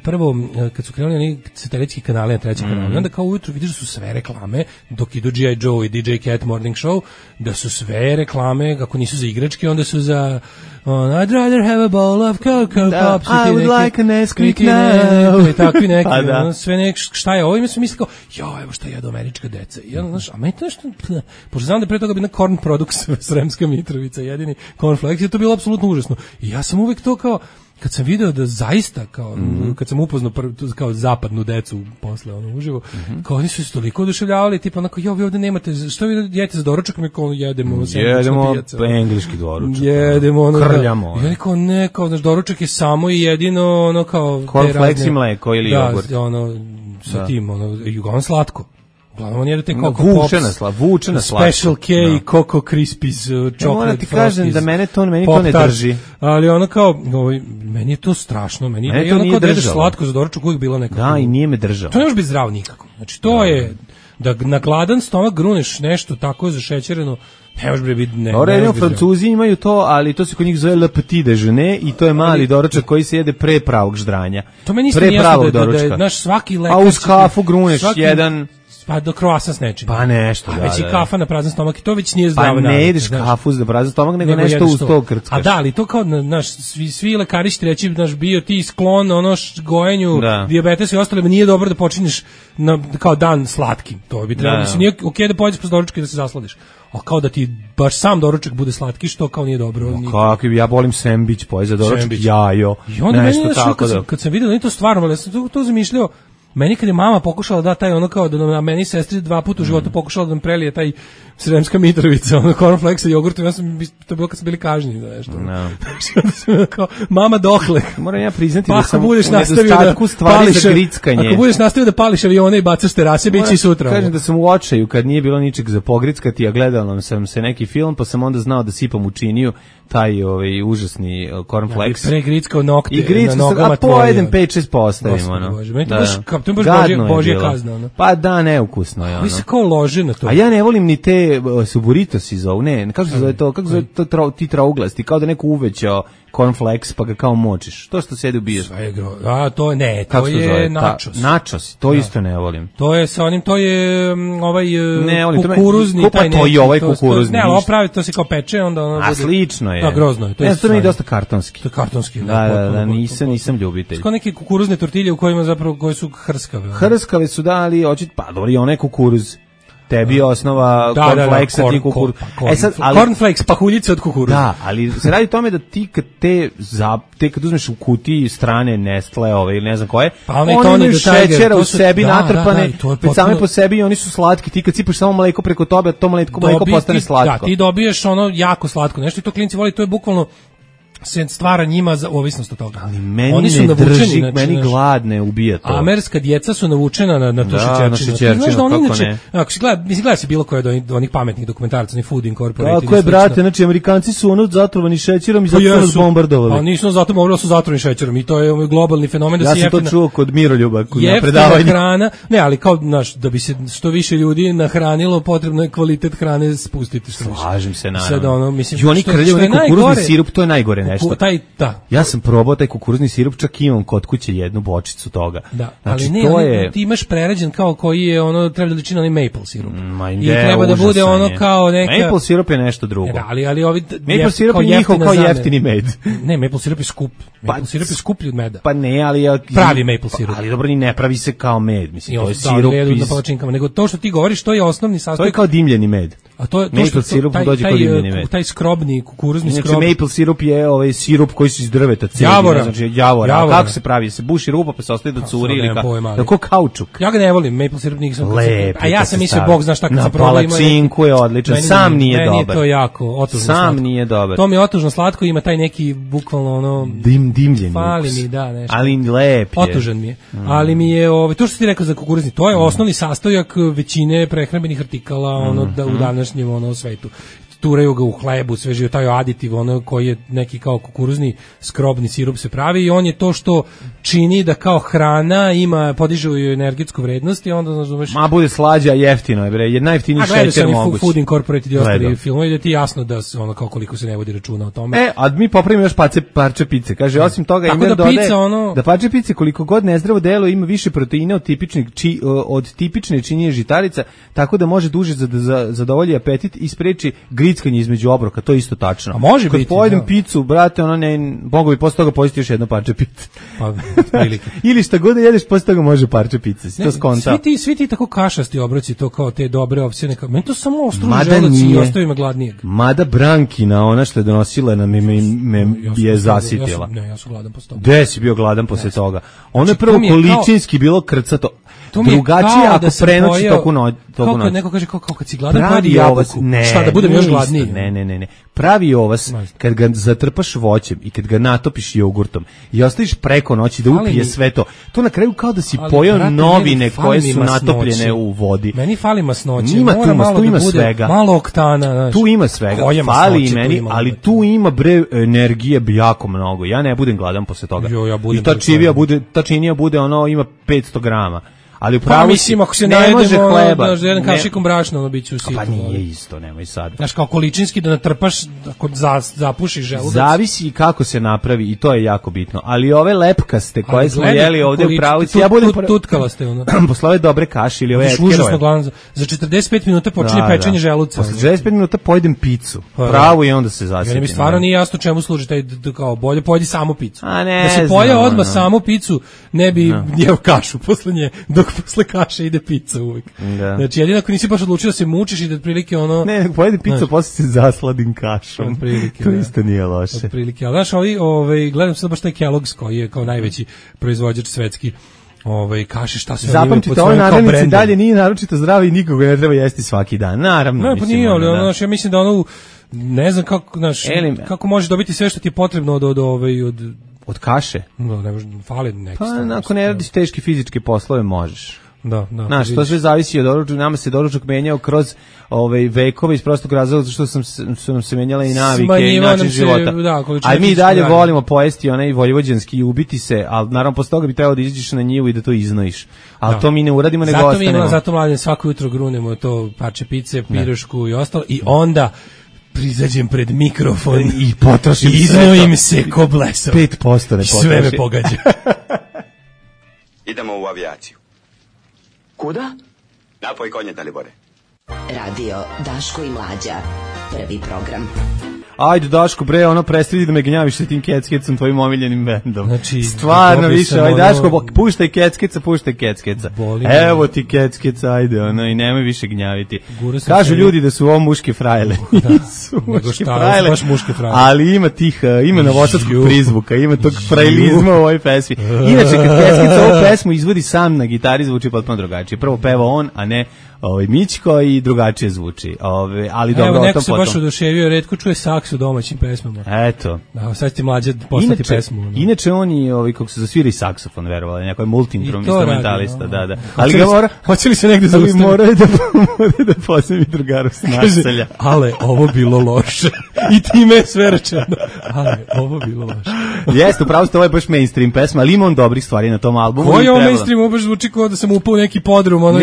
prvo kad su krenuli oni satelitski kanali na trećem kanalu. Onda kao ujutru vidiš da su sve reklame dok idu G.I. Joe i DJ Cat Morning Show, da su sve reklame kako nisu za igračke, onda su za I'd rather have a bowl of Cocoa Pops. I would like a Nesquik now. Takvi neki, sve nek, šta je ovo? I mi smo mislili kao, evo šta jedu američka deca. A meni to nešto, pošto znam da pre toga bi na Corn Products Sremska Mitrovica, jedini cornflakes, je to bilo apsolutno užasno. I ja sam uvek to kao, kad sam video da zaista kao kad sam upoznao kao zapadnu decu posle uživo, kao oni su se toliko oduševljavali, tipa onako vi ovde nemate, što vi jedete za doručak, mi kao jedemo engleski doručak. Jedemo krljamo. Ja rekao ne, kao naš doručak je samo i jedino ono kao cornflakes i mleko ili jogurt. Sa tim ono slatko. Uglavnom on jede te Coco vučena slatko. Special K, Coco Crispies, chocolate. Ja moram ti kažem da meni to ne drži. Ali ono kao, meni je to strašno. Meni je ono kao da jedeš slatko za doručak uvijek bilo nekako. Da, i nije me držalo. To ne može biti zdravo nikako. Znači, to je, da na gladan stomak gruneš nešto tako zašećereno, ne može biti ne. Francuzi imaju to, ali to se kod njih zove le petit déjeuner i to je mali doručak koji se jede pre pravog ždranja. To meni isto nije jasno da je naš svaki lekar. A uz kafu gruneš jedan... Pa do kroasa s nečim. Pa nešto, već i kafa na prazan stomak i to već nije zdravo. Pa ne jedeš kafu za prazan stomak, nego nešto uz to krckaš. A da, ali to kao, svi lekari će reći, bio ti sklon gojenju, dijabetes i ostalima, nije dobro da počinješ kao dan slatkim. To bi trebalo, nije okej da pojedeš posle doručka i da se zasladiš. A kao da ti baš sam doručak bude slatki, što kao nije dobro. Kako, ja volim sendvič, pojez za doručak, jajo, nešto tako da. Kad sam vidio da nije to stvarno, ali ja sam to zamišljao. Meni kad je mama pokušala da taj ono kao da na meni sestri 2 puta u životu pokušala da nam prelije taj Sremska Mitrovica, ono cornflakes i jogurt, ja sam to bilo kad su bili kažnjeni za nešto. Kao mama dohle. Moram ja priznati da sam u nedostatku stvari za grickanje. Ako budeš nastavio da pališ avione i bacaš terase, biće i sutra. Kažem da sam u očaju kad nije bilo ničeg za pogrickati, a gledao sam se neki film, pa sam onda znao da sipam u činiju taj užasni cornflakes. Ja bi pregrickao nokte na nogama tvojim. A pojedem 5-6 postavim, ono. To je baš božja kazna, ono. Pa da, neukusno je, ono. Vi se kao loži na to. A ja ne volim ni te suburitos iz ovu, ne, kako se zove to, ti trauglasti, kao da neko uvećao cornflakes pa ga kao močiš. To što sjede u bijeru. To je nachos. Nachos, to isto ne volim. To je sa onim, to je kukuruzni. Pa to je ovaj kukuruzni. Ne, ali ovo pravi, to se kao peče, onda ono bude... A slično je. Da, grozno je. To mi je dosta kartonski. To je kartonski. Da, nisam ljubitelj. Kao neke kukuruzne tortilje u kojima zapravo, koje su hrskave. Hrskave su, da, ali pa dobro, i onaj kukuruz. Tebi je osnova cornflakesa, ti kukuruz. Cornflakes, pahuljice od kukuruza. Da, ali se radi o tome da ti kad uzmeš u kutiji strane Nestle ili ne znam koje, oni imaju šećera u sebi natrpane, već same po sebi i oni su slatki. Ti kad sipaš samo mleko preko tobe, to mleko postane slatko. Da, ti dobiješ ono jako slatko nešto i to klinci voli, to je bukvalno se stvara njima za ovisnost od toga. Ali meni ne drži, meni gladne ubija to. Američka djeca su navučena na tu šećerčinu. Znaš da oni inače, ako si gleda si bilo koje od onih pametnih dokumentaraca, ni Food Incorporated. Tako je, brate, znači Amerikanci su ono zatrovani šećerom i zato su nas bombardovali. Pa nisu zatrovani, su zatrovani šećerom i to je globalni fenomen da se jeftina. Ja sam to čuo kod Miroljuba, kod predavanja. Hrana, ne, ali kao, znaš, da bi se što više ljudi nahranilo, potrebno je kvalitet hrane spustiti što više. Slažem se, naravno. Sad ono, mislim, i oni krljaju neki kukuruzni sirup, to je najgore nešto. Ja sam probao taj kukuruzni sirup, čak imam kod kuće jednu bočicu toga. Da, znači, ali ne, to je... ti imaš prerađen kao koji je ono, treba da liči na onaj maple sirup. I treba da bude ono kao neka... Maple sirup je nešto drugo. Da, ali ovi... Maple sirup je njihov kao jeftini med. Ne, maple sirup je skup. Maple sirup je skuplji od meda. Pa ne, ali... Pravi maple sirup. Ali dobro, ni ne pravi se kao med. Mislim, to je sirup na palačinkama. Nego to što ti govoriš, to je osnovni sastojak. To je kao dimljeni med. A to maple sirup dođe kao dimljeni med. Taj skrobni, kukuruzni skrob. Znači, maple sirup je ovaj sirup koji su iz drveta, znači javora. A kako se pravi? Se buši rupa pa se ostaje da curi ili kako kaučuk. Ja ga ne volim, maple sirup nisam. A ja sam mislio, Bog zna šta kad se proba. Na palačinku je odličan, sam nije dobar. Meni je to jako otužno slatko. Sam nije dobar. To mi je otužno slatko, ima taj neki bukvalno ono... dimljen. Fali mi, da, nešto. Ali lep je. Otužan mi je. Ali mi je, to što ti rekao za kukuruzni, to je osnovni sastojak većine prehrambenih artikala u današnjem svetu. turaju ga u hlebu, sve živo, taj aditiv, ono koji je neki kao kukuruzni skrobni sirup se pravi i on je to što čini da kao hrana ima, podiže ju energetsku vrednost i onda, znaš, ma bude slađa, jeftino je, bre, je najjeftiniji šećer moguć. Food Incorporated i ostali filmovi, da ti jasno da se ono kao koliko se ne vodi računa o tome. A mi popravimo još parče pice, kaže, osim toga ima da dodaje, da parče pice koliko god nezdravo delo ima više proteina od tipične činjenje žitarica, tako da može duže zadovolji apetit i spreči grickanje između obroka, to je isto tačno. A može biti. Kad pojedem picu, brate, ono ne, mogu bi posle toga pojesti još jedno parče pice. Pa, prilike. Ili šta god da jedeš, posle toga može parče pice. Si to skonta. Svi ti tako kašasti obroci, to kao te dobre opcije, meni to samo ostruži želudac i ostavi me gladnijeg. Mada Brankina, ona što je donosila na me je zasitila. Ja sam gladan posle toga. Gde si bio gladan posle toga? Ono je prvo količinski bilo krcato. Drugačije ako prenoći toku noći. Kao kad neko kaže kao kad si gladan pojedi jabuku. Šta da budem još gladniji? Ne. Pravi ovas kad ga zatrpaš voćem i kad ga natopiš jogurtom i ostaviš preko noći da upije sve to. To na kraju kao da si pojeo novine koje su natopljene u vodi. Meni fali masnoće. Tu ima svega. Malo oktana, znaš. Tu ima svega. Fali i meni, ali tu ima bre energije jako mnogo. Ja ne budem gladan posle toga. I ta činija bude ono ima 500 grama. Ali pa mislim, ako se ne može hleba, da jedan kašikom brašna, ono biće u situ. Pa nije isto, nemoj sad. Znaš, kao količinski da natrpaš, ako zapušiš želudac. Zavisi kako se napravi i to je jako bitno. Ali ove lepkaste koje smo jeli ovde u pravici, ja budem tutkala ste ono. Posle ove dobre kaše ili ove etkerove. Za 45 minuta počinje pečenje želuca. Posle 45 minuta pojedem picu. Pravu i onda se zasjetim. Meni stvarno nije jasno čemu služi taj kao bolje pojedi samo picu. Da se pojeo odmah samo picu, ne bi jeo kašu posle nje. Posle kaše ide pizza uvijek. Da. Znači, jedino ako nisi baš odlučio da se mučiš i da otprilike ono... Ne, pojedi pizza, posle se zasladim kašom. To isto nije loše. Otprilike, ali znaš, gledam sad baš taj Kellogg's koji je kao najveći proizvođač svetski kaše, šta se zapamtite, ove naravnice dalje nije naročito zdravo i nikoga ne treba jesti svaki dan. Naravno. Ne, pa nije, ali ono, ja mislim da ono, ne znam kako, znaš, kako možeš dobiti sve što ti je potrebno od kaše? No, ne može, fali neki. Pa, ako ne radiš teške fizičke poslove, možeš. Da. Znaš, to sve zavisi od doručka, nama se doručak menjao kroz vekove iz prostog razloga što su nam se menjale i navike i način života. A mi dalje volimo pojesti onaj vojvođanski i ubiti se, ali naravno posle toga bi trebalo da izađeš na njivu i da to iznojiš. Ali to mi ne uradimo, nego ostanemo. Zato mladen svako jutro grunemo to parče pice, pirošku i ostalo i onda prizađem pred mikrofon i potrošim i iznojim se ko blesav. 5% ne potroši. Sve me pogađa. Idemo u avijaciju. Kuda? Napoj konje, Dalibore. Radio Daško i Mlađa. Prvi program. Ajde Daško, bre, ono prestani da me gnjaviš sa tim Keckecom, tvojim omiljenim bendom. Znači, stvarno više, aj Daško, puštaj Keckeca. Evo ti Keckeca, ajde, ono, i nemoj više gnjaviti. Kažu ljudi da su ovo muške frajle. Nisu muške frajle, ali ima tih, ima novosadskog prizvuka, ima tog frajlizma u ovoj pesmi. Inače, kad Keckeca ovu pesmu izvodi sam na gitari, zvuči potpuno drugačije. Prvo peva on, a ne Mićko i drugačije zvuči. Ali dobro, evo, neko se baš oduševio, retko čuje saks u domaćim pesmama. Eto. Da, sad ti Mlađe poslati pesmu. Inače oni kako se zasvira i saksofon, verovali, neko je multi-instrumentalista, da. Ali ga hoće li se negde zaustaviti? Mora da pozemi drugaru s naselja. Ale, ovo bilo loše. I time sve rečeno. Ale, ovo bilo loše. Jeste, upravo ste, ovo je baš mainstream pesma, ali ima on dobrih stvari na tom albumu. Koji je ovo mainstream? Ovo baš zvuči kao da sam upao u neki podrum, ono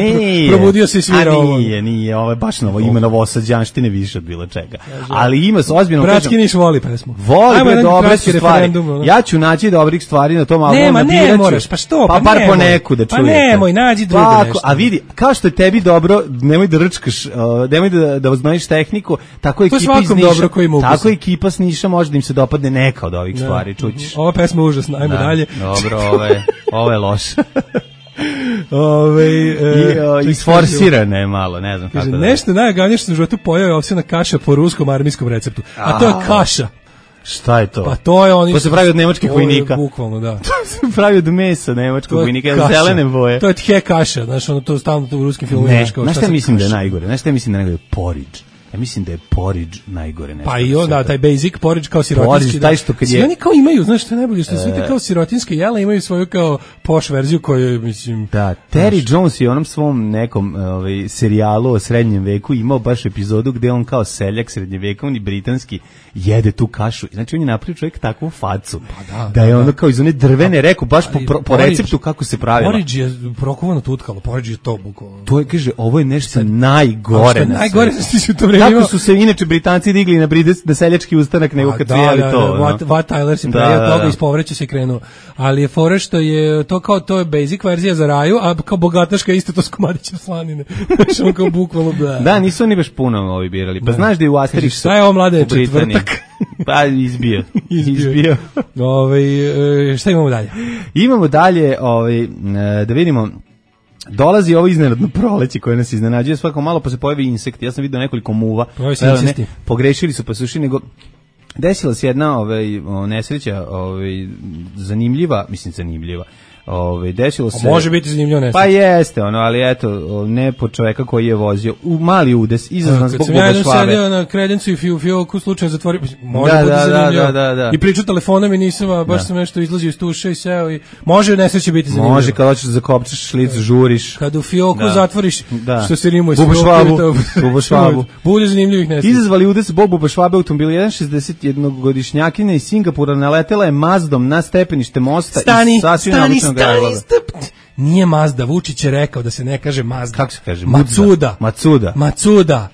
probudio se svira ovo. Nije, ovo je baš novo, ima novosađanštine više od bilo čega. Ali ima se ozbiljno... Bratski Niš voli pesmu. Voli, dobre su stvari. Ja ću naći dobrih stvari na tom albumu. Ne moraš, pa što? Pa bar po neku da čujete. Pa nemoj, nađi drugo nešto. A vidi, kao što je tebi dobro, nemoj da rčkaš, nemoj da znaš tehniku, tako ekipa iz Niša, tako ekipa s Niša može da im se dopadne neka od ovih stvari, čućiš. Ova pesma je užasna, ajmo dalje. Dobro, ovo je loše. Isforsirane je malo, ne znam kako da. Nešto najgavnije što sam u životu pojeo je ovsjena kaša po ruskom armijskom receptu. A to je kaša. Šta je to? Pa to je oni. To se pravi od nemačkih vojnika. Bukvalno, da. To se pravi od mesa nemačkog vojnika, zelene boje. To je tje kaša, znači ono to stalno u ruskim filmovima. Znaš šta mislim da je najgore? Porridge. Ja mislim da je porridge najgore nešto. Pa i onda taj basic porridge kao sirotinski. Porridge, taj što kad je... Svi oni kao imaju, znaš što je najbolje, što svi te kao sirotinske jela imaju svoju kao poš verziju koju, mislim... Da, Terry Jones je u onom svom nekom serijalu o srednjem veku imao baš epizodu gde on kao seljak srednjevekovni britanski jede tu kašu. Znači on je napravio čovjek takvu facu. Pa da je ono kao iz one drvene, rekao baš po receptu kako se pravila. Porridge je prokovano tutkalo, porridge je to bukvalno. To je, kaže, ovo je nešto najgore na najgore što u to vreme. Kako su se inače Britanci digli na seljački ustanak nego kad su jeli to. What Tyler se pravio toga, ispovreću se krenuo. Ali je fora što je to kao, to je basic verzija za raju, a kao bogataška isto to s komadićem slanine. Znači on kao bukvalno da, nisu oni baš puno ovi birali. Pa znaš da je u Asterixu... Šta je ovo mlade, četvrtak? Pa izbio. Šta imamo dalje? Imamo dalje, da vidimo, dolazi ovo iznenadno proleće koje nas iznenađuje svako malo, pa se pojavi insekti. Ja sam vidio nekoliko muva. Pogrešili su pa su ušli, nego desila se jedna nesreća zanimljiva. Desilo se... Može biti zanimljivo nesreća. Pa jeste, ali eto, ne po čoveka koji je vozio. Mali udes, izazvan zbog buba švabe. Kad sam ja sedio na kredencu i fioku slučajno zatvorio, može biti zanimljivo. Da. I pričao telefonom i nisam, a baš sam nešto izlazio iz tuše i seo i može nesreće biti zanimljivo. Može, kad hoćeš da zakopčeš šlic, žuriš. Kad u fioku zatvoriš, što se rimuje s buba švabu. Bude zanimljivih nesreća. Izazvali udes zbog buba švabe automobila. 61-godišnjakinja iz Singapura naletela je Mazdom na stepenište mosta i sasvim naobičnog gradila. Nije Mazda, Vučić je rekao da se ne kaže Mazda. Kako se kaže? Matsuda.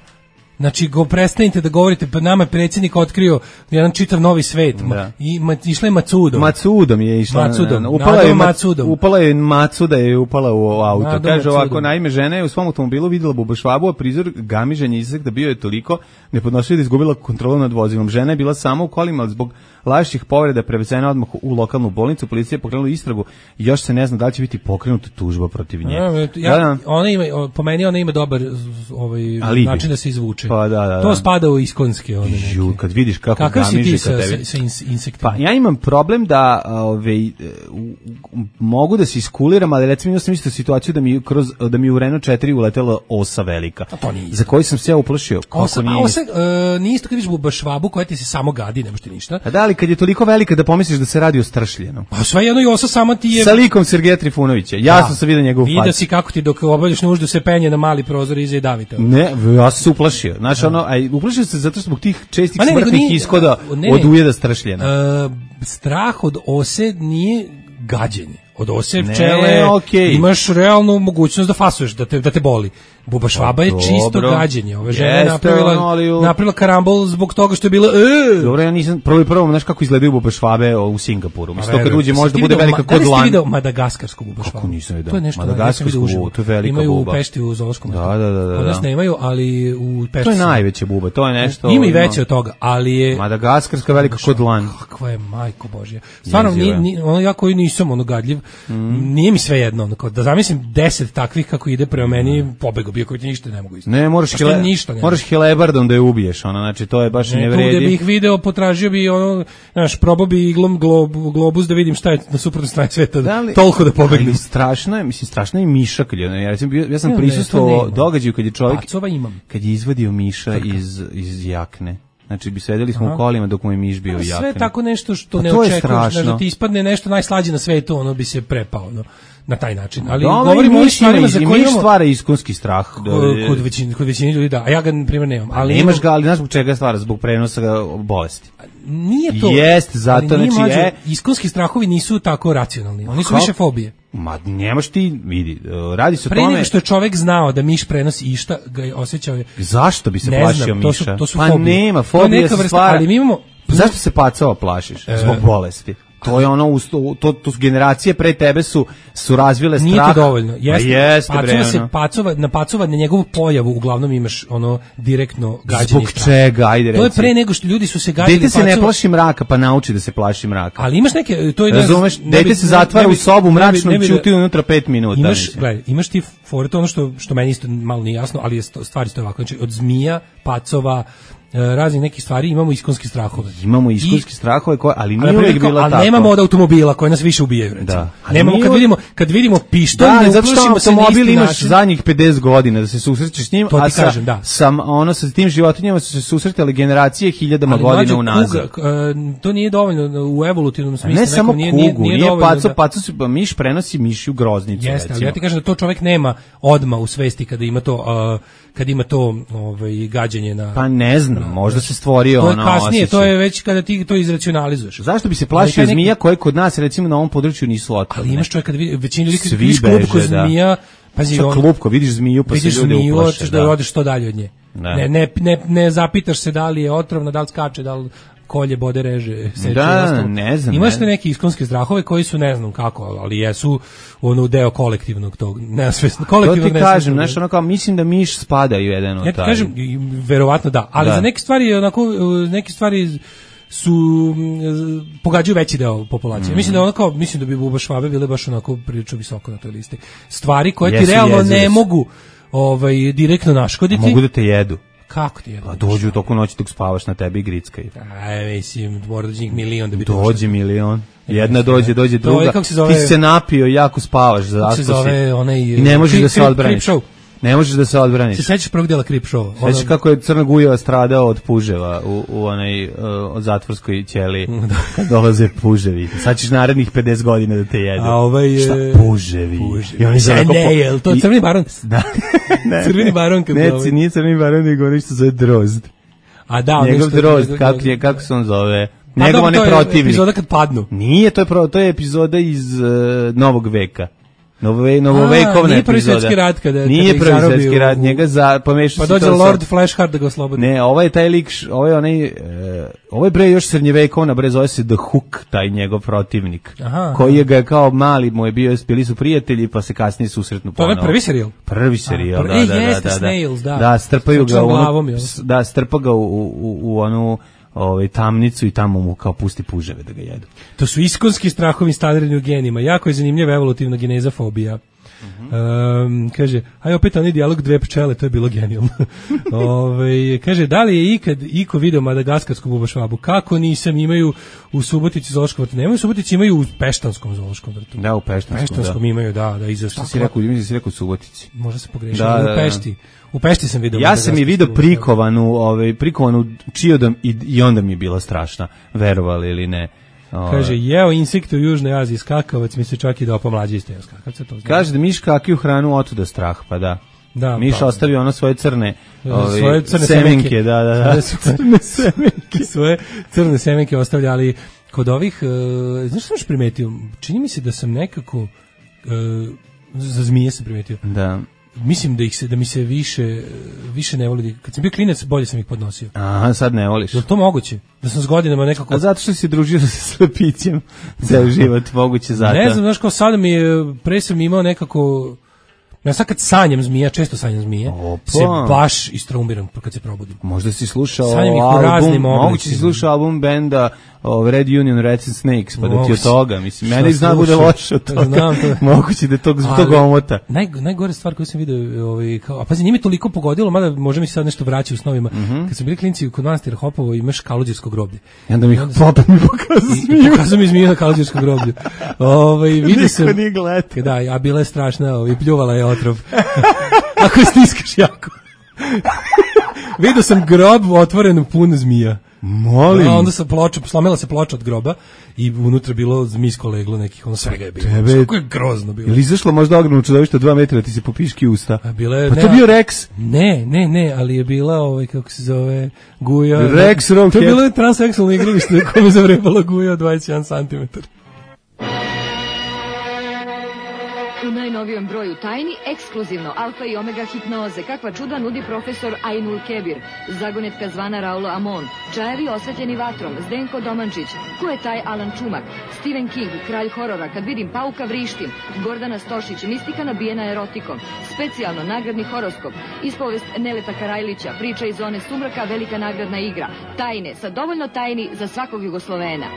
Znači, prestanite da govorite, pa nama je predsjednik otkrio jedan čitav novi svet. I išla je Matsudom. Matsudom je išla. Upala je Matsuda je upala u auto. Kaže ovako, naime, žena je u svom automobilu vidjela buba švabu, a prizor gamiženja izsekta bio je toliko nepodnošljiv da izgubila kontrolu nad vozilom. Žena je bila sama u kolima, ali zbog lažnih povreda prevezena odmah u lokalnu bolnicu. Policija je pokrenula istragu i još se ne zna da li će biti pokrenuta tužba protiv nje. Po meni ona ima dobar način da se izvuče. Pa da. To spada u iskonske. Kad vidiš kako gamiže ka tebi. Sa insektima? Pa ja imam problem da mogu da se iskuliram, ali recimo imao sam isto situaciju da mi u Renault 4 uletela osa velika. Za koju sam se ja uplašio. Osa nije isto kad vidiš buba švabu koja ti se samo gadi, ne možete ništa. A da, ali kad je toliko velika da pomisliš da se radi o stršljenom. Pa sve jedno i osa sama ti je... Sa likom Sergeja Trifunovića. Jasno sam vidio njegovu facu. Vidio si kako ti dok obavljaš nuždu se penje na mali prozor iza i davite. Ne, ja sam se uplašio. Znači uplašio se zato što zbog tih čestih smrtnih ishoda od ujeda stršljena. Strah od ose nije gađenje. Od ose pčele imaš realnu mogućnost da fasuješ, da te boli. Buba švaba je čisto gađenje. Ova žena je napravila karambol zbog toga što je bila... Dobro, ja nisam prvo, znaš kako izgledaju buba švabe u Singapuru. Mislim, kad uđe može da bude velika kod lan. Da li ste vidio madagaskarsku buba švabu? Kako nisam vidio? To je nešto madagaskarsku, to je velika buba. Imaju u Pešti u Zoološkom. Da. Od nas nemaju, ali u Pešti... To je najveća buba, to je nešto... Ima i veće od toga, ali je... Madagaskarska velika kod lan. Kakva je, majko Božja. Stvarno, ja koji nisam gadljiv, nije mi sve jedno. Da zamislim 10 takvih kako ide prema meni, pobego bio koji ti ništa ne mogu. Ne, moraš helebardom da je ubiješ, znači to je baš ne vredi. Tu gde bih video, potražio bi probao bi iglom globus da vidim šta je na suprotnoj strani sveta, toliko da pobegnem. Strašno je miša, ja sam prisustvovao događaju kad je čovjek, kad je izvadio miša iz jakne. Znači, sedeli smo u kolima dok mu je miš bio u jakne. Sve tako nešto što ne očekuješ, da ti ispadne nešto najslađe na svetu, ono bi se prepao, na taj način. Ali govorimo o stvarima za koje imamo... stvara iskonski strah. Kod većine ljudi, da. A ja ga, na primjer, nemam. Ali nemaš ga, ali znaš zbog čega stvara? Zbog prenosa bolesti. Nije to. Jest, zato, iskonski strahovi nisu tako racionalni. Oni su više fobije. Ma nemaš ti, vidi, radi se o tome... Pre nego što je čovek znao da miš prenosi išta, ga je osjećao... Zašto bi se plašio miša? To su fobije. Pa nema, fobija se stvara... Ali mi imamo... Zašto se pacova plašiš? Zbog bolesti. To je ono, to su generacije pre tebe su razvile strah. Nije to dovoljno. Jeste, na pacova, na njegovu pojavu uglavnom imaš ono direktno gađenje. Zbog čega? Ajde reci. To je pre nego što ljudi su se gađali. Dete se ne plaši mraka, pa nauči da se plaši mraka. Ali imaš neke... Razumeš, dete se zatvara u sobu mračno i ćuti unutra 5 minuta. Imaš ti fore, to ono što meni isto malo nije jasno, ali stvari stoje ovako. Znači, od zmija, pacova, raznih nekih stvari, imamo iskonske strahove. Imamo iskonske strahove, ali nije uvijek bila tako. Ali nemamo od automobila koje nas više ubijaju, recimo. Da. Nemamo kad vidimo pištolj, ne uplašimo se na automobil isti imaš način. zadnjih 50 godina da se susrećeš s njim, to ti kažem, da. Sa tim životinjama su se susretale generacije hiljadama godina unazad. To nije dovoljno u evolutivnom smislu. Ne samo kugu, nije paco, miš prenosi mišju groznicu. Jeste, ali ja ti kažem da to čovjek nema odma u svesti kada ima to gađenje na... Pa ne znam, možda se stvorio ono osjećaj. To je kasnije, to je već kada ti to izracionalizuješ. Zašto bi se plašio zmija koje kod nas, recimo, na ovom području nisu otrovne? Ali imaš čovjek kad većina ljudi kad vidiš klupko zmija... Pazi, klupko, vidiš zmiju pa se ljudi uplaše. Hoćeš da odeš što dalje od nje. Ne zapitaš se da li je otrovna, da li skače, da li kolje, bode, reže, seče. Ne znam. Imaš te neke iskonske strahove koji su ne znam kako, ali jesu deo kolektivnog tog, nesvesno, kolektivnog nesvesnog. To ti kažem, znaš, ono kao, mislim da miš spada u jedan od taj. Ja ti kažem, verovatno da, ali za neke stvari su pogađaju veći deo populacije. Mislim da bi Buba Švabe bile baš onako prilično visoko na toj listi. Stvari koje ti realno ne mogu direktno naškoditi. Mogu da te jedu. Kako ti jedu? A dođu u toku noći dok spavaš na tebi i grickaju. Mislim, mora dođi njih milion da bi dođe milion. Jedna dođe druga. Ti se napio i jako spavaš. Kako se zove onaj... I ne možeš da se odbraniš. Ne možeš da se odbraniš. Se sećaš prvog dela Creep Show? Sećaš kako je Crna Gujeva stradao od puževa u onaj od zatvorskoj ćeliji kad dolaze puževi. Sad ćeš narednih 50 godina da te jedu. Šta puževi? I oni ne, to je Crveni baron. Da. Crveni baron. Nije Crveni baron, nego nešto zove Drozd. A da, njegov Drozd, kako se on zove? Njegov onaj protivnik. To je epizoda kad padnu. Nije, to je epizoda iz Novog veka. Novovekovna nije prvi svjetski rat nije prvi svjetski rat, njega pomešao pa dođe Lord Flashheart da ga oslobodi. Ne, ovo je taj lik, ovo je bre još srednjevekovna, bre zove se The Hook, taj njegov protivnik, koji ga kao mali mu je bili su prijatelji pa se kasnije susretnu ponovo. To je prvi serijal? Prvi serijal, da. Da, strpa ga u onu tamnicu i tamo mu kao pusti puževe da ga jedu. To su iskonski strahovi stavljeni u genima. Jako je zanimljiva evolutivna geneza fobija. Kaže, opet onaj dijalog dve pčele, to je bilo genijalno. Kaže, da li je ikad iko video madagaskarsku Buba Švabu? Kako nisam, imaju u Subotici zoološkom vrtu. Nemaju u Subotici, imaju u Peštanskom zoološkom vrtu. Da, u Peštanskom imaju, da. Šta si rekao, mislim da si rekao u Subotici. Možda se pogrešio, u Pešti. U Pešti sam vidio. Ja sam je vidio prikovanu čiodom i onda mi je bila strašna, verovali ili ne. Kaže, jeo insekte u Južnoj Aziji, skakavac, mi se čak i dopao mlađi isto jeo skakavca. Kaže da miš kakiju hranu otuda strah, pa da. Miš ostavio ono svoje crne semenke. Da. Crne semenke. Svoje crne semenke ostavlja, ali kod ovih, znaš što sam primetio? Čini mi se da sam nekako, za zmije sam primetio. Da. Mislim da mi se više ne voli. Kad sam bio klinac, bolje sam ih podnosio. Aha, sad ne voliš. Je li to moguće? Da sam s godinama nekako... A zato što si družio sa slepićem ceo život, moguće zato. Ne znam, znaš, kao sada pre sam imao nekako... Ja sad kad sanjam zmija, često sanjam zmije, se baš istraumiram kad se probudim. Možda si slušao album, moguće si slušao album benda Red Union, Rats and Snakes, pa da ti od toga, mislim, meni zna bude loše od toga, moguće da je tog omota. Najgore stvar koju sam vidio, a pazi, nije mi toliko pogodilo, mada može mi se sad nešto vraća u snovima, kad sam bili klinci kod manastira Hopovo, imaš Kaluđersko groblje. I onda mi Hopa mi pokazao zmiju. Pokazao mi zmiju na Kaluđerskom groblju. Vidio sam, a bila je strašna, pljuvala je otrov. Ako je stiskaš jako. Vidio sam grob otvoren pun zmija. Molim. Onda se slomila se ploča od groba i unutra bilo zmijsko leglo nekih, ono svega je bilo. Kako je grozno bilo. Ili izašlo možda ogromno čudovište 2 metra da ti se popiški usta? Pa to bio Rex? Ne, ali je bila kako se zove, Guja. Rex Rockhead. To je bilo transseksualno igralište koje zavrebala Guja od 21 cm. U najnovijem broju Tajni, ekskluzivno Alfa i Omega hipnoze, kakva čuda nudi profesor Ainul Kebir, zagonetka zvana Raulo Amon, čajevi osvetljeni vatrom, Zdenko Domančić, ko je taj Alan Čumak, Stephen King, kralj horora, kad vidim pauka vrištim, Gordana Stošić, mistika nabijena erotikom, specijalno nagradni horoskop, ispovest Neleta Karajlića, priča iz zone sumraka, velika nagradna igra, Tajne, sa dovoljno tajni za svakog Jugoslovena.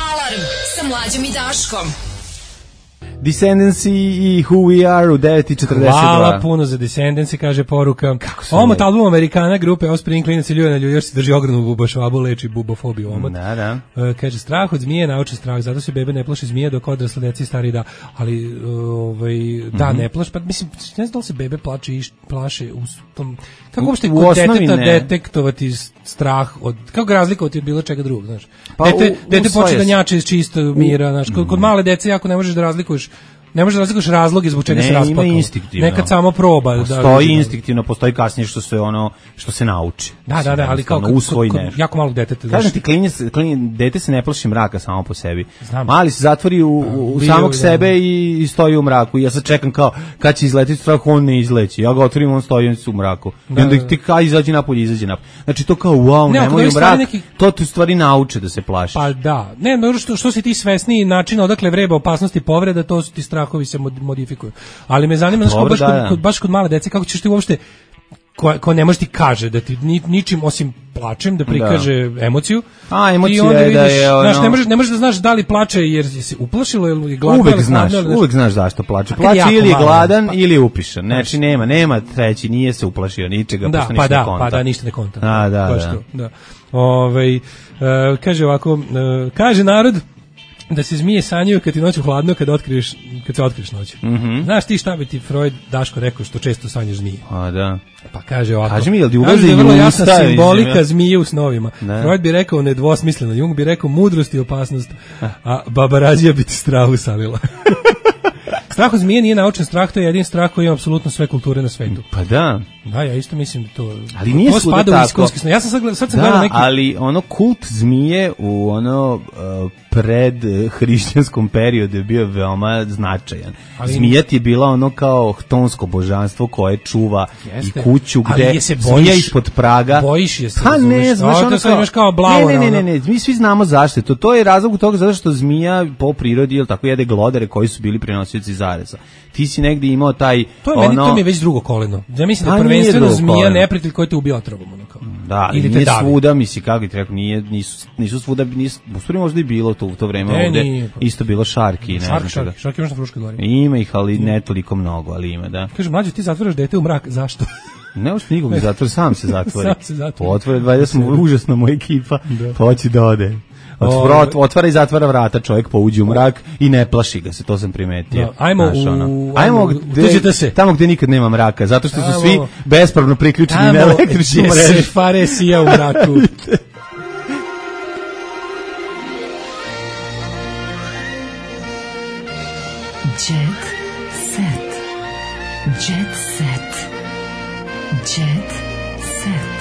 Alarm sa Mlađom i Daškom. Descendants i Who We Are u 9:42. Hvala puno za Descendants, kaže poruka. Omot album Amerikana grupe Offspring, klinac i ljuje na još se drži ogromnu bubašvabu, leči bubofobiju omot. Da. Kaže, strah od zmije, naučen strah, zato se bebe ne plaše zmije dok odrasle deci stari da. Ali, da, ne plaše, pa mislim, ne znam da li se bebe plaše u tom... Kako uopšte kod deteta detektovati strah od... Kako ga razlikovati od bilo čega drugog, znaš? Pa dete počne da njače iz čistog mira, znaš. Kod male dece jako ne možeš da razlikuješ razloge zbog čega se rasplakalo. Ima instinktivno. Nekad samo proba. Postoji instinktivno, postoji kasnije što se nauči. Da, ali kao jako malog deteta. Kažem ti, dete se ne plaši mraka samo po sebi. Mali se zatvori u samog sebe i stoji u mraku. Ja sad čekam kao, kad će izletiti strah, on ne izleći. Ja ga otvorim, on stoji u mraku. I onda ti kao izađe napolje. Znači to kao, wow, nemoj u mrak, to tu stvari nauče da se plašiš. Pa da. Ne, što si ti svesniji načina odakle vreba opasnosti povreda, to su ti strahovi se modifikuju. Ali me zanima, baš kod male dece, kako ćeš ti uopšte, ko ne može ti kaže da ti ničim osim plačem da prikaže emociju. A emocija je da je ono... Znaš, ne možeš da znaš da li plače jer se uplašilo ili je gladan. Uvek znaš zašto plače. Plače ili je gladan ili je upišan. Znači nema treći, nije se uplašio ničega, pošto ništa ne konta. Pa da, ništa ne konta. Da. Kaže ovako, kaže narod da se zmije sanjaju kad ti noću hladno, kad se otkriješ noću. Znaš ti šta bi ti Freud Daško rekao što često sanjaš zmije? A da. Pa kaže ovako. Kaži mi, jel ti ulazi i vrlo jasna simbolika zmije u snovima. Freud bi rekao nedvosmisleno, Jung bi rekao mudrost i opasnost, a Baba Rađija bi ti strah usalila. Strah od zmije nije naučen strah, to je jedin strah koji ima apsolutno sve kulture na svetu. Pa da. Da, ja isto mislim da to... Ali nije svuda tako. Ja sam sad gledao neki... Ali ono kult zmije u ono pred hrišćanskom periodu je bio veoma značajan. Zmija ti je bila ono kao htonsko božanstvo koje čuva i kuću gde zmija ispod praga. Bojiš je se. Pa ne, znaš ono kao blavo. Ne, mi svi znamo zašto. To je razlog toga zato što zmija po prirodi ili tako jede glodare koji su bili prenosioci zareza. Ti si negdje imao taj... To mi je već drugo koleno. Ja mislim da prvenstveno zmija neprijatelj koji te ubija otrovom. Da, ili nije svuda, misli, kako ti rekao, nisu svuda, u stvari možda i bilo to u to vreme ovde, isto bilo šarki. Šarki možda na Fruškoj gori. Ima ih, ali ne toliko mnogo, ali ima, da. Kaže, mlađe, ti zatvaraš dete u mrak, zašto? Ne možeš nikog zatvori, sam se zatvori. Otvore, valjda smo užasno moja ekipa, pa hoći da ode. Otvara i zatvara vrata, čovjek pouđe u mrak i ne plaši ga se, to sam primetio. Ajmo tamo gdje nikad nema mraka, zato što su svi bespravno priključeni na električnu mrežu. Tamo gdje se fare sija u mraku. Jet set. Jet set. Jet set.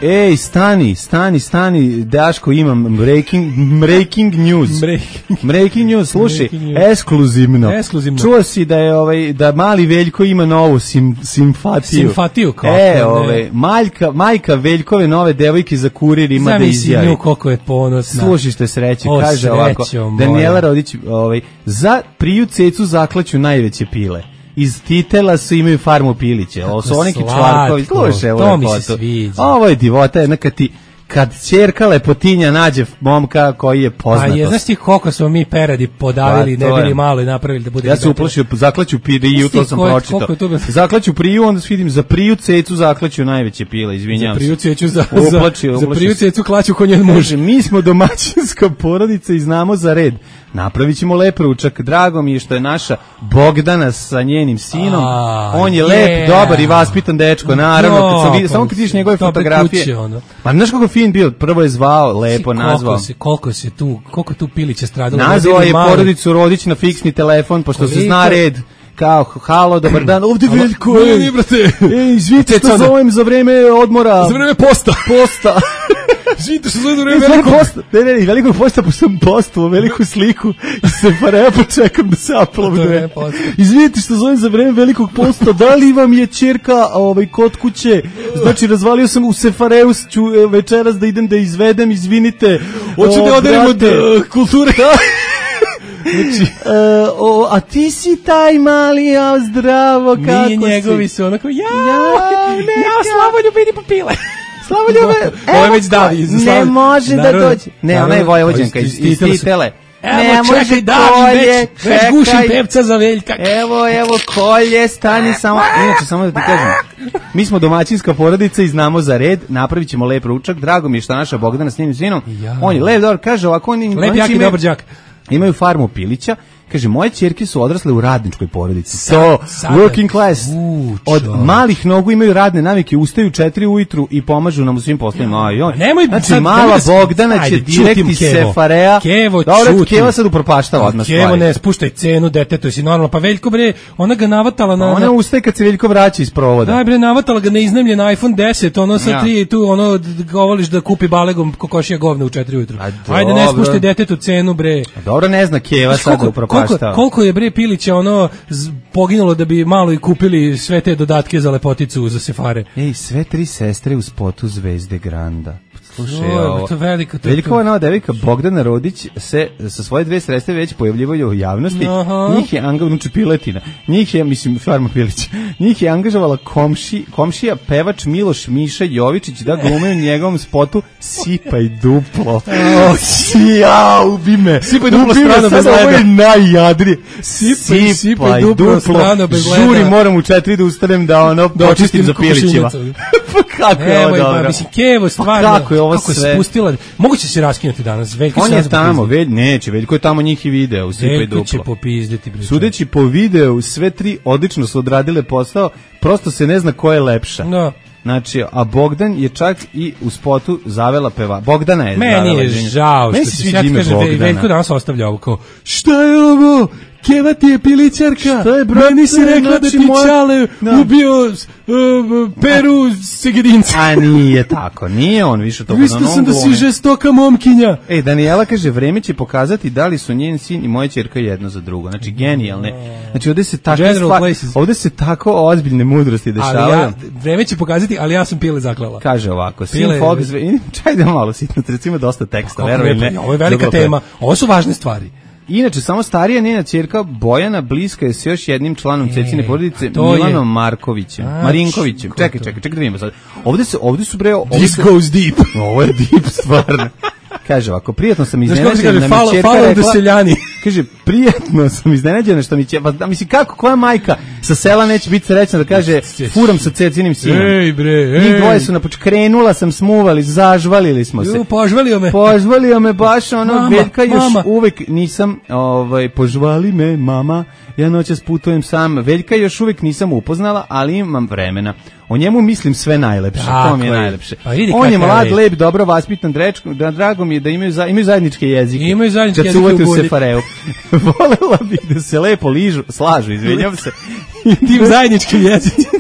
Ej, stani, Daško, imam breaking news. Breaking news, slušaj, ekskluzivno. Čuo si da je da mali Veljko ima novu simpatiju. Simpatiju, kako majka Veljkove nove devojke za kurir ima da izjavi. Zamisli nju koliko je ponosna. Slušajte sreće, kaže ovako, Daniela Rodić, za priju cecu zaklaću najveće pile. Iz Titela su imaju farmu piliće. Ovo su neki čvarkovi. Slušaj, to mi se sviđa. Ovo je divota, jedna kad ćerka lepotinja nađe momka koji je poznatost. A je, znaš ti koliko smo mi peradi podavili, ne bili malo i napravili da bude... Ja se uplašio, zaklaću priju, to sam pročitao. Zaklaću priju, onda vidim, za priju cecu zaklaću najveće pile, izvinjavam se. Za priju cecu klaću ko njen muž. Mi smo domaćinska porodica i znamo za red. Napravit ćemo lep ručak. Drago mi je što je naša Bogdana sa njenim sinom. On je lep, dobar i vaspitan dečko. Naravno, samo kad vidiš njegove fotografije. Pa znaš kako fin bio? Prvo je zvao, lepo nazvao. Koliko tu piliće stradalo. Nazvao je porodicu Rodić na fiksni telefon, pošto se zna red. Kao, halo, dobar dan, ovdje Veljko. Izvite što zovem za vreme odmora. Za vreme posta. Živite što zove do vreme velikog posta. Ne, velikog posta, pošto sam postovao veliku sliku i Sefareja počekam da se aplauduje. Izvinite što zovem za vreme velikog posta, da li vam je ćerka kod kuće? Znači, razvalio sam u Sefareju, ću večeras da idem da izvedem, izvinite. Hoću da oderim od kulture. Znači, a ti si taj mali, a zdravo, kako si? Njegovi su onako, ja, Slavoljub, idi popile. Ovo je već Davi. Ne može da dođe. Ne, ona je Vojvođanka iz Titele. Evo, čekaj, Davi, već gušim pevca za Veljka. Evo, kolje, stani samo. Inače, samo da ti kažem, mi smo domaćinska porodica i znamo za red, napravit ćemo lep ručak. Drago mi je što naša Bogdana s njim sinom. On je lep, dobar, kaže ovako, lep, jak i dobar đak. Imaju farmu pilića. Kaže, moje ćerke su odrasle u radničkoj porodici. To, working class. Od malih nogu imaju radne navike, ustaju 4 ujutru i pomažu nam u svim poslovima. Znači, mala Bogdana će direkti Sefarea. Kevo, dobro, Keva sad upropaštava odmah stvari. Kevo, ne, spuštaj cenu, detetu, si normalno. Pa Veljko, bre, ona ga navatala na... Ona ustaje kad se Veljko vraća iz provoda. Daj, bre, navatala ga na iznajmljen iPhone 10, ono sa 3 tu, ono, govoliš da kupi balegom kokošija govna u 4 ujutru. Ajde, ne spuštaj detetu cenu, bre. Dobro, ne zna Keva sad da upropaštava. Koliko je bre Pilića ono poginulo da bi malo i kupili sve te dodatke za lepoticu za Sefare. Ej, sve 3 sestre u spotu Zvezde Granda. Slušaj, to velika. Veljkova nova devojka Bogdana Rodić se sa svoje 2 sestre već pojavljivaju u javnosti. Njih je angažovala Piletina. Njih je, mislim, Farma Pilić. Njih je angažovala komšija pevač Miloš Miša Jovičić da glume u njegovom spotu Sipaj duplo. Ubi me. Sipaj duplo strano bez leda. Ovo je najjadrije. Sipaj duplo strano bez leda. Žuri, moram u 4 da ustanem da počistim za Pilićima. Kako je ovo dobro. Mislim, Kevo, stvarno. Kako je ovo sve? Se spustila. Moguće se raskinuti danas. Veljko on je tamo, neće. Veljko je tamo njih i video u Sipaj duplo. Veljko će popizditi. Sudeći po videu, sve 3 odlično su odradile posao, prosto se ne zna ko je lepša. Da. Znači, a Bogdan je čak i u spotu zavela peva. Bogdana je zavela. Meni je žao što se ja kaže Veljko danas ostavlja ovo kao, šta je ovo? Keva ti je pilićarka. Šta je, brate? Meni si rekla da ti Čale ubio Peru Segedinca. A nije tako, nije on više to. Mislio sam da si žestoka momkinja. Danijela kaže, vreme će pokazati da li su njen sin i moja ćerka jedno za drugo. Znači, genijalne. Znači, ovdje se tako ozbiljne mudrosti dešavaju. Vreme će pokazati, ali ja sam Pile zaklala. Kaže ovako, sin Fox, čaj da malo sitno, recimo dosta teksta, verujem ne. Ovo je velika tema, ovo su važne stvari. Inače, samo starija njena ćerka Bojana bliska je s još jednim članom Cecine porodice, Milanom Markovićem. Marinkovićem. Čekaj da vidimo sad. Ovdje su bre... This goes deep. Ovo je deep, stvarno. Kaže ovako, prijatno sam iznenađena da mi ćerka rekla... Kaže, prijatno sam iznenađena što mi ćerka... Pa, mislim, koja majka sa sela neće biti srećna da kaže, furam sa Cecinim sinom. Ej, bre, njih dvoje su krenula sam, smuvali, zažvalili smo se. Požvalio me baš, ono, Veljka još uvek nisam, požvali me, mama, ja noćas putujem sam. Veljka još uvek nisam upoznala, ali imam vremena. O njemu mislim sve najlepše, to mi je najlepše. On je mlad, lep, dobro vaspitan, drago mi je da imaju zajedničke jezike. Imaju zajedničke jezike u bolji. Volela bih da se lepo slažu, izvinjam se. Tim zajedničkim jezicima.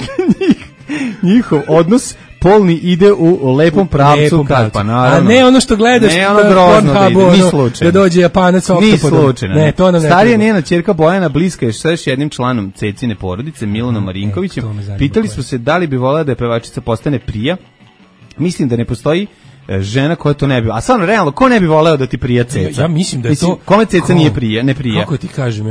Njihov odnos polni ide u lepom pravcu. Pa naravno. A ne ono što gledaš ne ono grozno da ide, ni slučajno. Da dođe Japanac sa oktopodom. Ne, to nam ne. Starija njena ćerka Bojana bliska je s još jednim članom Cecine porodice, Milanom Marinkovićem. Pitali smo se da li bi volela da je pevačica postane prija. Mislim da ne postoji žena koja to ne bi. A stvarno, realno, ko ne bi voleo da ti prija Ceca? Ja mislim da je to... Kome Ceca nije prija, ne prija? Kako ti kažem?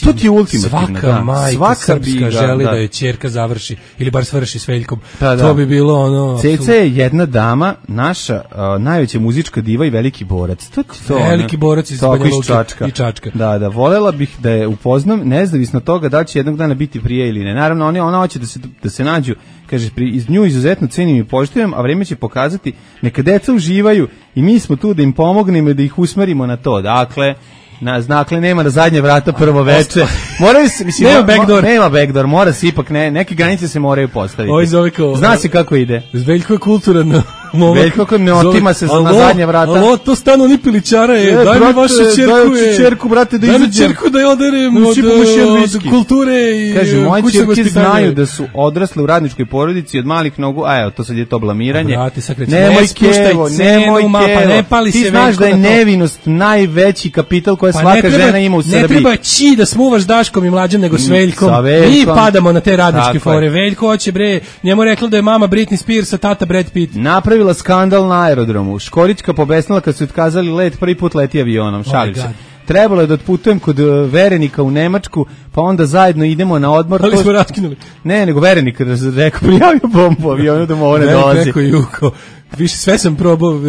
To ti je ultimativno. Svaka majka srpska želi da je ćerka završi, ili bar svrši s Veljkom. To bi bilo ono... Ceca je jedna dama, naša najveća muzička diva i veliki borac. Veliki borac iz Banja Luke i Čačka. Da, volela bih da je upoznam, nezavisno toga da će jednog dana biti prija ili ne. Naravno, ona hoće da se nađu. Kaže, iz nju izuzetno cenim i poštujem, a vreme će pokazati, neka deca uživaju i mi smo tu da im pomognemo i da ih usmerimo na to. Dakle, nema na zadnje vrata prvo veče. Moraju se, mislim, nema backdoor, mora se ipak, neke granice se moraju postaviti. Zna se kako ide. Veljko je kulturan Veljko ko ne otima se na zadnje vrata. Alo, to stano ni pilićara je. Daj mi vašu ćerku, brate, da izađem. Daj mi ćerku da je oderem od kulture i kaže, moje ćerke znaju da su odrasle u radničkoj porodici od malih nogu, a evo, to sad je to blamiranje. Nemoj Kevo, ti znaš da je nevinost najveći kapital koje svaka žena ima u Srbiji. Ne treba ći da smuvaš Daškom i Mlađom, nego s Veljkom. Mi padamo na te radničke fore. Veljko hoće, bre, njemu rekla da je mama Britney Spears, a tata Brad Pitt. Napravila skandal na aerodromu. Škorićka pobesnila kad su otkazali let, prvi put leti avionom. Šalim se. Trebalo je da otputujem kod Verenika u Nemačku, pa onda zajedno idemo na odmor. Ali smo raskinuli. Ne, nego Verenik rekao, prijavio bombu avionu da mu ovo ne dolazi. Verenik rekao, Više sve sam probao,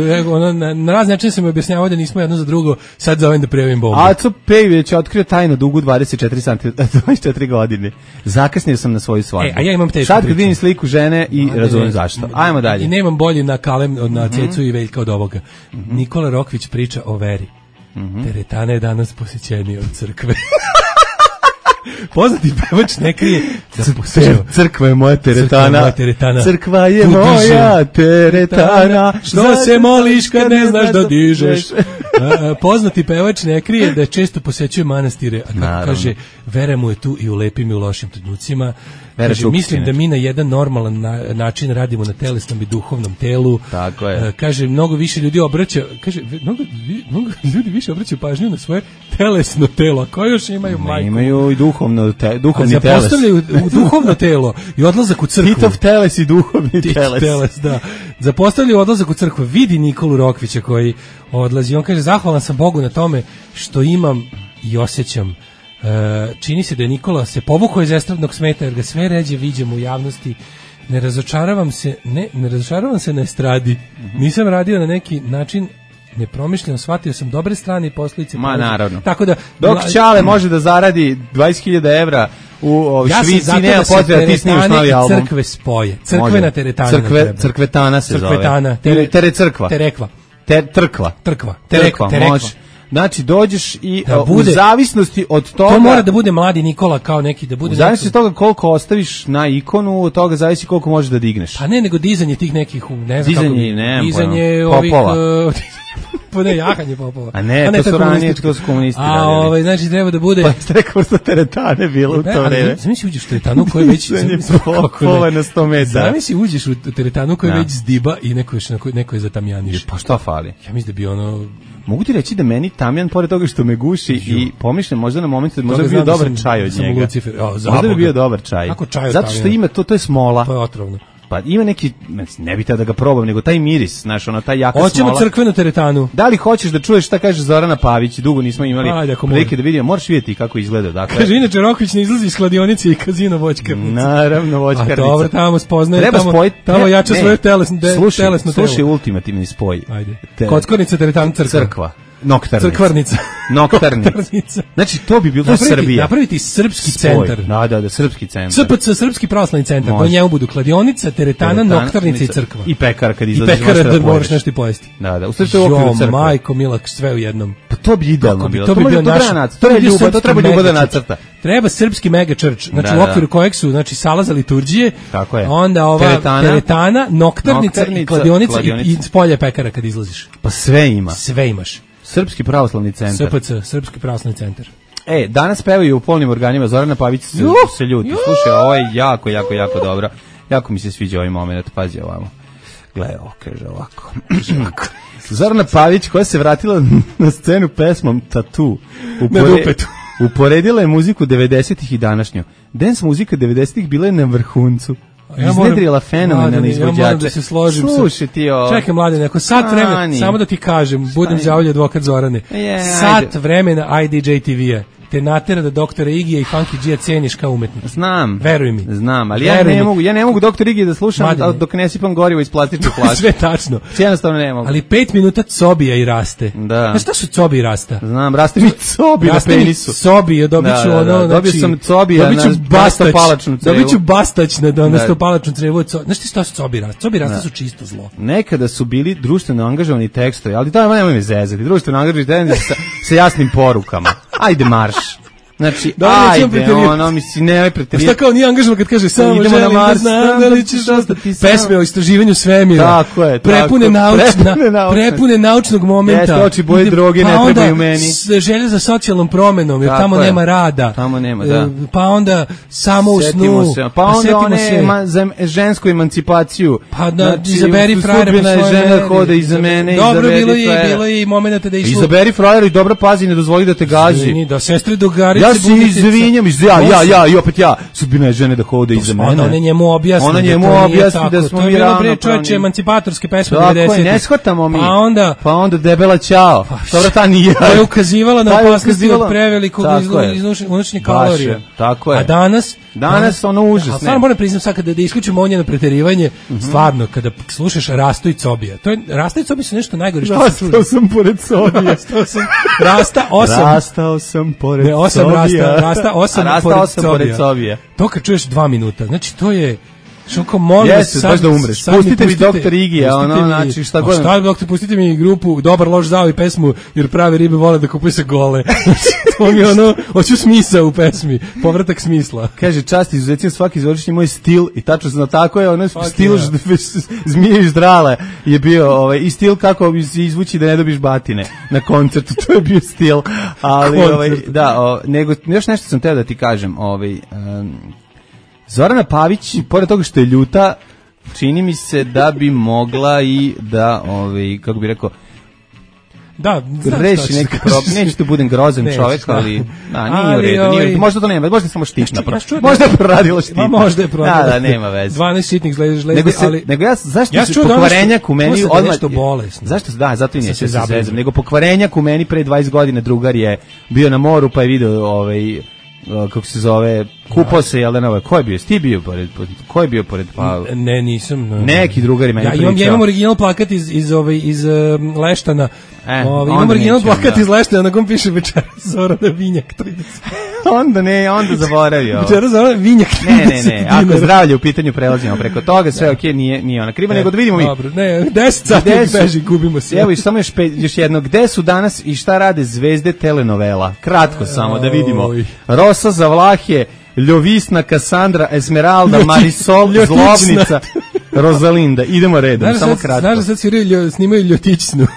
na razne načine sam mi objašnjavao da nismo jedno za drugo, sad zovem da prijavim bombu. Aco Pejović je otkrio tajnu dugu 24 godine. Zakasnio sam na svoju svadbu. A ja imam tešku sad kad vidim sliku žene i razumem zašto. Ajmo dalje. I nemam bolji na Kalem, na Cecu i Veljka od ovoga. Nikola Rokvić priča o veri. Teretana je danas posjećenija od crkve. Poznati pevač ne krije crkva je moja teretana. Crkva je moja teretana. Što se moliš kad ne znaš da dižeš? Poznati pevač ne krije da često posećuje manastire, a kako kaže, vera mu je tu i u lepim i u lošim trenucima. Kaže, mislim da mi na jedan normalan način radimo na telesnom i duhovnom telu. Tako je. Kaže, mnogo više ljudi obraća, kaže, mnogo ljudi više obraćaju pažnju na svoje telesno telo, a koje još imaju majku? Imaju i duhovni teles. Zapostavljaju duhovno telo i odlazak u crkvu. Titov teles i duhovni teles. Da. Zapostavljaju odlazak u crkvu. Vidi Nikolu Rokvića koji odlazi. On kaže, zahvalan sam Bogu na tome što imam i osjećam. Čini se da je Nikola se povukao iz estradnog smeta jer ga sve ređe viđemo u javnosti. Ne razočaravam se na estradi. Nisam radio na neki način nepromišljeno, shvatio sam dobre strane i posljedice. Ma naravno. Tako da dok Ćale može da zaradi 20.000 evra u Švici, nema potreba ti snimiš novi album. Crkve spoje. Crkvena teretana. Crkvetana se zove. Terekva. Terekva, može. Znači, dođeš i u zavisnosti od toga... To mora da bude mladi Nikola kao neki, da bude... U zavisnosti od toga koliko ostaviš na ikonu, od toga zavisi koliko možeš da digneš. Pa ne, nego dizanje tih nekih, ne znam kako... Dizanje popova. Pa ne, jahanje popova. A ne, to su ranije, to su komunisti radili. Znači, treba da bude... Pa ste rekao što teretane bilo u to vreme. Zamisli uđeš u teretanu koji već... Popova na 100 metara. Zamisli uđeš u teretanu koji već zdiba i neko je zatamjaniš. Pa šta fali? Ja mislim da bi ono... Mogu ti reći da meni tamjan, pored toga što me guši i pomišljam možda na moment da možda bi bio dobar čaj od njega. Možda bi bio dobar čaj. Zato što ima, to je smola. To je otrovno. Pa ima neki, ne bi da ga probam, nego taj miris, znaš, ono, taj jaka hoćemo smola. Hoćemo crkvenu teretanu. Da li hoćeš da čuješ šta kaže Zorana Pavić? Dugo nismo imali prilike da vidimo. Moraš vidjeti kako izgleda. Dakle, kaže, inače Rokvić ne izlazi iz kladionice i kazino voćkarnice. Naravno, voćkarnica. A dobro, tamo spoznaje, treba tamo jača svoje telesno telo. Slušaj ultimativni spoj. Ajde. Kockornica, teretana, crkva. Noktarnica. Znači, to bi bilo Srbija. Napraviti srpski centar. Da, srpski centar. SPC, srpski pravoslavni centar. Do njemu budu kladionica, teretana, noktarnica i crkva. I pekara kad izlaziš. I pekara da moraš nešto i pojesti. Da. U stvari to je u okviru crkve. Majko Milak, sve u jednom. Pa to bi idealno bilo. To bi bio naš... To treba Ljuba da nacrta. Treba srpski mega church. Znači, u okviru kojeg su, znači, sala za liturđije. Tako je. Onda ova teretana, noktarnica i kladionica i spolje pekara kad izlaziš. Pa sve ima. Sve imaš. Srpski pravoslavni centar. SPC, Srpski pravoslavni centar. Danas pevaju u polnim organima. Zorana Pavić se ljuti. Slušaj, ovo je jako dobro. Jako mi se sviđa ovaj moment. Pazi ovamo. Gle, kaže ovako. Zorana Pavić koja se vratila na scenu pesmom Tattoo. Uporedila je muziku 90-ih i današnju. Dance muzika 90-ih bila je na vrhuncu. Iznedrila fenomenalne izvođače. Ja moram da se složim. Slušaj ti ovo. Čekaj, mlade, neko sat vremena, samo da ti kažem, budem đavolji advokat Zorane. Sat vremena IDJ TV-a te natera da doktora Igija i Funky G-a ceniš kao umetnika. Znam. Veruj mi. Znam, ali ja ne mogu doktor Igija da slušam dok ne sipam gorivo iz plastične flaše. Sve tačno. Jednostavno ne mogu. Ali 5 minuta cobija i raste. Da. Znaš šta su cobi i rasta? Znam, raste mi cobi na penisu. Cobi, dobit ću ono, dobio sam cobija na stopalačnu crevu. Dobit ću bastać na stopalačnu crevu. Znaš ti šta su cobi i rasta? Cobi i rasta su čisto zlo. Nekada su bili društveno angažovani tekstovi, ali to nema me zezati. Društveno angažovani tekstovi sa jasnim porukama. Ajde marš. Znači, ajde, ono, mislim, nemoj preterivati. Šta kao nije angažovan kad kaže samo želim da znam da li ćeš ostati. Pesme o istraživanju svemira. Tako je. Prepune naučnog momenta. Jeste, oči boje droge ne trebaju meni. Pa onda želje za socijalnom promenom, jer tamo nema rada. Tamo nema, da. Pa onda samo u snu. Pa onda one za žensku emancipaciju. Pa da, izaberi frajera po svojoj meni. Žena hode iza mene, izaberi frajera. Dobro, bilo je i momenta da išlo. Izaberi frajera i dobro pazi, ne dozvoli da te gazi. Da sestre Dogarić Ja se izvinjam, i opet ja, sudbina žene da hode iza mene. Ona njemu objasni da smo mi ravnopravni. Čovječe, emancipatorske pesme 90. Tako je, ne shvatamo mi. Pa onda debela ćao. Dobro, ta nije. To je ukazivala na opasnosti od prevelikog unošenja kalorija. Tako je. A danas ono užasno. Stvarno moram priznam sad kada isključimo njeno preterivanje, stvarno kada slušaš Rasto i Cobija. To je Rasta i Cobija su nešto najgore što se čuje. Rastao sam pored Cobija. Rastao sam pored Cobija. Rasta pored Cobija. To kad čuješ 2 minuta. Znači to je šoko molim vas baš da umreš. Pustite mi Doktor Igija, znači šta god. Šta doktor, pustite mi grupu Dobar loš zao i pesmu jer prave ribe vole da kupuju se gole. To mi hoću smisao u pesmi, povratak smisla. Kaže čast izuzetno svaki izvorišni moj stil i tačno tako je stil zmije i ždrale je bio i stil kako izvući da ne dobiš batine na koncertu, to je bio stil. Ali nego još nešto sam teo da ti kažem, Zorana Pavić, pored toga što je ljuta, čini mi se da bi mogla i da, kako bi rekao, reši neki problem. Neće tu budem grozan čovjek, ali nije u redu. Možda to nema, možda je samo štitna. Možda je proradila štitna. Možda je proradila. Da, nema veze. 12 šitnih žlezdi, ali... Nego zašto se pokvarenjak u meni... To se nešto bolesno. Zašto? Da, zato i neće se zezam. Nego pokvarenjak u meni pre 20 godina drugar je bio na moru pa je video kako se zove, kupao se, jel da ne, ko je bio? Ti bio pored, ko je bio pored? Pa ne, nisam. Neki drugari meni pričao. Ja imam original plakat iz Leštana. Imam original plakat iz Leštana na kom piše Večera Zorana Vinjak 30. Onda zaboravio. Večera Zorana Vinjak 30. Ne, ako zdravlje u pitanju prelazimo preko toga, sve okej, nije ona kriva, nego da vidimo mi. Dobro, ne, 10 sati beži, gubimo se. Evo i samo još jedno, gde su danas i šta rade zvezde telenovela? Kratko samo da vidimo. Rosa za Vlahe, Ljovisna, Kasandra, Esmeralda, Marisol, Zlobnica, Rozalinda. Idemo redom, samo kratko. Znaš da sad snimaju Ljotićnu.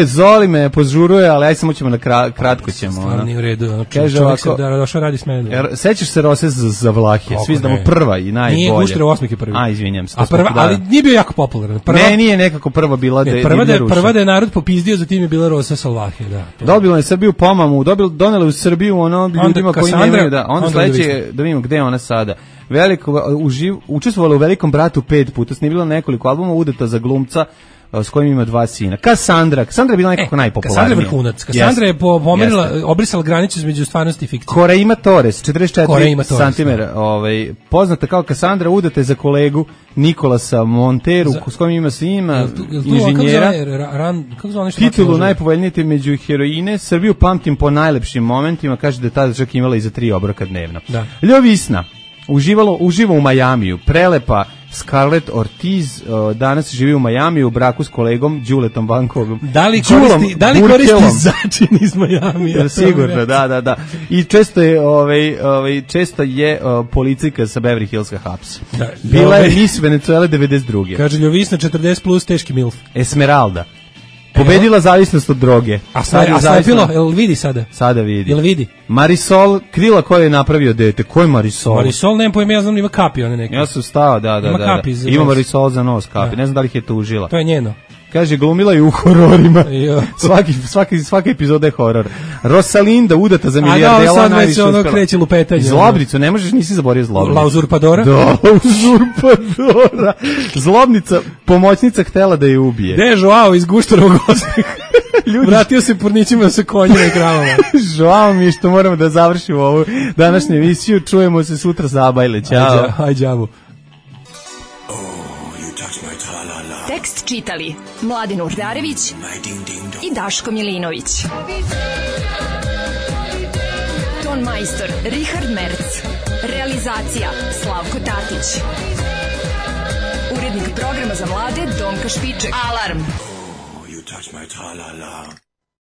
Zoli me požuruje, ali aj samo ćemo kratko ćemo. Stvarno nije u redu. Kaže ovako, došao radi s mene. Sećaš se Rose za Vlahe? Svi znamo prva i najbolja. Nije Gušter Osmik je prvi. Izvinjam se. Ali nije bio jako popularan. Ne, nije nekako prva bila da je prva da je narod popizdio, zatim je bila Rosa sa Vlahe, da. Dobila je Srbiju pomamu, donela u Srbiju ljudima koji nemaju da. Onda sledeće da vidimo gde je ona sada. Učestvovala u Velikom bratu 5 puta, snimila nekoliko albuma, udata za glumca s kojim ima 2 sina. Kassandra je bila nekako najpopularnija. Kassandra je vrhunac. Kassandra je obrisala granicu između stvarnosti i fikcije. Koreima Torres, 44 cm, poznata kao Kassandra, udata za kolegu Nikolasa Monteru, s kojim ima sina, inženjera. Titulu najpovoljnije među heroine. Srbiju pamtim po najlepšim momentima, kaže da je tada čak imala i za 3 obroka dnevno. Ljovisna uživa u Majamiju, prelepa Scarlett Ortiz danas živi u Majamiju u braku s kolegom Đuletom Bankovim. Da li koristi začin iz Majamija? Sigurno, da. I često je policijka sa Beverly Hillska hapsi. Bila je Miss Venezuela 92. Kaže Ljovisna 40 plus teški milf. Esmeralda. Pobedila zavisnost od droge. A slepilo, jel vidi sada? Sada vidi. Jel vidi? Marisol, krila koja je napravio dete. Ko je Marisol? Marisol, nemam pojma, ja znam ima kapi one neke. Ja sam stao, da. Ima Marisol za nos kapi, ne znam da li ih je tužila. To je njeno. Kaže, glumila je u hororima. Svaka epizoda je horor. Rosalinda, udata za milijardela, sad već ono kreće lupetanje. Zlobnicu, ne možeš, nisi zaborio Zlobnicu. La Uzurpadora? Da, Uzurpadora. Zlobnica, pomoćnica htela da je ubije. Gde je Joao iz Guštarovog Osmika? Vratio se pornićima sa konjima i kravama. Žao mi je što moramo da završimo ovu današnju emisiju. Čujemo se sutra za Abajle. Ćao. Aj, đavu. Tekst čitali Mladin Urdarević i Daško Milinović. Ton majstor Richard Merc. Realizacija Slavko Tatić. Urednik programa za mlade Donka Špiček. Alarm!